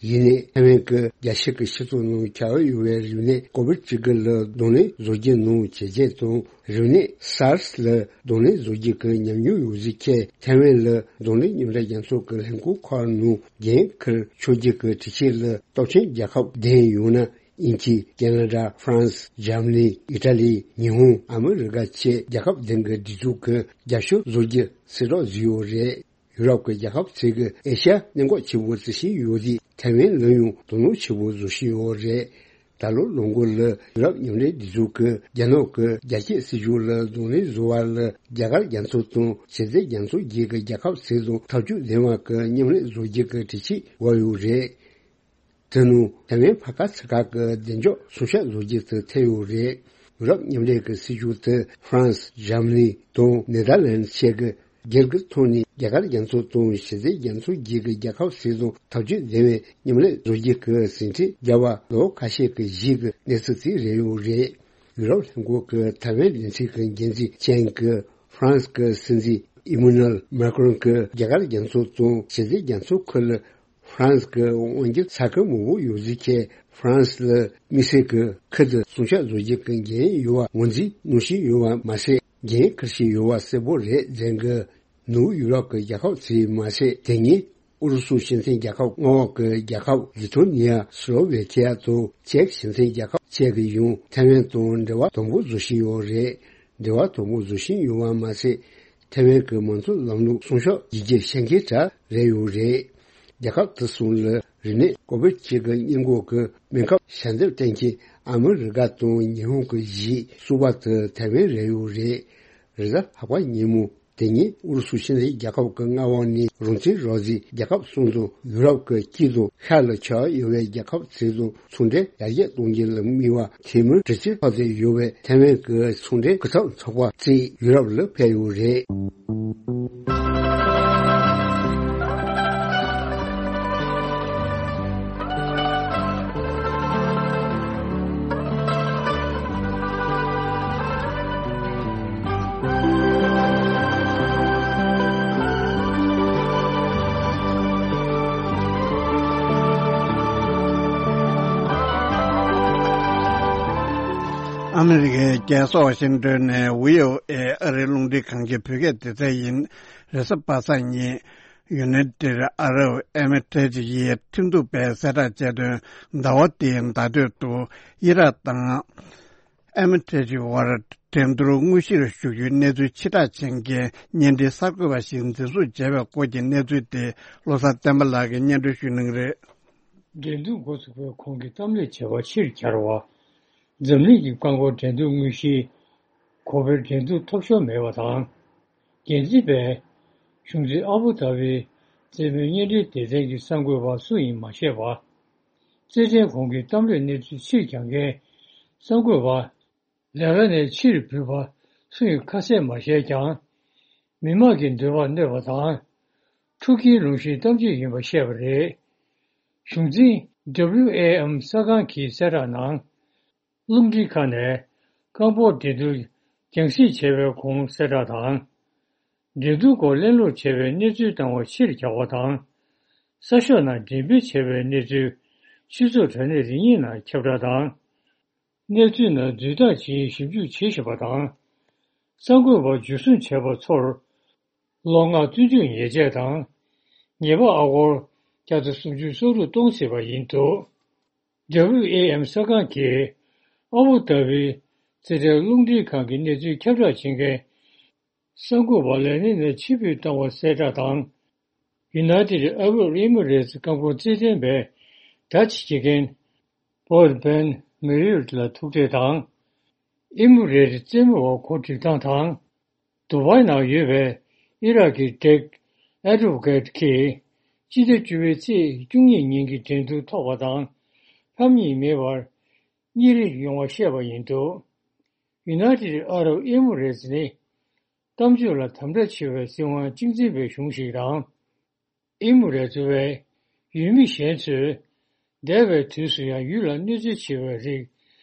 ཡིན་ནའི་ཐའེ་ཝན་གྱིས་རྒྱལ་སྤྱི་གི་སྤྱི་ཚོགས་ནང་ཁྱབ་ཡོད་པའི་རིམས་ནད་ཀོ་བིད་བཅུ་དགུ་ལ་གདོང་ལེན་བཟོ་རྒྱུ་ནང་བྱས་རྗེས་དང་རིམས་ནད་སཱར་སི་ལ་གདོང་ལེན་བཟོ་རྒྱུ་གི་ཉམས་མྱོང་ཡོད་རྫས་ཁྱེད་ཐའེ་ཝན་ལ་གདོང་ལེན་མཉམ་འབྲེལ་རྒྱལ་ཚོགས་ཀྱི་ལྷན་ཁང་ཁག་ནང་འགན་འཁུར་ཆོག་རྒྱུ་གི་གྲོས་ཆོད་ལ་སྟོབས་ཆེན་རྒྱལ་ཁབ་བདུན་ཡང་ན་དབྱིན་ཇི། ཁེ་ན་ཌ། ཧྥ་རན་སི། འཇར་མ་ནི། ཨི་ཊ་ལི། ཉི་ཧོང་། ཨ་མི་རི་ཀ་བཅས་རྒྱལ་ཁབ་བདུན་གྱི་སྒྲིག་འཛུགས་ཀྱིས་རྒྱབ་སྐྱོར་བཟོ་རྒྱུ་གསལ་བསྒྲགས་བཟོས་ཡོད་རེད། ཡུ་རོབ་ཀྱི་རྒྱལ་ཁབ་ཚོས་ཀྱིས་ཨེ་ཤ་ཡ་གནད་འགག་ཆེན་པོ་བརྩི་བཞིན་ཡོད་དུས་ཐའེ་ཝན་ལ་ཡང་དོ་སྣང་ཆེན་པོ་བཟོ་བཞིན་ཡོད་རེད། ད་ལོ་ལོ་མགོ་ལ་ཡུ་རོབ་མཉམ་འབྲེལ་སྒྲིག་འཛུགས་ཀྱིས་རྒྱ་ནག་གི་རྒྱ་སྐྱེད་སྲིད་ཇུས་ལ་གདོང་ལེན་བཟོ་བ་ལ་རྒྱ་གར་རྒྱ་མཚོ་དང་ཞི་བདེ་རྒྱ་མཚོ་བརྒྱུད་ཀྱི་རྒྱལ་ཁབ་ཚོས་དང་ཐག་གཅོད་ལྡན་པ་གི་མཉམ་ལས་བཟོ་རྒྱུ་གི་གྲོས་ཆོད་འོག་ཡོད་རེད། དེ་ནང་ཐའེ་ཝན་ཕ་ག་ཚ་ཁག་གི་བདེ་འཇགས་སྲུང་སྐྱོབ་བཟོ་རྒྱུ་དེ་ཐེ་ཡོད་རེད། ཡུ་རོབ་མཉམ་འབྲེལ་གྱི་སྲིད་ཇུས་དེ་ཧྥ་རན་སི། འཇར་མ་ནི་དང་ནེ་དར་ལན་བཅས་ཀྱིས་སྒེར་གྱི་ཐོག་ནས་རྒྱ་གར་རྒྱ་མཚོ་དང་ཞི་བདེ་རྒྱ་མཚོ་བརྒྱུད་ཀྱི་རྒྱལ་ཁབ་ཚོ་དང་ཐག་གཅོད་ལྡན་པའི་མཉམ་ལས་བཟོ་རྒྱུ་གི་ཟིན་བྲིས་བརྒྱབ་པ་ལོ་ཁ་ཤས་ཀྱི་རྗེས་ཀྱི་གནས་ཚུལ་ཅིག་རེད་ཡོད་རེད། ཡུ་རོབ་ལྷན་ཁང་གི་ཐའེ་ཝན་སྡེ་ཚན་གྱི་འགན་འཛིན་ཅན་གྱིས་ཧྥ་རན་སི་གི་སྲིད་འཛིན་ཨི་མུ་ནལ་མཱ་ཀྲོན་གྱིས་རྒྱ་གར་རྒྱ་མཚོ་དང་ཞི་བདེ་རྒྱ་མཚོ་ཁུལ་ལ་ཧྥ་རན་སི་གི་དབང་སྒྱུར་ས་ཁུལ་མང་པོ་ཡོད་རྫས་ཁྱེད་ཧྥ་རན་སི་ལ་དམིགས་བསལ་གྱི་ཁུལ་དུ་སྲུང་སྐྱོབ་བཟོ་རྒྱུ་གི་འགན་ཡོད་པ་ངོས་འཛིན་གནང་བཞིན་ཡོད་པ་མ་ཟད། འགན་འཁུར་བཞིན་ཡོད་པ་གསལ་པོ་རེད་ཟེར་གི། ནུབ་ཡུ་རོབ་ཀྱི་རྒྱལ་ཁབ་ཚོས་མ་ཟད། དེ་སྔོན་ཨུ་རུ་སུ་སྤྱི་མཐུན་རྒྱལ་ཁབ་མངའ་འོག་གི་རྒྱལ་ཁབ་ལི་ཐོ་ནི་ཡ། སི་ལོ་ཝེ་ཁི་ཡ་དང་ཅེཀ་སྤྱི་མཐུན་རྒྱལ་ཁབ་བཅས་ཀྱིས་ཡང་ཐའེ་ཝན་དང་འབྲེལ་བ་དམ་པོ་བཟོ་བཞིན་ཡོད་རེད། འབྲེལ་བ་དམ་པོ་བཟོ་བཞིན་ཡོད་པ་མ་ཟད། ཐའེ་ཝན་གྱི་མང་གཙོ་ལམ་ལུགས་སྲུང་སྐྱོབ་བྱེད་རྒྱུ་གལ་ཆེན་གྲས་རེད་ཡོད་རེད། རྒྱལ་ཁབ་དེ་གསུམ་ལ་རིམས་ནད་ཀོ་བིད་བཅུ་གི་སྔོན་འགོག་གི་སྨན་ཁབ་ཞལ་འདེབས་གཏོང་མཁན་ཨ་མི་རི་ཀ་དང་ཉི་ཧོང་གི་གཞིས་གསུམ་པ་དེ་ཐའེ་ཝན་རེད་ཡོད་རེད། རེས་གཟའ་ལྷག་པ་ཉིན་མོ་ དེ་ཉིན་ཨུ་རུ་སུ་ཕྱི་འབྲེལ་རྒྱལ་ཁབ་ཀྱི་མངའ་དབང་ནས་རང་བཙན་རོགས་ཟིན་རྒྱལ་ཁབ་གསུམ་དང་ཡུ་རོབ་ཀྱི་དཀྱིལ་དུ་ཤར་ལ་ཆགས་ཡོད་པའི་རྒྱལ་ཁབ་ཚོ་དང་ཚོང་འབྲེལ་ཡར་རྒྱས་གཏོང་རྒྱུ་ལ་དམིགས་པ་འཐུས་མི་དྲུག་ཅུ་ལྷག་ཙམ་ཡོད་པའི་ཐའེ་ཝན་གྱི་ཚོང་འབྲེལ་སྐུ་ཚབ་ཚོགས་པ་བཅས་ཡུ་རོབ་ལ་ཕེབས་ཡོད་རེད། ཨ་མི་རི་ཀའི་རྒྱལ་ས་ཝ་ཤིང་ཏོན་ནས་བྷི་ཨོ་ཨེ་ཨ་རིའི་རླུང་འཕྲིན་ཁང་གི་བོད་སྐད་སྡེ་ཚན་ཡིན། རེས་གཟའ་པ་སངས་ཉིན། United Arab Emirates ཡི་ཁྲིམས་གཏུག་པས་གསལ་བསྒྲགས་བྱས་དོན། ཟླ་བ་འདིའི་ཟླ་སྟོད་དུ་ཨི་རག་དང་ཨེ་མི་རེ་ཊི་དབར་འགྲན་བསྡུར་དངོས་གཞིར་ཞུགས་རྒྱུའི་གནས་ཚུལ་ཕྱིར་བསྒྲགས་བྱེད་མཁན་བརྙན་འཕྲིན་གསར་འགོད་པ་ཞིག་འཛིན་བཟུང་བྱས་པའི་སྐོར་གྱི་གནས་ཚུལ་དེ་བློ་བཟང་བསྟན་པ་ལགས་ཀྱིས་སྙན་སྒྲོན་ཞུ་གནང་གི་རེད། འགྲན་བསྡུར་འགོ་ཚུགས་པའི་གོང་གི་གཏམ་གླེང་བྱ་བ་ཕྱིར་གྱར་བ། འཛམ་གླིང་གི་རྐང་འཁོར་འགྲན་བསྡུར་དངོས་གཞིའི་གོ་པའི་འགྲན་བསྡུར་ཐོབ་ཤོར་མེད་པ་དང་། འགན་འཛིན་པས་གཞུང་འཛིན་ཨ་བུ་དྷ་བིའི་རྩེད་མོའི་བརྙན་འཕྲིན་སྡེ་ཚན་གྱི་གསར་འགོད་པ་སུ་ཡིན་མ་ཤེས་པ། རྩེད་འགྲན་གོང་གི་གཏམ་གླེང་གནས་ཚུལ་ཕྱིར་གྱར་མཁན་གསར་འགོད་པ་ལས་ཀ་ནས་ཕྱིར་འབུད་པ་སུ་ཡིན་ཁ་གསལ་མ་བཤད་ཀྱང་། མི་མང་གི་འདོད་པ་གནོད་པ་དང་། ཕྲུ་གུའི་ལུང་བཞིན་གཏམ་བརྗོད་ཡིན་པ་བཤད་པ་རེད། གཞུང་འཛིན་ཌབ་ལིའུ་ཨེ་ཨེམ་གསར་ཁང་གི་གསལ་བསྒྲགས་ནང་། རླུང་འཕྲིན་ཁང་ནས་རྐང་སྤོལ་འགྲན་བསྡུར་རྒྱང་སྲིང་བྱས་པའི་གོང་གསལ་བསྒྲགས་དང་། འགྲན་བསྡུར་སྐོར་གླེང་སློང་བྱས་པའི་གནས་ཚུལ་བཏང་བ་ཕྱིར་གྱར་བ་དང་། གསར་ཤོག་ནང་འགྲེམས་སྤེལ་བྱས་པའི་གནས་ཚུལ་སྤྱི་ཚོགས་དྲ་གནས་རིགས་གཉིས་ནང་ཁྱབ་བསྒྲགས་དང་། གནས་ཚུལ་ནང་འཛུལ་ཐག་བྱེད་ཞིབ་འཇུག་བྱེད་བཞིན་པ་དང་། གསར་འགོད་པ་འཇུ་བཟུང་བྱས་པ་ཚོར། ལོ་ལྔ་བཙོན་འཇུག་ཉེས་ཆད་དང་། ཉེས་པ་ཨ་སྒོར་བརྒྱ་དང་སུམ་ཅུ་སོ་དྲུག་གཏོང་སྲིད་པ་ཡིན་འདུག་ཌབ་ལིའུ་ཨེ་ཨེམ་གསར་ཁང་གིས་ཨ་བུ་དྷ་བི་རྩེད་འགྲན་རླུང་འཕྲིན་ཁང་གི་གནས་ཚུལ་ཁྱབ་བསྒྲགས་བྱེད་མཁན་གསར་འགོད་པ་ལས་གནས་ནས་ཕྱིར་འབུད་བཏང་བ་གསལ་བསྒྲགས་དང་། United Arab Emirates རྐང་འཁོར་རྩེད་འགྲན་པས་ཌ་ཅི་བྱེད་མཁན་Bob Ben Merrill ལ་ཐུག་འཕྲད་དང་། ཨེ་མི་རེ་ཊི་རྩེད་མོ་བ་གོ་སྒྲིག་སྟངས་དང་། ཌུ་བའི་ནང་ཡོད་པའི་ཨི་རག་གི་ཌེག་ཨེ་ཌོ་ཝ་ཀེཊ་ཀྱིས་སྤྱི་ཟླ་བཅུ་པའི་ཚེས་བཅུ་གཉིས་ཉིན་གྱི་འགྲན་བསྡུར་ཐོག་པ་དང་ལྷམ་གཉིས་མེད་པར་གཉིས་རེ་ཡོང་བ་བཤད་པ་ཡིན་འདུག United Arab Emirates ནི་གཏམ་བརྗོད་ལ་དམ་དྲག་ཆེ་བའི་སྲིད་དབང་གཅིག་འཛིན་པའི་གཞུང་ཞིག་དང་། ཨེ་མི་རེ་ཊི་བས་ཡུལ་མི་གཞན་ཚོས་འདས་པའི་དུས་སུ་ཡང་ཡུལ་ལ་གནོད་འཚེ་ཆེ་བའི་རིགས་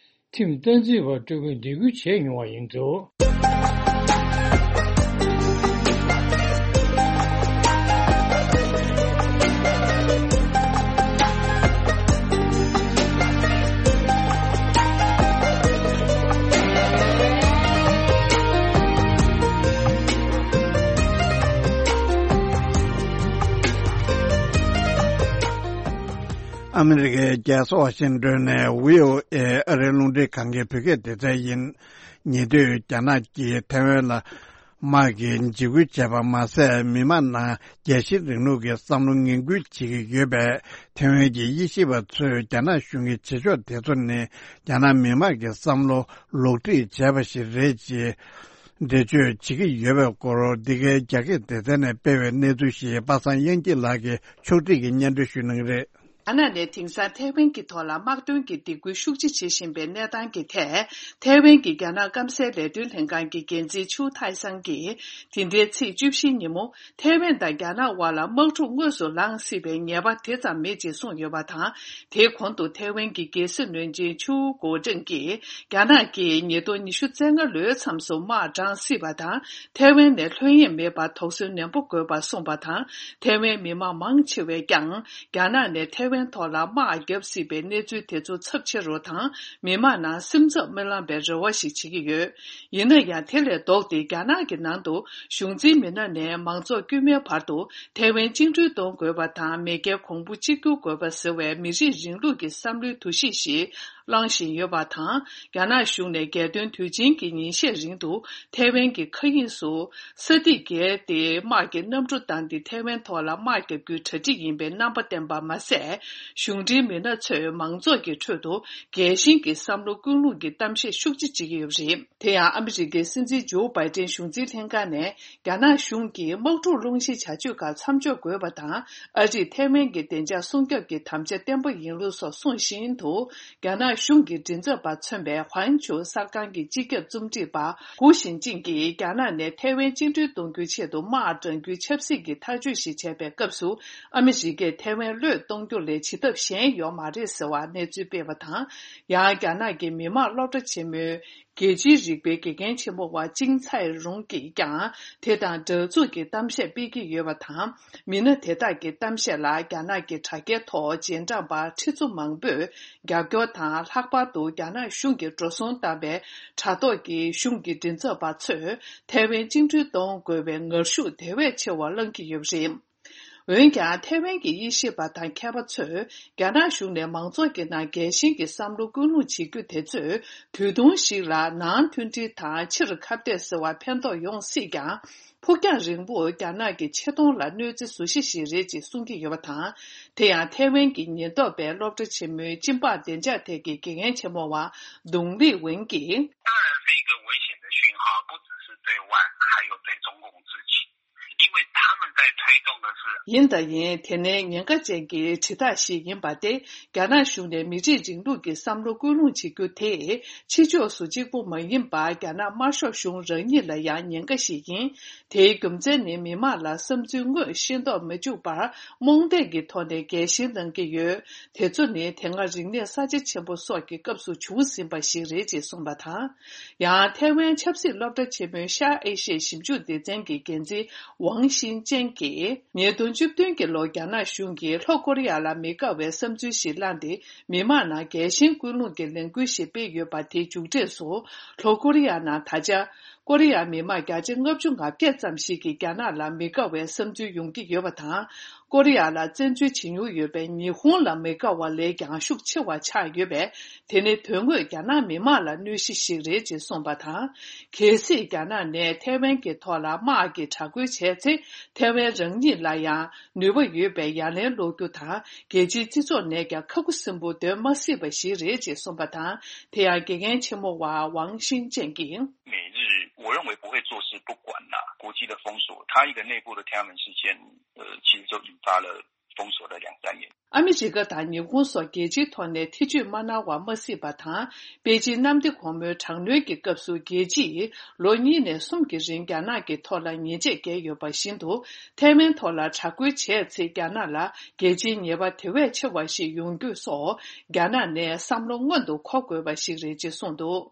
ཁྲིམས་སྟངས་འཛིན་པར་སྤྲོད་སྐུལ་འདེད་སྐུལ་བྱས་མྱོང་བ་ཡིན་འདུག་ཨ་མི་རི་ཀའི་རྒྱལ་ས་ཝ་ཤིང་ཏོན་ནས་བྷི་ཨོ་ཨེ་ཨ་རིའི་རླུང་འཕྲིན་ཁང་གི་བོད་སྐད་སྡེ་ཚན་ཡིན། ཉེ་དུས་རྒྱ་ནག་གིས་ཐའེ་ཝན་ལ་དམག་གི་འཇིགས་སྐུལ་བྱས་པ་མ་ཟད། མི་མང་ནང་རྒྱལ་སྤྱིའི་རིང་ལུགས་ཀྱི་བསམ་བློ་ངན་སྐུལ་བྱེད་ཀྱི་ཡོད་པས། ཐའེ་ཝན་གྱི་དབྱེ་ཞིབ་པ་ཚོས་རྒྱ་ནག་གཞུང་གི་བྱེད་ཕྱོགས་དེ་ཚོ་ནི་རྒྱ་ནག་མི་མང་གི་བསམ་བློ་ལོག་སྒྲིག་བྱས་པ་ཞིག་རེད་ཅེས་འགྲེལ་བརྗོད་བྱེད་ཀྱི་ཡོད་པའི་སྐོར། འདི་གའི་རྒྱ་སྐད་སྡེ་ཚན་ནས་སྤེལ་བའི་གནས་ཚུལ་ཞིག་པ་སངས་དབྱངས་སྐྱིད་ལགས་ཀྱིས་ཕྱོགས་སྒྲིག་གིས་སྙན་སྒྲོན་ཞུ་གནང་གི་རེད། རྒྱ་ནག་ནས་དེང་སང་ཐའེ་ཝན་གྱི་ཐོག་ལ་དམག་དོན་གྱི་སྡིགས་སྐུལ་ཤུགས་ཆེ་བྱེད་བཞིན་པའི་གནས་སྟངས་ཀྱི་ཐད། ཐའེ་ཝན་གྱི་རྒྱ་ནག་སྐམ་སའི་ལས་དོན་ལྷན་ཁང་གི་འགན་འཛིན་ཆུའུ་ཐའེ་སང་གིས་དེ་ཟླའི་ཚེས་བཅུ་བཞི་ཉིན་མོ། ཐའེ་ཝན་དང་རྒྱ་ནག་དབར་ལ་དམག་འཁྲུག་དངོས་སུ་ལངས་སྲིད་པའི་ངེས་པ་དེ་ཙམ་མེད་ཅེས་གསུངས་ཡོད་པ་དང་། དེའི་གོང་དུ་ཐའེ་ཝན་གྱི་རྒྱལ་སྲིད་བློན་ཆེན་ཆུའུ་གོ་ཀྲེང་གིས་རྒྱ་ནག་གིས་ཉིས་སྟོང་ཉི་ཤུ་རྩ་ལྔ་ལོའི་མཚམས་སུ་དམག་དྲངས་སྲིད་པ་དང་། ཐའེ་ཝན་ནས་ལྷོད་གཡེང་མེད་པར་དོགས་ཟོན་ནན་པོ་དགོས་པ་གསུངས་པ་དང་། ཐའེ་ཝན་མི་མང་མང་ཆེ་བས་ཀྱང་རྒྱ་ནག་ནས་ཐའེ་ཝན་ཐོག་ལ་དམག་བརྒྱབ་སྲིད་པའི་གནས་ཚུལ་དེ་ཚོ་ཚབས་ཆེ་རུ་དང་། མི་མང་ནང་སེམས་འཚབ་མི་ལངས་པའི་རེ་བ་ཞིག་བྱེད་ཀྱི་ཡོད། ཡིན་ན་ཡང་། དེ་ལས་ལྡོག་སྟེ་རྒྱ་ནག་གི་ནང་དུ་གཞུང་འཛིན་མི་སྣ་ནས་མང་ཚོགས་དཀྱུས་མའི་བར་དུ་ཐའེ་ཝན་བཅིངས་འགྲོལ་གཏོང་དགོས་པ་དང་། མེས་རྒྱལ་གོང་བུ་གཅིག་གྱུར་དགོས་པ་ཟེར་བའི་མི་རིགས་རིང་ལུགས་ཀྱི་བསམ་བློའི་འདུ་ཤེས་ཤིག་ བླངས་བཞིན་ཡོད་པ་དང་། རྒྱ་ནག་གཞུང་ནས་རྒྱལ་སྟོན་དུས་ཆེན་གྱི་ཉིན་ཤས་རིང་དུ་ཐའེ་ཝན་གྱི་མཁའ་དབྱིངས་སུ་ས་ཐིག་བརྒལ་ཏེ་དམག་གི་གནམ་གྲུ་བཏང་སྟེ་ཐའེ་ཝན་ཐོག་ལ་དམག་བརྒྱབ་རྒྱུའི་གྲ་སྒྲིག་ཡིན་པའི་རྣམ་པ་བསྟན་པ་མ་ཟད། གཞུང་འབྲེལ་མི་སྣ་ཚོས་མང་ཚོགས་ཀྱི་ཁྲོད་དུ་རྒྱལ་ཞེན་གྱི་བསམ་བློ་ཀུན་སློང་གི་གཏམ་བཤད་ཤུགས་ཆེ་བྱེད་ཀྱི་ཡོད་པ་རེད། དེ་ཡང་ཨ་མི་རི་ཀའི་སྲིད་འཛིན་ཇོ་བྷའི་ཏན་གཞུང་འཛིན་ལྷན་ཁང་ནས། རྒྱ་ནག་གཞུང་གིས་དམག་འཁྲུག་སློང་གཞིའི་བྱ་སྤྱོད་ཁག་མཚམས་འཇོག་དགོས་པ་དང་། ཨ་རིས་ཐའེ་ཝན་གྱི་བདེ་འཇགས་སྲུང་སྐྱོབ་ཀྱི་དམ་བཅའ་བརྟན་པོ་ཡིན་ལུགས་སོགས་གསུངས་བཞིན་དུ། རྒྱ་ནག་གཞུང་གི་མགྲིན་ཚབ་པ་མཚོན་པའི་ཧུའན་ཆུའུ་གསར་ཁང་གི་སྤྱི་ཁྱབ་རྩོམ་སྒྲིག་པ་ཧུའུ་ཞིན་ཅིང་གིས། རྒྱ་ནག་ནས་ཐའེ་ཝན་བཅིངས་འགྲོལ་གཏོང་རྒྱུའི་ཆེད་དུ་དམག་དྲངས་རྒྱུའི་ཆབ་སྲིད་ཀྱི་ཐག་གཅོད་ཞིག་བྱས་པའི་སྐབས་སུ། ཨ་མི་རི་ཀས་ཐའེ་ཝན་བློས་གཏོང་རྒྱུ་ལས་བྱེད་ཐབས་གཞན་ཡོད་མ་རེད་ཟེར་བ་གནས་ཚུལ་སྤེལ་བ་དང་། ཡང་། རྒྱ་ནག་གི་མི་དམངས་སློབ་གྲྭ་ཆེན་མོའི་རྒྱལ་སྤྱིའི་རིག་པའི་དགེ་རྒན་ཆེན་མོ་བ་ཅིང་ཚའེ་རུང་གིས་ཀྱང་དེ་དང་འདྲ་མཚུངས་ཀྱི་གཏམ་བཤད་སྤེལ་གྱི་ཡོད་པ་དང་། མི་སྣ་དེ་དག་གི་གཏམ་བཤད་ལ་རྒྱ་ནག་གི་དྲ་རྒྱའི་ཐོག་རྗེས་འབྲང་པ་ཁྲི་ཚོ་མང་པོས་རྒྱབ་སྐྱོར་དང་། ལྷག་པར་དུ་རྒྱ་ནག་གཞུང་གིས་འགྲོ་སོང་བཏང་བའི་དྲ་ཐོག་གི་གཞུང་གི་མགྲིན་ཚབ་པ་ཚོས་ཐའེ་ཝན་བཅིངས་འགྲོལ་གཏོང་དགོས་པའི་ངར་ཤུགས་དེ་བས་ཆེ་བ་བསླང་གི་ཡོད་པ་རེད། འོན་ཀྱང་། ཐའེ་ཝན་གྱི་དབྱེ་ཞིབ་པ་དང་མཁས་པ་ཚོས། རྒྱ་ནག་གཞུང་ནས་མང་ཚོགས་ཀྱི་ནང་རྒྱལ་ཞེན་གྱི་བསམ་བློ་ཀུན་སློང་བྱེད་རྒྱུ་དེ་ཚོས། དུས་ཐུང་ཞིག་ལ་ནང་མཐུན་སྒྲིལ་དང་ཕྱིར་ཁ་གཏད་ཟེར་བར་ཕན་ཐོགས་ཡོང་སྲིད་ཀྱང་། ཕུགས་རྒྱང་རིང་པོར་རྒྱ་ནག་གི་ཆེ་མཐོང་ལ་གནོད་འཚེ་བཟོ་གཞི་ཞིག་རེད་ཅེས་གསུང་གི་ཡོད་པ་དང་། དེ་ཡང་། ཐའེ་ཝན་གྱི་ཉེན་རྟོག་པས་སློབ་གྲྭ་ཆེན་མོའི་སྤྱི་འབངས་བདེ་འཇགས་ཐད་ཀྱི་དགེ་རྒན་ཆེན་མོ་བ་ཏུང་ལི་ཝེན་གྱིས། 当然是一个危险的讯号，不只是对外，还有对中共自己。 因为他们在推动的是 ཡིན་དང་ཡིན། དེ་ནི་ཉེན་ཁ་ཅན་གྱི་དྲིལ་བསྒྲགས་ཤིག་ཡིན་པ་སྟེ། རྒྱ་ནག་གཞུང་ནས་མི་རིགས་རིང་ལུགས་ཀྱི་བསམ་བློ་ཀུན་སློང་བྱེད་རྒྱུ་དེས། ཕྱི་ཕྱོགས་སུ་གཅིག་པུ་མ་ཡིན་པར། རྒྱ་ནག་དམར་ཤོག་གཞུང་རང་ཉིད་ལ་ཡང་ཉེན་ཁ་ཞིག་ཡིན། དེའི་རྒྱུ་མཚན་ནི། མི་དམངས་ལ་བསམ་ཚུལ་དངོས་ཤེས་རྟོགས་མི་འཇུག་པར། རྨོངས་དད་ཀྱི་ཐོག་ནས་རྒྱལ་ཞེན་གནང་གི་ཡོད། དེ་ཚོ་ནི། དེ་སྔ་རིག་གནས་གསར་བརྗེ་ཆེན་པོ་སོགས་ཀྱི་སྐབས་སུ་བྱུང་ཟིན་པ་ཞིག་རེད་ཅེས་གསུངས་པ་དང་། ཡང་། ཐའེ་ཝན་ཆབ་སྲིད་སློབ་གྲྭ་ཆེན་མོའི་ཤར་ཨེ་ཤི་ཡའི་ཞིབ་འཇུག་སྡེ་ཚན་གྱི་འགན་འཛིན་ཝང་ཤིན་ཅན་གྱིས། ཉིས་སྟོང་བཅུ་བདུན་གྱི་ལོར་རྒྱ་ནག་གཞུང་གིས་ལྷོ་ཀོ་རི་ཡ་ལ་མི་དགའ་བའི་བསམ་ཚུལ་ཞིག་བསླངས་ཏེ། མི་དམངས་ནང་རྒྱལ་ཞེན་ཀུན་སློང་གི་ལས་འགུལ་ཞིག་སྤེལ་ཡོད་པ། དེའི་མཇུག་འབྲས་སུ། ལྷོ་ཀོ་རི་ཡ་ནང་ད་ཆ། ཀོ་རི་ཡ་མི་དམངས་བརྒྱ་ཆ་ལྔ་བཅུ་ང་བརྒྱད་ཙམ་ཞིག་གིས་རྒྱ་ནག་ལ་མི་དགའ་བའི་བསམ་ཚུལ་ཡོང་གི་ཡོད་པ་དང་། ཀོ་རི་ཡ་ལ་བཙན་འཛུལ་བྱེད་མྱོང་ཡོད་པའི་ཉི་ཧོང་ལ་མི་དགའ་བ་ལས་ཀྱང་ཤུགས་ཆེ་བ་ཆགས་ཡོད་པས། དེ་ནི་དོན་དངོས་རྒྱ་ནག་མི་དམངས་ལ་གནོད་གཞི་ཞིག་རེད་ཅེས་གསུངས་པ་དང་། གལ་སྲིད་རྒྱ་ནག་ནས་ཐའེ་ཝན་གྱི་ཐོག་ལ་དམག་གི་དྲག་རྒོལ་བྱས་ཚེ། ཐའེ་ཝན་རང་ཉིད་ལ་ཡང་ནུས་པ་ཡོད་པའི་ཡ་ལན་སློག་རྒྱུ་དང་། རྒྱལ་སྤྱིའི་སྤྱི་ཚོགས་ནས་ཀྱང་ཁ་ཁུ་སིམ་པོ་སྡོད་མ་སྲིད་པ་ཞིག་རེད་ཅེས་གསུངས་པ་དང་། དེ་ཡང་། དགེ་རྒན་ཆེན་མོ་བ་ཝང་ཤིན་ཅན་གྱིས། 美日，我认为不会坐视不管啦。国际的封锁，它一个内部的天安门事件，呃，其实就引发了封锁的两三年。 ཨ་མི་རི་ཀ་དང་ཉི་ཧོང་སོགས་རྒྱལ་སྤྱིའི་ཐོག་ནས་ཐེ་བྱུས་མ་གནང་བ་མ་སྲིད་པ་དང་། པེ་ཅིན་གནམ་བདེ་གོང་མོའི་དྲག་གནོན་གྱི་སྐབས་སུ། རྒྱལ་སྤྱིས་ལོ་གཉིས་ནས་གསུམ་གྱི་རིང་རྒྱ་ནག་གི་ཐོག་ལ་ཉེས་ཆད་བཀལ་ཡོད་པ་བཞིན་དུ། ཐའེ་ཝན་ཐོག་ལ་དྲག་རྒོལ་བྱས་ཚེ། རྒྱ་ནག་ལ་རྒྱལ་སྤྱིའི་ཉེས་པ་དེ་བས་ཆེ་བ་ཞིག་ཡོང་རྒྱུ་སོགས། རྒྱ་ནག་ནས་བསམ་བློ་སྔོན་དུ་འཁོར་དགོས་པ་ཞིག་རེད་ཅེས་གསུངས་འདུག།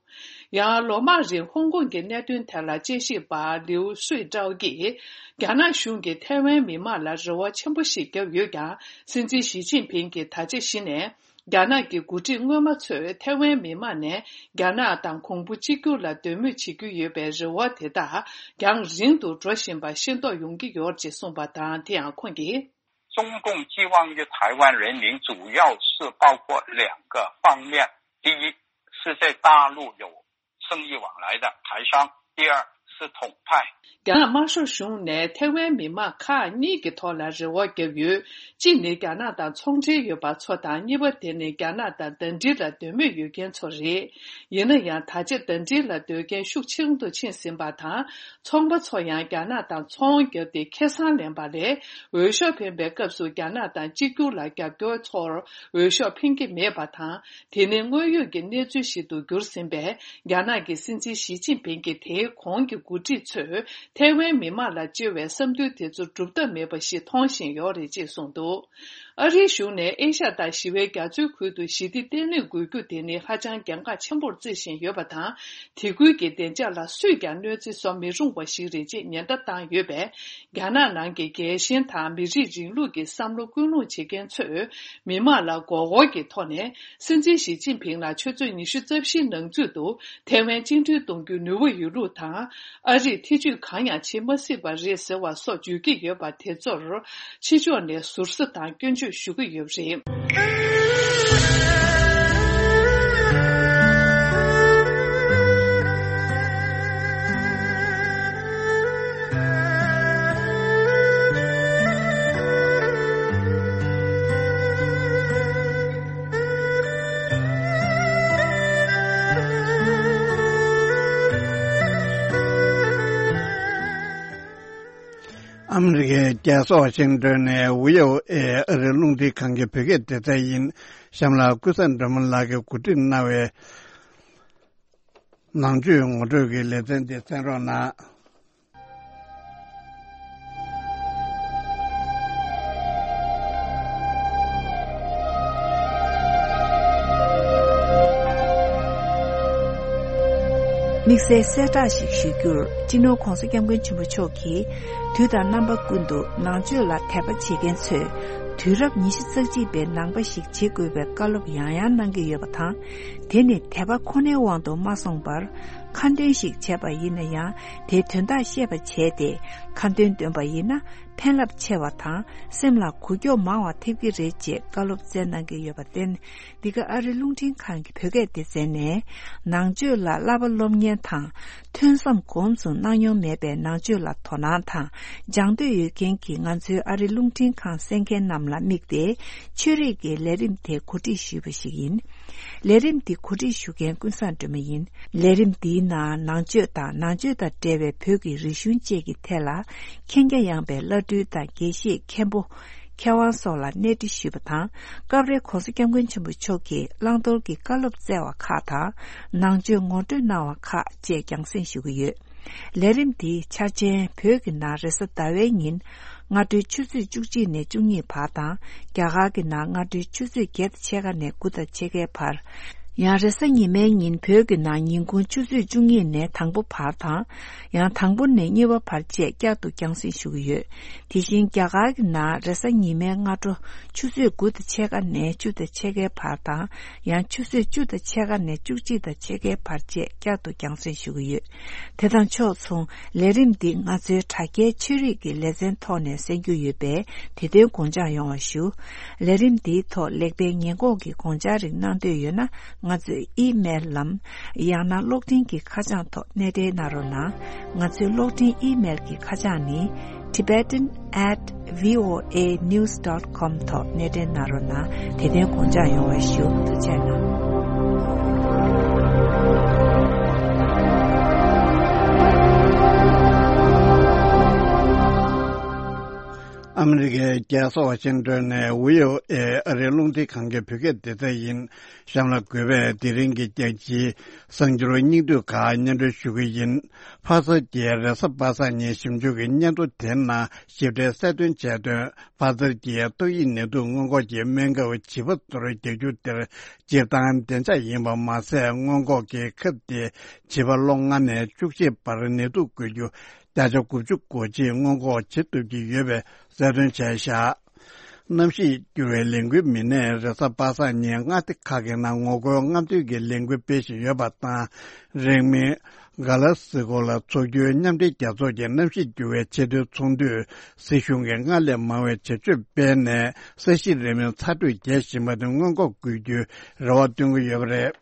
ཡང་། ལོ་མང་རིང་ཧོང་ཀོང་གི་གནད་དོན་ཐད་ལ་དཔྱད་ཞིབ་པ་ལིའུ་སུའེ་ཀྲའོ་གིས། རྒྱ་ནག་གཞུང་གིས་ཐའེ་ཝན་མི་དམངས་ལ་རེ་བ་ཆེན་པོ་ཞིག་བརྒྱབ་ཡོད་ཀྱང་། སྲིད་འཛིན་ཞི་ཅིན་ཕིང་གིས་ད་ཆ་གཞི་ནས། རྒྱ་ནག་གི་འགོ་ཁྲིད་སྔོན་མ་ཚོས་ཐའེ་ཝན་མི་དམངས་ནས་རྒྱ་ནག་དང་གོང་བུ་གཅིག་གྱུར་ལ་འདོད་མོས་བྱེད་ཀྱི་ཡོད་པའི་རེ་བ་དེ་དག་རྒྱང་རིང་དུ་འགྲོ་བཞིན་པ་ཤེས་རྟོགས་ཡོང་གི་ཡོད་ཅེས་གསུངས་པ་དང་། དེ་ཡང་ཁོང་གིས། 中共寄望于台湾人民，主要是包括两个方面。第一，是在大陆有生意往来的台商；第二，是统派。 རྒྱ་ནག་དམར་ཤོག་གཞུང་ནས་ཐའེ་ཝན་མི་དམངས་ཁག་གཉིས་ཀྱི་ཐོག་ལ་རེ་བ་བརྒྱབ་ཡོད། གཅིག་ནི་རྒྱ་ནག་དང་ཚོང་འབྲེལ་ཡོད་པ་ཚོ་དང་། གཉིས་པ་དེ་ནི་རྒྱ་ནག་དང་ཟླ་སྒྲིལ་ལ་འདོད་མོས་ཡོད་མཁན་ཚོ་རེད། ཡིན་ན་ཡང་། ད་ཆ་ཟླ་སྒྲིལ་ལ་འདོད་མཁན་ཤུགས་ཆེ་རུ་ཕྱིན་ཟིན་པ་དང་། ཚོང་པ་ཚོ་ཡང་རྒྱ་ནག་དང་ཚོང་བརྒྱབ་སྟེ་ཁེ་བཟང་ལེན་པ་ལས། འོས་ཤོག་འཕེན་པའི་སྐབས་སུ་རྒྱ་ནག་དང་གཅིག་གྱུར་ལ་རྒྱབ་སྐྱོར་ཚོར་འོས་ཤོག་འཕེན་གྱི་མེད་པ་དང་། དེ་ནི་དངོས་ཡོད་ཀྱི་གནས་ཚུལ་ཞིག་ཏུ་གྱུར་ཟིན་པས། རྒྱ་ནག་གི་སྲིད་འཛིན་ཞི་ཅིན་ཕིང་གིས་དེའི་གོང་གི་འགོ་ཁྲིད་ཚོས་ཐའེ་ཝན་མི་དམངས་ལ་བཅོལ་བའི་བསམ་འདུན་དེ་ཚོ་སྒྲུབ་ཐབས་མེད་པ་ཞིག་མཐོང་བཞིན་ཡོད་རེད་ཅེས་གསུངས་འདུག། ཨ་རིའི་གཞུང་ནས་ཨེ་ཤ་ཡ་དང་ཞི་བའི་རྒྱ་མཚོའི་ཁུལ་དུ་ཞི་བདེ་བརྟན་ལྷིང་དགོས་རྒྱུ་དེ་ནི་ཧ་ཅང་གལ་འགངས་ཆེན་པོར་བརྩི་བཞིན་ཡོད་པ་དང་། དེ་ཁུལ་གྱི་བདེ་འཇགས་ལ་སུས་ཀྱང་གནོད་འཚེ་བཟོ་མི་རུང་བ་ཞིག་རེད་ཅེས་ཉེན་བརྡ་བཏང་ཡོད་པས། རྒྱ་ནག་ནང་གི་རྒྱལ་ཞེན་དང་མི་རིགས་རིང་ལུགས་ཀྱི་བསམ་བློ་ཀུན་སློང་བྱེད་མཁན་ཚོས། མི་དམངས་ལ་མགོ་སྐོར་གྱི་ཐོག་ནས། སྲིད་འཛིན་ཞི་ཅིན་ཕིང་ལ་ཆུ་ཚོད་ཉི་ཤུ་རྩ་བཞིའི་ནང་ཚུད་དུ་ཐའེ་ཝན་བཅིངས་འགྲོལ་གཏོང་རྒྱུའི་ནུས་པ་ཡོད་ལུགས་དང་། ཨ་རིས་ཐེ་ཇུས་གང་ཡང་བྱེད་མ་སྲིད་པ་རེད་ཟེར་བ་སོགས་བརྗོད་ཀྱི་ཡོད་པ་དེ་ཚོར། ཕྱི་ཕྱོགས་ནས་ཟུར་ཟ་དང་སྐྱོན་བརྗོད་ཞུ་གི་ཡོད་པ་རེད། ཨ་མི་རི་ཀའི་རྒྱལ་ས་ཝ་ཤིང་ཏོན་ནས་ཝི་ཨོ་ཨེ་ཨ་རིའི་རླུང་འཕྲིན་ཁང་གི་བོད་སྐད་སྡེ་ཚན་ཡིན། གཤམ་ལ་ཀུན་བཟང་སྒྲོལ་མ་ལགས་ཀྱིས་གོ་སྒྲིག་གནང་བའི་ནང་ཆོས་ངོ་སྤྲོད་ཀྱི་ལེ་ཚན་འདི་གསན་རོགས་གནང་། དམིགས་བསལ་གསལ་བསྒྲགས་ཤིག་ཞུ་རྒྱུར། སྤྱི་ནོར་༧གོང་ས་༧སྐྱབས་མགོན་ཆེན་པོ་མཆོག་གིས་དུས་དང་རྣམ་པ་ཀུན་ཏུ་ནང་ཆོས་ལ་དད་པ་བྱེད་མཁན་ཚོས་དུས་རབས་ཉི་ཤུ་རྩ་གཅིག་པའི་ནང་པ་ཞིག་བྱེད་དགོས་པའི་བཀའ་སློབ་ཡང་ཡང་གནང་གི་ཡོད་པ་དང་། དེ་ནི་དད་པ་ཁོ་ནའི་དབང་དུ་མ་སོང་བར། ཁ་འདོན་ཞིག་བྱས་པ་ཡིན་ན་ཡང་། དེའི་དོན་དག་ཤེས་པ་བྱས་ཏེ། ཁ་འདོན་འདོན་པ་ཡིན་ན། ཕན་རླབས་ཆེ་བ་དང་། སེམས་ལ་གོ་སྐྱོ་མང་བ་ཐེབས་ཀྱི་རེད་ཅེས་བཀའ་སློབ་སྩལ་གནང་གི་ཡོད་པར་བརྟེན། འདི་ག་ཨ་རིའི་རླུང་འཕྲིན་ཁང་གི་བོད་སྐད་སྡེ་ཚན་ནས། ནང་ཆོས་ལ་བསླབ་པ་སློབ་གཉེར་དང་། ཐོས་བསམ་གོམས་སུ་གནང་མྱོང་མེད་པའི་ནང་ཆོས་ལ་དོ་སྣང་དང་། སྦྱང་འདོད་ཡོད་མཁན་གྱི་ང་ཚོའི་ཨ་རིའི་རླུང་འཕྲིན་ཁང་གསན་མཁན་རྣམས་ལ་དམིགས་ཏེ། ཆོས་རིག་གི་ལས་རིམ་དེ་གོ་སྒྲིག་ཞུས་པ་ཞིག་ཡིན། ལས་རིམ་འདི་གོ་སྒྲིག་ཞུ་མཁན་ཀུན་བཟང་སྒྲོལ་མ་ཡིན། ལས་རིམ་འདིའི་ནང་ནང་ཆོས་དང་། ནང་ཆོས་དང་འབྲེལ་བའི་བོད་ཀྱི་རིག་གཞུང་བཅས་ཀྱི་ཐད་ལ། མཁྱེན་རྒྱ་ཡངས་པའི་བླ་སྤྲུལ་དང་། དགེ་བཤེས། མཁན་པོ། མཁས་དབང་སོགས་ལ་གནས་འདྲི་ཞུས་པ་དང་། སྐབས་རེ་༧གོང་ས་༧སྐྱབས་མགོན་ཆེན་པོ་མཆོག་གིས་བླང་དོར་གྱི་བཀའ་སློབ་སྩལ་བ་ཁག་དང་། ནང་ཆོས་ངོ་སྤྲོད་གནང་བ་ཁག་བཅས་རྒྱང་སྲིང་ཞུ་གི་ཡོད། ལས་རིམ་འདིའི་འཆར་ཅན་བོད་ཀྱི་ནང་རེས་གཟའ་ཟླ་བའི་ཉིན། སྔ་དྲོའི་ཆུ་ཚོད་བཅུ་གཅིག་ནས་བཅུ་གཉིས་བར་དང་། རྒྱ་གར་གྱི་ནང་སྔ་དྲོའི་ཆུ་ཚོད་བརྒྱད་དང་ཕྱེད་ཀ་ནས་དགུ་དང་ཕྱེད་ཀའི་བར། ཡང་རེས་གཟའ་ཉི་མའི་ཉིན་བོད་ཀྱི་ནང་ཉིན་གུང་ཆུ་ཚོད་བཅུ་གཉིས་ནས་དང་པོ་བར་དང་། ཡང་དང་པོ་ནས་གཉིས་པ་བར་བཅས་བསྐྱར་དུ་རྒྱང་སྲིང་ཞུ་གི་ཡོད། དེ་བཞིན་རྒྱ་གར་གྱི་ནང་རེས་གཟའ་ཉི་མའི་སྔ་དྲོ་ཆུ་ཚོད་དགུ་དང་ཕྱེད་ཀ་ནས་བཅུ་དང་ཕྱེད་ཀའི་བར་དང་། ཡང་ཆུ་ཚོད་བཅུ་དང་ཕྱེད་ཀ་ནས་བཅུ་གཅིག་དང་ཕྱེད་ཀའི་བར་བཅས་བསྐྱར་དུ་རྒྱང་སྲིང་ཞུ་གི་ཡོད། དེ་དང་ཕྱོགས་མཚུངས། ལས་རིམ་འདི་ང་ཚོའི་དྲ་རྒྱའི་ཆོས་རིག་གི་ལེ་ཚན་ཐོག་ནས་གསན་རྒྱུ་ཡོད་པས། དེ་དོན་དགོངས་འཇགས་ཡོང་བ་ཞུ། ལས་རིམ་འདིའི་ཐོག་ལེགས་སྤེལ་ཉེས་འགོག་གི་དགོངས་འཆར་རིགས་གནང་འདོད་ཡོད་ན། ང་ཚོའི་ཨི་མེལ་ལམ། ཡང་ན་གློག་འཕྲིན་གྱི་ཁ་བྱང་ཐོག་གནས་འབྲེལ་གནང་རོགས་གནང་། ང་ཚོའི་གློག་འཕྲིན་ཨི་མེལ་གྱི་ཁ་བྱང་ནི། tibetan at voanews dot com ཐོག་གནས་འབྲེལ་གནང་རོགས་གནང་། དེ་དོན་དགོངས་འཇགས་ཡོང་བ་ཞུ། ཐུགས་རྗེ་གནང་། ཨ་མི་རི་ཀའི་རྒྱལ་ས་ཝ་ཤིང་ཏོན་ནས་ཝི་ཨོ་ཨེ་ཨ་རིའི་རླུང་འཕྲིན་ཁང་གི་བོད་སྐད་སྡེ་ཚན་ཡིན། གཤམ་ལ་དགོས་པའི་དེ་རིང་གི་རྒྱལ་སྤྱིའི་གསར་འགྱུར་སྙིང་བསྡུས་ཁག་སྙན་སྒྲོན་ཞུ་གི་ཡིན། ཕ་སར་གྱི་རེས་གཟའ་པ་སངས་ཉིན་ཞིབ་འཇུག་གི་སྙན་ཐོ་དེའི་ནང་ཞིབ་ཕྲའི་གསལ་སྟོན་བྱས་དོན། ཕ་སར་གྱི་ཏོག་དབྱིབས་ནད་དུག་སྔོན་འགོག་གི་སྨན་ཁབ་བྱིས་པ་ཚོར་རྒྱག་རྒྱུ་དེར་སྤྱིར་བཏང་བདེ་འཇགས་ཡིན་པ་མ་ཟད། སྔོན་འགོག་གི་ཁབ་དེ་བྱིས་པ་ལོ་ལྔ་ནས་བཅུ་གཅིག་བར་ནད་དུག་འགོས་རྒྱུ་བརྒྱ་ཆ་དགུ་བཅུ་གོ་གཅིག་སྔོན་འགོག་བྱེད་ཐུབ་ཀྱི་ཡོད་པའི་གསལ་སྟོན་བྱས་བཞག། གནམ་གཤིས་འགྱུར་བའི་ལས་འགུལ་མི་སྣས་རེས་གཟའ་པ་སངས་ཉིན་མངའ་སྡེ་ཁག་གི་ནང་ངོ་རྒོལ་རྔམ་སྟོན་གྱི་ལས་འགུལ་སྤེལ་བཞིན་ཡོད་པ་དང་། རིང་མིན་ག་ལ་སི་ཀོ་ལ་འཚོགས་རྒྱུའི་མཉམ་འབྲེལ་རྒྱལ་ཚོགས་ཀྱི་གནམ་གཤིས་འགྱུར་བའི་ཆེས་མཐོའི་ཚོགས་འདུས་སྲིད་གཞུང་གིས་སྔར་ལས་མང་བའི་བྱ་སྤྱོད་སྤེལ་ནས་ས་གཞི་རིང་མོའི་ཚ་དྲོད་རྒྱས་བཞིན་པ་དེ་སྔོན་འགོག་དགོས་རྒྱུའི་རེ་བ་བཏོན་གྱི་ཡོད་པ་རེད།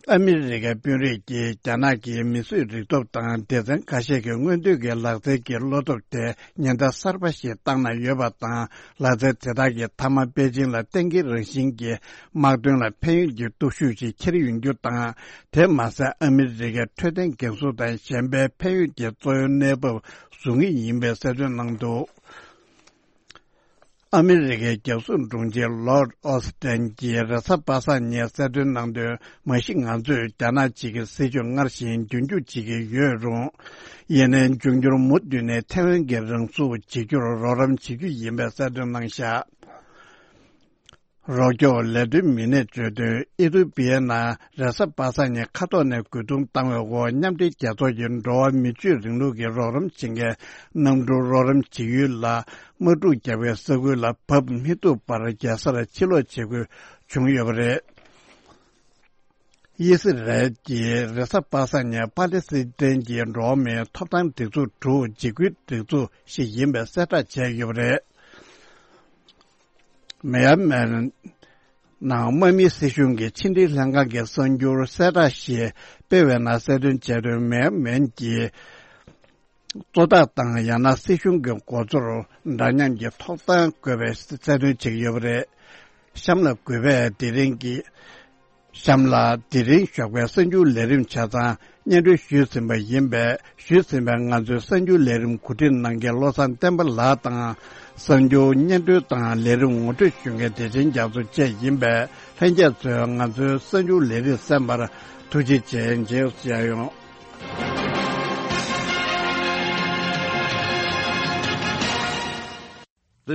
ཨ་མི་རི་ཀའི་དཔོན་རིགས་ཀྱིས་རྒྱ་ནག་གི་མིས་བཟོས་རིག་སྟོབས་དང་སྡེ་ཚན་ཁ་ཤས་ཀྱི་སྔོན་ཐོན་གྱི་ལག་རྩལ་གྱི་བློ་སྟོབས་དེ་ཉེན་བརྡ་གསར་པ་ཞིག་བཏང་གནང་ཡོད་པ་དང་། ལག་རྩལ་དེ་དག་གིས་མཐའ་མ་པེ་ཅིང་ལ་བརྟན་གྱི་རང་བཞིན་གྱི་དམག་དོན་ལ་ཕན་ཡོན་གྱི་སྟོབས་ཤུགས་ཤིག་འཁྱེར་ཡོང་རྒྱུ་དང་། དེ་མ་ཟད། ཨ་མི་རི་ཀའི་འཕྲོད་བསྟེན་འགན་སྲུང་དང་གཞན་པའི་ཕན་ཡོན་གྱི་གཙོ་བོའི་གནས་བབ་བཟུང་ངེས་ཡིན་པའི་གསལ་སྟོན་གནང་འདུག། ཨ་མི་རི་ཀའི་རྒྱལ་སྲུང་དྲུང་ཆེ་ལོར་ཨོ་སི་ཏན་གྱིས་རེས་གཟའ་པ་སངས་ཉིན་གསལ་སྟོན་གནང་དོན། མ་གཞི་ང་ཚོས་རྒྱ་ནག་གཅིག་གི་སྲིད་བྱུས་སྔར་བཞིན་རྒྱུན་འཁྱོངས་བྱེད་ཀྱི་ཡོད་རུང་། ཡིན་ནའི་འབྱུང་འགྱུར་མུ་མཐུད་ནས་ཐེ་ཝན་གྱི་རང་སྲུང་བྱེད་རྒྱུར་རོགས་རམ་བྱེད་རྒྱུ་ཡིན་པའི་གསལ་སྟོན་གནང་བཞག། རོགས་སྐྱོར་ལས་དོན་མི་སྣས་བརྗོད་དོན། ཨི་ཐུ་པི་ཡའི་ནང་རེས་གཟའ་པ་སངས་ཉིན་མཁའ་ཐོག་ནས་རྒོལ་རྡུང་བཏང་བའི་འོག་མཉམ་འབྲེལ་རྒྱལ་ཚོགས་ཀྱི་འགྲོ་བ་མི་ཆོས་རིང་ལུགས་ཀྱི་རོགས་རམ་བྱེད་མཁན་གནམ་གྲུ་རོགས་རམ་བྱེད་ཡུལ་ལ་དམག་འཁྲུག་བརྒྱབ་པའི་ས་ཁུལ་ལ་བབས་མི་ཐུབ་པར་རྒྱལ་སར་ཕྱིར་ལོག་བྱེད་དགོས་བྱུང་ཡོད་པ་རེད། དབྱི་སི་རལ་གྱིས་རེས་གཟའ་པ་སངས་ཉིན་པ་ལེ་སི་ཐན་གྱི་འགྲོ་བ་མིའི་ཐོབ་ཐང་སྒྲིག་འཛུགས་དྲུག་འཇིགས་སྐུལ་སྒྲིག་འཛུགས་ཤིག་ཡིན་པའི་གསལ་བསྒྲགས་བྱས་ཡོད་པ་རེད། མེ་ཡར་མེན་ནང་དམག་མིའི་སྲིད་གཞུང་གི་ཕྱི་འབྲེལ་ལྷན་ཁང་གི་གསར་འགྱུར་གསལ་བསྒྲགས་ཤིག་སྤེལ་བའི་ནང་གསལ་སྟོན་བྱས་དོན། མེ་ཡར་མེན་གྱི་གཙོ་བདག་དང་ཡང་ན་སྲིད་གཞུང་གི་མགོ་གཙོར་འདྲ་མཉམ་གྱི་ཐོབ་ཐང་དགོས་པའི་གསལ་སྟོན་བྱེད་ཀྱི་ཡོད་པ་རེད། གཤམ་ལ་གུས་པས་དེ་རིང་གི་གཤམ་ལ་དེ་རིང་ཞོགས་པའི་གསར་འགྱུར་ལས་རིམ་ཆ་ཚང་ སྙན་སྒྲོན་ཞུས་ཟིན་པ་ཡིན་པས། ཞུས་ཟིན་པའི་ང་ཚོའི་གསར་འགྱུར་ལས་རིམ་གོ་སྒྲིག་གནང་མཁན་བློ་བཟང་བསྟན་པ་ལགས་དང་། གསར་འགྱུར་སྙན་སྒྲོན་དང་ལས་རིམ་ངོ་སྤྲོད་ཞུ་མཁན་བདེ་ཆེན་རྒྱ་མཚོ་བཅས་ཡིན་པས། ལྷན་རྒྱས་ཚོས་ང་ཚོའི་གསར་འགྱུར་ལས་རིམ་གསན་པར་ཐུགས་རྗེ་ཆེ། མཇལ་ཡོང་།